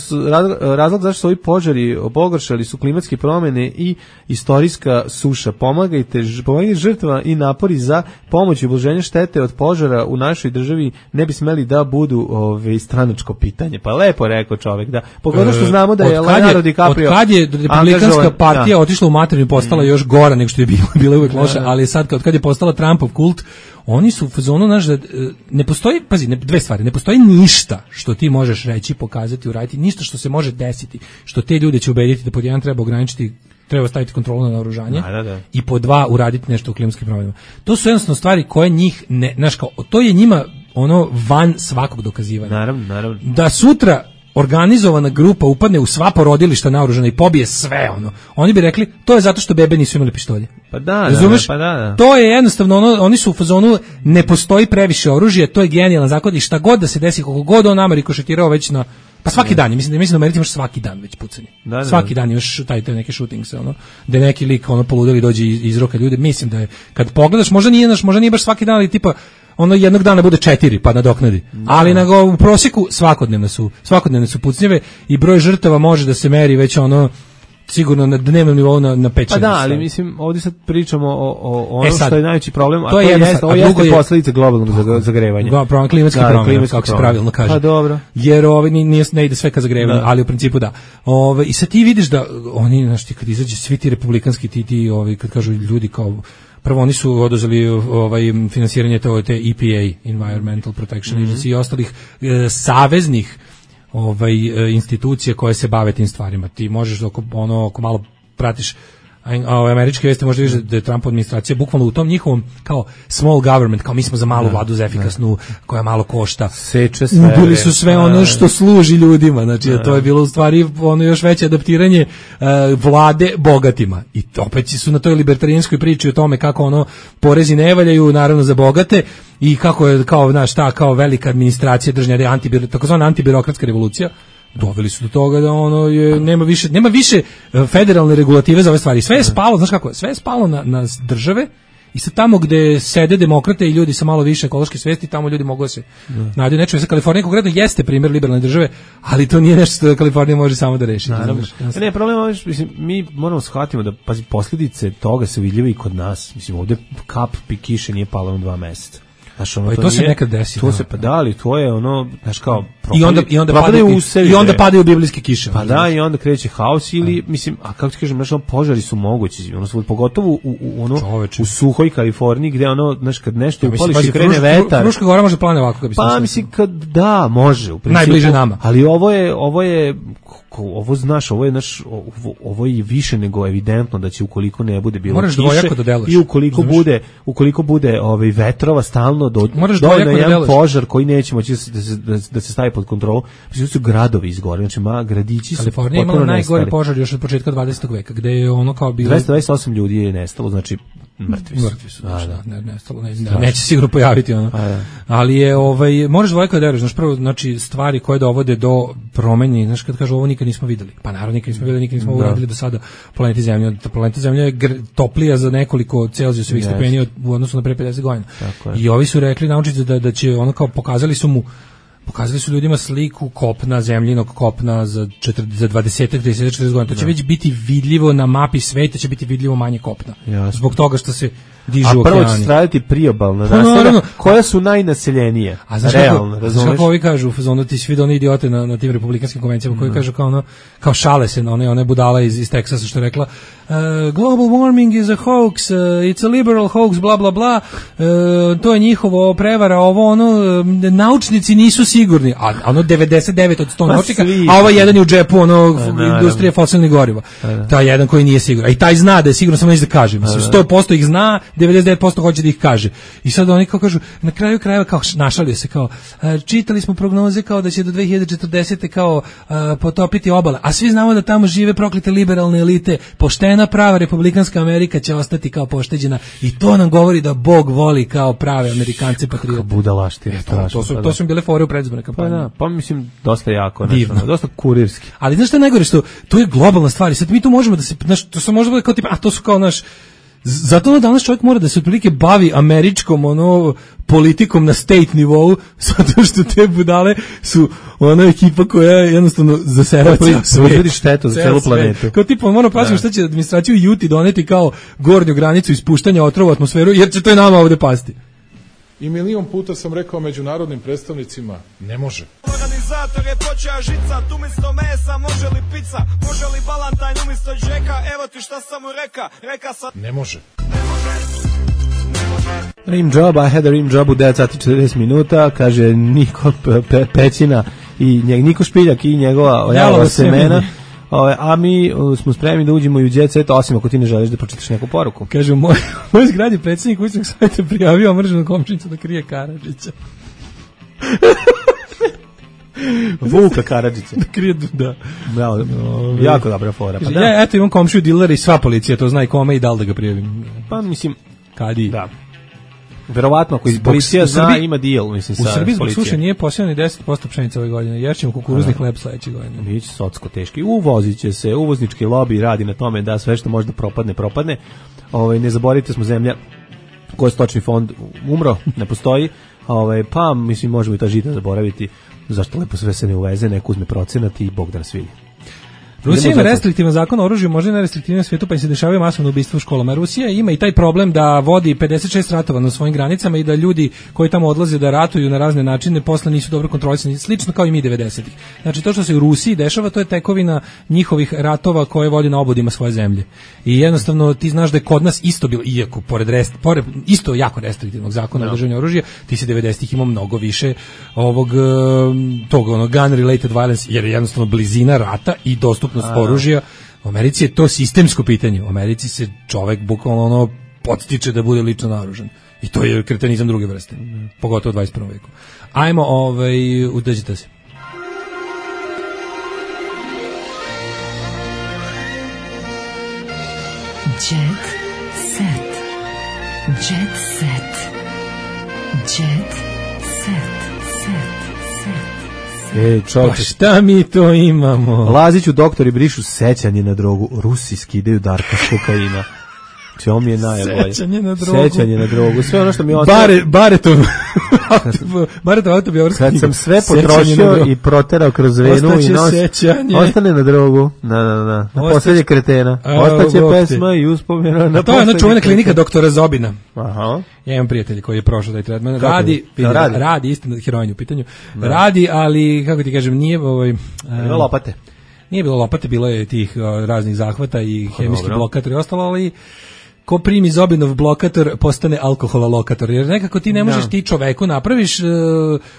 su ovi požari pogoršali su klimatske promjene i istorijska suša. Pomagajte žrtvama i napori za pomoć i ublaženje štete od požara u našoj državi ne bi smeli da budu stranačko pitanje. Pa lepo rekao čovjek, da. Pogotovo što znamo da je Leonardo DiCaprio od kad je republikanska partija otišla u materinu i postala još gora nego što je bila uvek loša, ali sad kad je postala Trumpov kult, oni su u fazonu, znaš, da ne postoji, pazi, dve stvari, ne postoji ništa što ti možeš reći, pokazati, uraditi, ništa što se može desiti, što te ljude će ubediti da pod jedan treba ograničiti, treba staviti kontrolu na naoružanje i po dva uraditi nešto u klimatskim promjenama. To su jednostavno stvari koje njih ne, znaš, kao, to je njima ono van svakog dokazivanja. Naravno. Da sutra organizovana grupa upadne u sva porodilišta naoružana i pobije sve ono. Oni bi rekli, to je zato što bebe nisu imali pištolje. Pa da, razumeš? To je jednostavno ono, oni su u fazonu, ne postoji previše oružja, to je genijalan zakon i šta god da se desi, koliko god on nama rikošetirao već na, pa svaki dan, mislim da Americi imaš svaki dan već pucanje. Svaki dan imaš taj neke shootings, ono, da neki lik ono poludeli dođe iz roka ljude. Mislim da je, kad pogledaš, možda nije baš svaki dan, ali tipa ono jednog dana bude 4 pa nadoknadi. Ali u prosjeku svakodnevne su pucnjeve i broj žrtava može da se meri već ono sigurno na dnevnom nivou na 5-6. Pa da, ali mislim ovdje sad pričamo o ono što je najveći problem, a to jeste posljedice globalnog zagrevanja. Klimatske promjene, kako se pravilno kaže. Pa dobro. Jer ne ide sve ka zagrevanju, ali u principu da. I sad ti vidiš da oni, znaš, ti kad izađe svi ti republikanski ti kad kažu ljudi kao, prvo oni su oduzeli finansiranje te EPA, Environmental Protection Agency i ostalih saveznih institucije koje se bave tim stvarima. Ti možeš ako malo pratiš američke vesti, možda vidiš da je Trumpova administracija bukvalno u tom njihovom kao small government, kao mi smo za malu vladu, za efikasnu, koja malo košta. Seče sve. Ubili su sve ono što služi ljudima. Znači, to je bilo u stvari ono još veće adaptiranje vlade bogatima. I opet su na toj libertarijanskoj priči o tome kako ono porezi ne valjaju, naravno za bogate, i kako je kao velika administracija držanja, takozvana antibirokratska revolucija. Doveli su do toga da ono nema više federalne regulative za ove stvari. Sve je spalo, znaš kako, sve je spalo na države i sad tamo gde sede demokrate i ljudi sa malo više ekološke svesti, tamo ljudi mogu da se nađu nečemu. Sad Kalifornija konkretno jeste primjer liberalne države, ali to nije nešto što Kalifornija može samo da reši. Ne, problem je, mislim, mi moramo shvatiti da posljedice toga se vidljive i kod nas. Mislim, ovdje kap kiše nije pala u 2 mjeseca. Znaš, ono, to se nekad desi. To se pa da, ali to je ono, znaš kao i onda padaju biblijske kiše. Pa da, i onda kreće haos ili mislim, a kako ti kažem, znaš, požari su mogući, ono pogotovo u suhoj Kaliforniji gde ono, znaš, kad nešto upališ i krene vetar. Fruška gora može plane ovako, pa mislim kad da, može u principu. Najbliže nama. Ali ovo znaš, ovo je više nego evidentno da će ukoliko ne bude bilo kiše i ukoliko bude vetrova stalno dođe na jedan požar koji neće moći da se stavi pod kontrolu. Mislim su gradovi izgoreli, znači gradići su Kalifornija je imala najgori požar još od početka 20. veka, gde je ono kao bilo 228 ljudi je nestalo, znači mrtvi su. Nestalo, neće sigurno pojaviti ono. Ali je možeš dvojko da veriš, znači prvo, znači stvari koje dovode do promeni, znači kad kažu ovo nikad nismo videli. Pa naravno nikad nismo videli, nikad nismo uradili do sada planeti Zemlja. Planeta Zemlja je toplija za nekoliko Celzijusovih stepeni u odnosu na pre 50 godina. I ovi su rekli naučnici da će ono kao pokazali su ljudima sliku kopna, zemljinog kopna za 20-40 godina. To će već biti vidljivo na mapi sveta, će biti vidljivo manje kopna. Jasno. Zbog toga što se dižu okeani. A prvo će straditi priobalna naselja koja su najnaseljenije. A znaš kako ovi kažu, ti svi one idiote na tim republikanskim konvencijama koji kažu kao šale se na one budala iz Teksasa što je rekla global warming is a hoax, it's a liberal hoax, bla bla bla, to je njihovo prevara, naučnici nisu sigurni, a ono 99 od 100 naučnika, a ovaj jedan je u džepu industrije fosilnih goriva. Taj jedan koji nije siguran. I taj zna da je sigurno, samo neće da kaže. Mislim, 100% ih zna, 99% hoće da ih kaže. I sad oni kao kažu, na kraju krajeva kao našalio se, kao čitali smo prognoze kao da će do 2040. kao potopiti obala, a svi znamo da tamo žive proklete liberalne elite, poštena prava republikanska Amerika će ostati kao pošteđena i to nam govori da Bog voli kao prave Amerikance patriote. Budalaštine. To su bile fore u predizbornoj kampanji. Pa mislim dosta jako, dosta kurirski. Ali znaš što je najgore, što to je globalna stvar i sad mi tu možemo da se, znaš, to se može biti kao tipa, a to su kao naš, zato danas čovjek mora da se otprilike bavi američkom politikom na state nivou, zato što te budale su ona ekipa koja jednostavno zasera proizvodi štetu za celu planetu. Kao tipa moramo paziti šta će administraciju Juti doneti kao gornju granicu ispuštanja otrova u atmosferu, jer će to i nama ovde pasti. I milion puta sam rekao međunarodnim predstavnicima, ne može. Organizator je počeo žicat, umjesto mesa može li pizza, može li balantajn umjesto džeka, evo ti šta sam mu reka sam... Ne može. Rim job, I had a rim job u 9 sati 40 minuta, kaže Niko Pećina i Niko Špiljak i njegova ojalova semena. A mi smo spremni da uđemo i u Jet Set, osim ako ti ne želiš da pročitaš neku poruku. Kaže, moj zgradi predsjednik kućnog savjeta prijavio omrženu komšinicu da krije Karadžića. Vuka Karadžića. Da krije, da. Bravo, jako dobra fora. Kaže, ja eto imam komšiju dilera i sva policija to zna i kome i da li da ga prijavim. Pa mislim, kadi. Da. Verovatno ako policija zna ima deal, mislim, sa u Srbiji zbog suše nije posijano ni 10% pšenice ove godine, jer ćemo kukuruzni hleb sledeće godine. Biće socsko teški. Uvozit će se, uvoznički lobby radi na tome da sve što može da propadne. Ne zaboravite, smo zemlja koja je stočni fond umro, ne postoji. Pa mislim možemo i ta žita zaboraviti, zašto lepo sve se ne uveze, neko uzme procenat i Bog da nas vidi. Rusija ima restriktivan zakon o oružju, možda i najrestriktivnije svijetu, pa im se dešavaju masovno ubistva u školama. Rusija ima i taj problem da vodi 56 ratova na svojim granicama i da ljudi koji tamo odlaze da ratuju na razne načine posle nisu dobro kontrolisani, slično kao i mi 90-ih. Znači to što se u Rusiji dešava, to je tekovina njihovih ratova koje vodi na obodima svoje zemlje. I jednostavno ti znaš da je kod nas isto bilo, iako pored isto jako restriktivnog zakona o držanju oružja, ti si 90-ih imao mnogo više ovog tog gun related violence, jer je jednostavno blizina rata i dostupnost oružja. U Americi je to sistemsko pitanje. U Americi se čovek bukvalno podstiče da bude lično naoružan. I to je kretenizam druge vrste. Pogotovo u 21. veku. Ajmo, udađite se. Jet set. Jet set. Jet set. Pa šta mi to imamo? Laziću doktori brišu sećanje na drogu, Rusi skidaju Darka s kokaina. To mi je najbolje. Sećanje na drogu. Sve ono što mi ostalo. Baretov autobiografski. Kad sam sve potrošio i proterao kroz venu i nos, ostane na drogu. Na poslednje kretena. Ostaće pesma i uspomena na. To je ona čuvena klinika doktora Zobina. Aha. Ja imam prijatelj koji je prošao taj tretman. Radi istina, heroin u pitanju. Radi, ali kako ti kažem, nije bilo lopate. Nije bilo lopate, bilo je tih raznih zahvata i hemijski blokator i ostalo, ali ko primi Zobinov blokator postane alkohololokator, jer nekako ti ne možeš ti čoveku napraviš,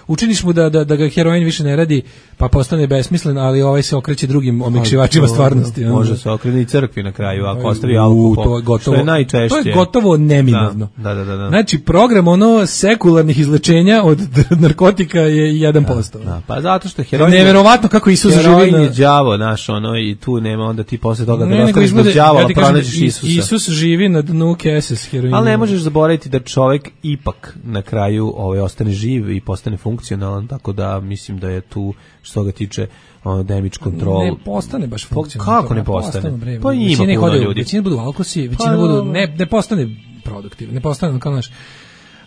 učiniš mu da ga heroin više ne radi, pa postane besmislen, ali ovaj se okreće drugim omekšivačima stvarnosti. Može se okrene i crkvi na kraju, ako ostavi alkohol, što je najčešće. To je gotovo neminovno. Da. Znači, program sekularnih izlečenja od narkotika je 1%. Da. Pa zato što heroin... Neverovatno kako Isus živi na... Heroin je đavo, i tu nema, onda ti posle toga da ostaviš bez đavola, pronađeš Isusa. Isus živi na dnu kese s heroinom. Ali ne možeš zaboraviti da čovjek ipak na kraju ostane živ i postane funkcionalan, tako da mislim da je tu što ga tiče damage control. Ne postane baš funkcionalan. Kako ne postane? Pa ima puno ljudi. Većina budu alkosi, većina budu ne postane produktivno, ne postane kao naš.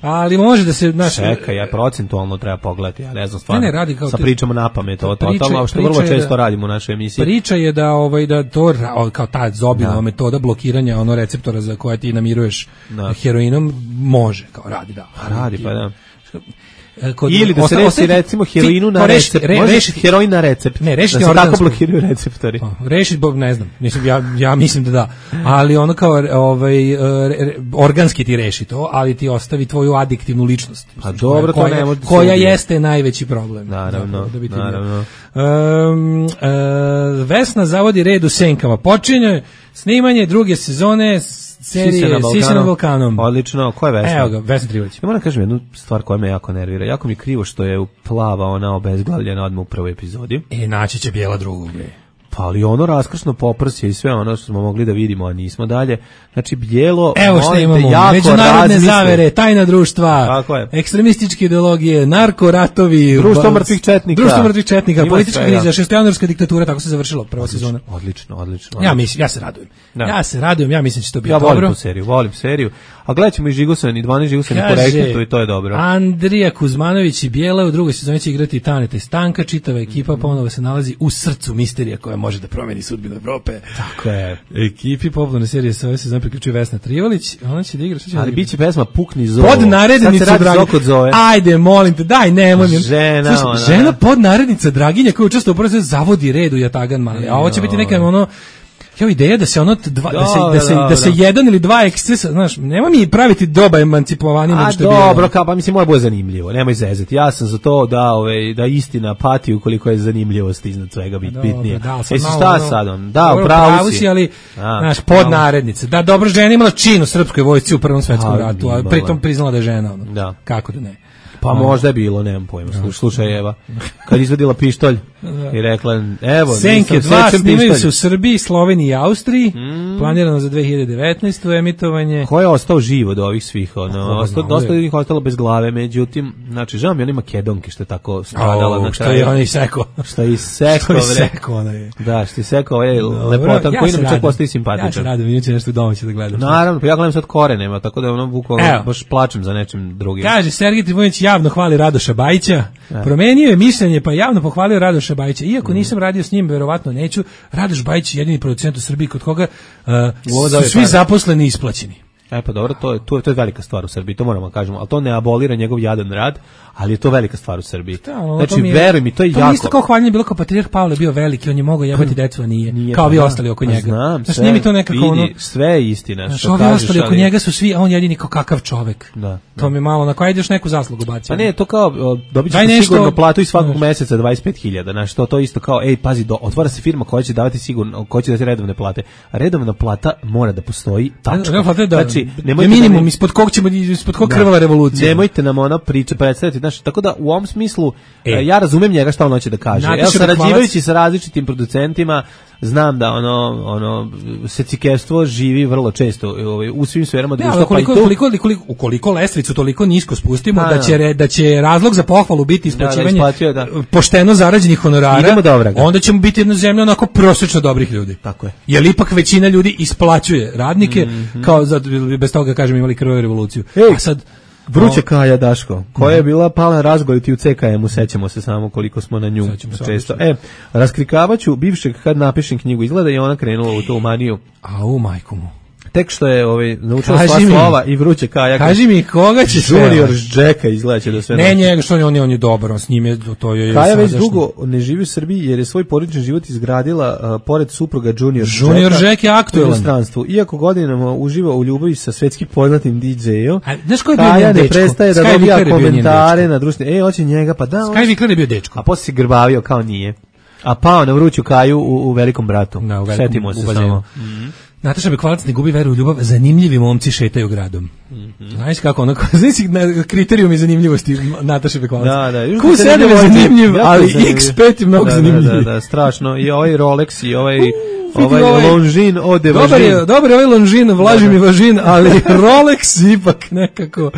Ali može da se čeka, ja procentualno treba pogledati, ja ne znam stvarno. Radi kao sa pričamo na pamet, totalno, što vrlo često radimo u našoj emisiji. Priča je da to kao ta Zobinova metoda blokiranja receptora za koje ti namiruješ heroinom može, kao radi, da. Radi, pa da. Ili da se reši recimo heroinu na recept. Rešiti heroin na recept. Ne, rešiti da se tako blokiraju receptori. Rešiti, ne znam. Ja mislim da. Ali ono kao organski ti reši to, ali ti ostavi tvoju adiktivnu ličnost. A dobro, to ne može. Koja jeste najveći problem. Naravno. Vesna zavodi red u senkama. Počinje snimanje druge sezone serije Sise na Balkanom. Odlično, ko je Vesna? Evo ga, Vesna Trivović. Ja moram kažem jednu stvar koja me jako nervira. Jako mi je krivo što je plava ona obezglavljena odmah u prvoj epizodi. Naći će bijela drugu. Pa ali raskršno poprsje i sve ono što smo mogli da vidimo, a nismo dalje. Znači bijelo, evo što imamo, međunarodne zavere, tajna društva, ekstremističke ideologije, narkoratovi, društvo mrtvih četnika, politička kriza, šestojanuarska diktatura, tako se završilo prva sezona. Odlično. Ja se radujem. Ja mislim da će to biti dobro. Volim seriju. A gledat ćemo i Žigusan i 12 Žigusan po Reketu i to je dobro. Andrija Kuzmanović i Bijela u drugoj sezoni će igrati Taneta i Stanka, čitava ekipa ponovo se nalazi u srcu misterija koja može da promeni sudbinu Evrope. Tako je. Ekipi popularne serije sa ove sezone priključuje Vesna Trivolić, ona će da igra, šta će ali biće pesma Pukni zovo. Podnarednicu Draginja. Ajde, molim te, daj, nemoj. Žena podnarednica Draginja koja učestvuje u prvom zavodi red u Jatagan mali. A ovo će biti neka ideja da se da se jedan ili dva ekscesa, znaš, nema mi praviti doba emancipovanim što je bilo. Dobro, pa mislim mora bude zanimljivo. Nemoj zezati. Ja sam za to da istina pati ukoliko je zanimljivost iznad svega bitnije. Šta sad on? Da, upravo si, ali znaš, podnarednica. Da, dobro, žena imala čin u srpskoj vojsci u Prvom svetskom ratu, a pritom priznala da je žena. Kako da ne? Pa možda je bilo, nemam pojma. Slušaj, Eva, kad izvadila pištolj i rekla, evo, Senke 2 snimaju se u Srbiji, Sloveniji i Austriji, planirano za 2019. emitovanje. Ko je ostao živ od ovih svih? Dosta je njih ostalo bez glave, međutim, znači, žao mi oni Makedonke što je tako stradala. Što je on isekao. Što je isekao, da, što je isekao, lepotan koji nam čak postoji simpatičan. Ja se radim, inače nešto domaće da gledam. Naravno, pa ja gledam sad Korenema, tako da bukvalno baš plačem za nečim drugim. Kaže, Sergej Trifunović javno hvali Radoša Bajića, promenio je mišljenje pa javno pohvalio Radoša Bajića. Iako nisam radio s njim, verovatno neću. Radoš Bajić je jedini producent u Srbiji kod koga su svi zaposleni isplaćeni. Pa dobro, to je velika stvar u Srbiji, to moramo kažemo, ali to ne abolira njegov jadan rad, ali je to velika stvar u Srbiji. Znači, veruj mi, to je jako. To isto kao hvaljenje bilo kao patrijarh Pavle bio veliki, on je mogao jebati decu, a nije kao vi ostali oko njega. Znam, znači, nije mi to nekako vidi, sve je istina. Znači, ovi ostali oko njega su svi, a on jedini kao kakav čovek. To mi malo, na koja ideš neku zaslugu bacio. Pa ne, to kao, dobit ćete sigurno platu i svakog meseca 25.000, znači, to isto kao, pazi, otvara se firma koja će davati sigurno, koja će dati redovne plate. A redovna plata mora da postoji, tačka. Znači, minimum ispod kog krvava revolucija. Nemojte nam ona priča predstaviti, znači, tako da u ovom smislu ja razumem njega šta on hoće da kaže. Evo, sarađivajući sa različitim producentima, znam da ono secikestvo živi vrlo često u svim sferama društva, pa i to. Ukoliko lestvicu toliko nisko spustimo, da će razlog za pohvalu biti isplaćivanje pošteno zarađenih honorara, onda ćemo biti jedna zemlja onako prosečno dobrih ljudi. Tako je. Jer ipak većina ljudi isplaćuje radnike, kao bez toga, kažem, imali krvavu revoluciju. A sad Vruća Kaja, Daško, koja je bila pala razgoliti u CKM-u, sećamo se samo koliko smo na nju često. Raskrikavaću bivšeg kad napišem knjigu, izgleda i ona krenula u tu maniju. Au, majku mu. Tek što je naučila sva slova i Vruća Kaja. Kaži mi koga će sve. Junior Jacka izgleda će da sve. Ne, njega što on je dobar, on s njim je to je. Kaja već dugo ne živi u Srbiji jer je svoj porodični život izgradila pored supruga Junior Jacka. Junior Jack je aktuelan. U inostranstvu. Iako godinama uživa u ljubavi sa svjetski poznatim DJ-om. Znaš ko je bio Kaja dečko? ne prestaje da dobija komentare na društvenim. Hoće njega, pa da. Sky Vikler je bio dečko. A posle se grbavio kao nije. A pao na Vruću Kaju u Velikom bratu. Setimo se samo. Nataša Bekvalac ne gubi veru u ljubav, zanimljivi momci šetaju gradom. Znaš kako ono, znaš kriterijumi zanimljivosti Nataše Bekvalac. Da. Q7 je zanimljiv, ali X5 je mnogo zanimljiv. Da, strašno. I ovaj Rolex i ovaj Longines ode važin. Dobar je ovaj Longines, vlaži mi važin, ali Rolex ipak nekako.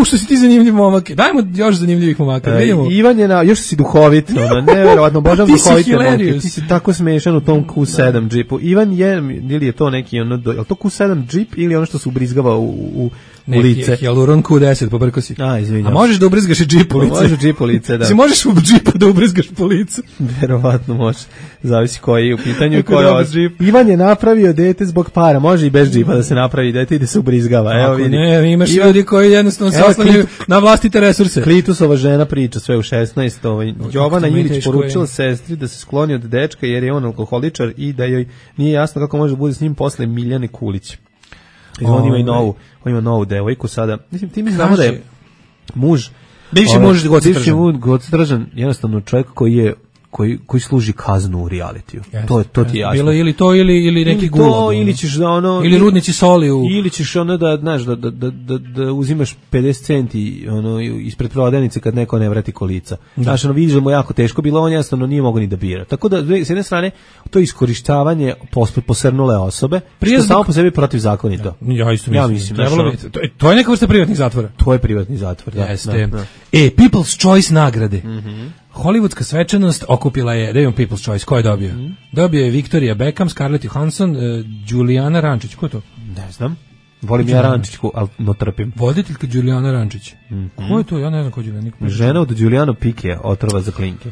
Što si ti zanimljiv momak. Dajmo još zanimljivih momaka. Ivan je još si duhovit, neverovatno, božam duhovite momke. Ti si tako smešan u tom Q7 džipu. Ivan je, ili je to neki, je li to Q7 džip ili ono što se ubrizgava u lice? Hyaluron Q10, pobrko si. Izvinjam. A možeš da ubrizgaš i džip u lice? Možeš džip u lice, da. Si možeš u džipu da ubrizgaš po licu? Verovatno može. Zavisi koji je u pitanju i koji je džip. Ivan je napravio dete zbog para. Može i bez džipa da se napravi dete i da se ubrizgava. Evo vidi. Ne, imaš ljudi koji jednostavno se oslanjaju na vlastite resurse. Klitusova žena priča sve u 16. Jovana Ilić poručila sestri da se skloni od dečka jer je on alkoholičar i da joj nije jasno kako može da bude s njim posle Miljane Kulić. On ima novu devojku sada. Mislim, ti mi znamo da je muž, bivši muž Goctržan, jednostavno čovjek koji služi kaznu u realitiju. To ti je jasno. Bilo ili to ili neki gulog. Ili ćeš da ili rudnici soli ili ćeš da znaš da uzimaš 50 centi ispred prodavnice kad neko ne vrati kolica. Znaš, vidiš da mu jako teško bilo, on jednostavno nije mogao ni da bira. Tako da s jedne strane to je iskorištavanje posrnule osobe, što samo po sebi protivzakonito. Ja isto mislim. To je neka vrsta privatnih zatvora. To je privatni zatvor, da. Jeste. People's Choice nagrade. Hollywoodska svečanost okupila je People's Choice. Ko je dobio? Dobio je Victoria Beckham, Scarlett Johansson, Julijana Rančić. Ko je to? Ne znam. Volim ja Rančićku, ali no trpim. Voditeljka Julijana Rančić. Ko je to? Ja ne znam ko je Julijana. Žena od Julijana Pikija, otrova za klinke.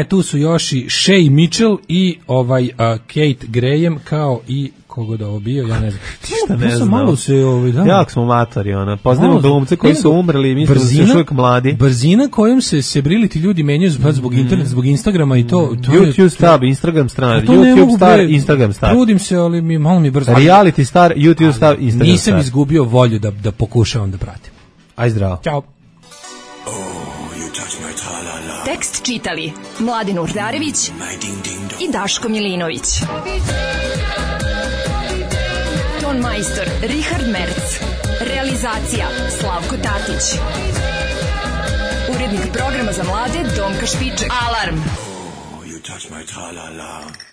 Tu su još i Shay Mitchell i Kate Graham, kao i kogo da ovo bio, ja ne znam. Šta ne znam. Malo se Jak smo matori, poznajemo glumce koji su umrli i mislim da su još uvijek mladi. Brzina kojom se sebriliti ljudi menjaju zbog interneta, zbog Instagrama i to YouTube star, Instagram star, YouTube star, Instagram star. Trudim se, ali malo mi brzo. Reality star, YouTube star, Instagram star. Nisam izgubio volju da pokušavam da pratim. Aj zdravo. Ćao. Tekst čitali Mladin Urdarević i Daško Milinović. Ton majstor Richard Merc. Realizacija Slavko Tatić. Urednik programa za mlade Donka Špiček. Alarm! Oh, you touch my tra-la-la.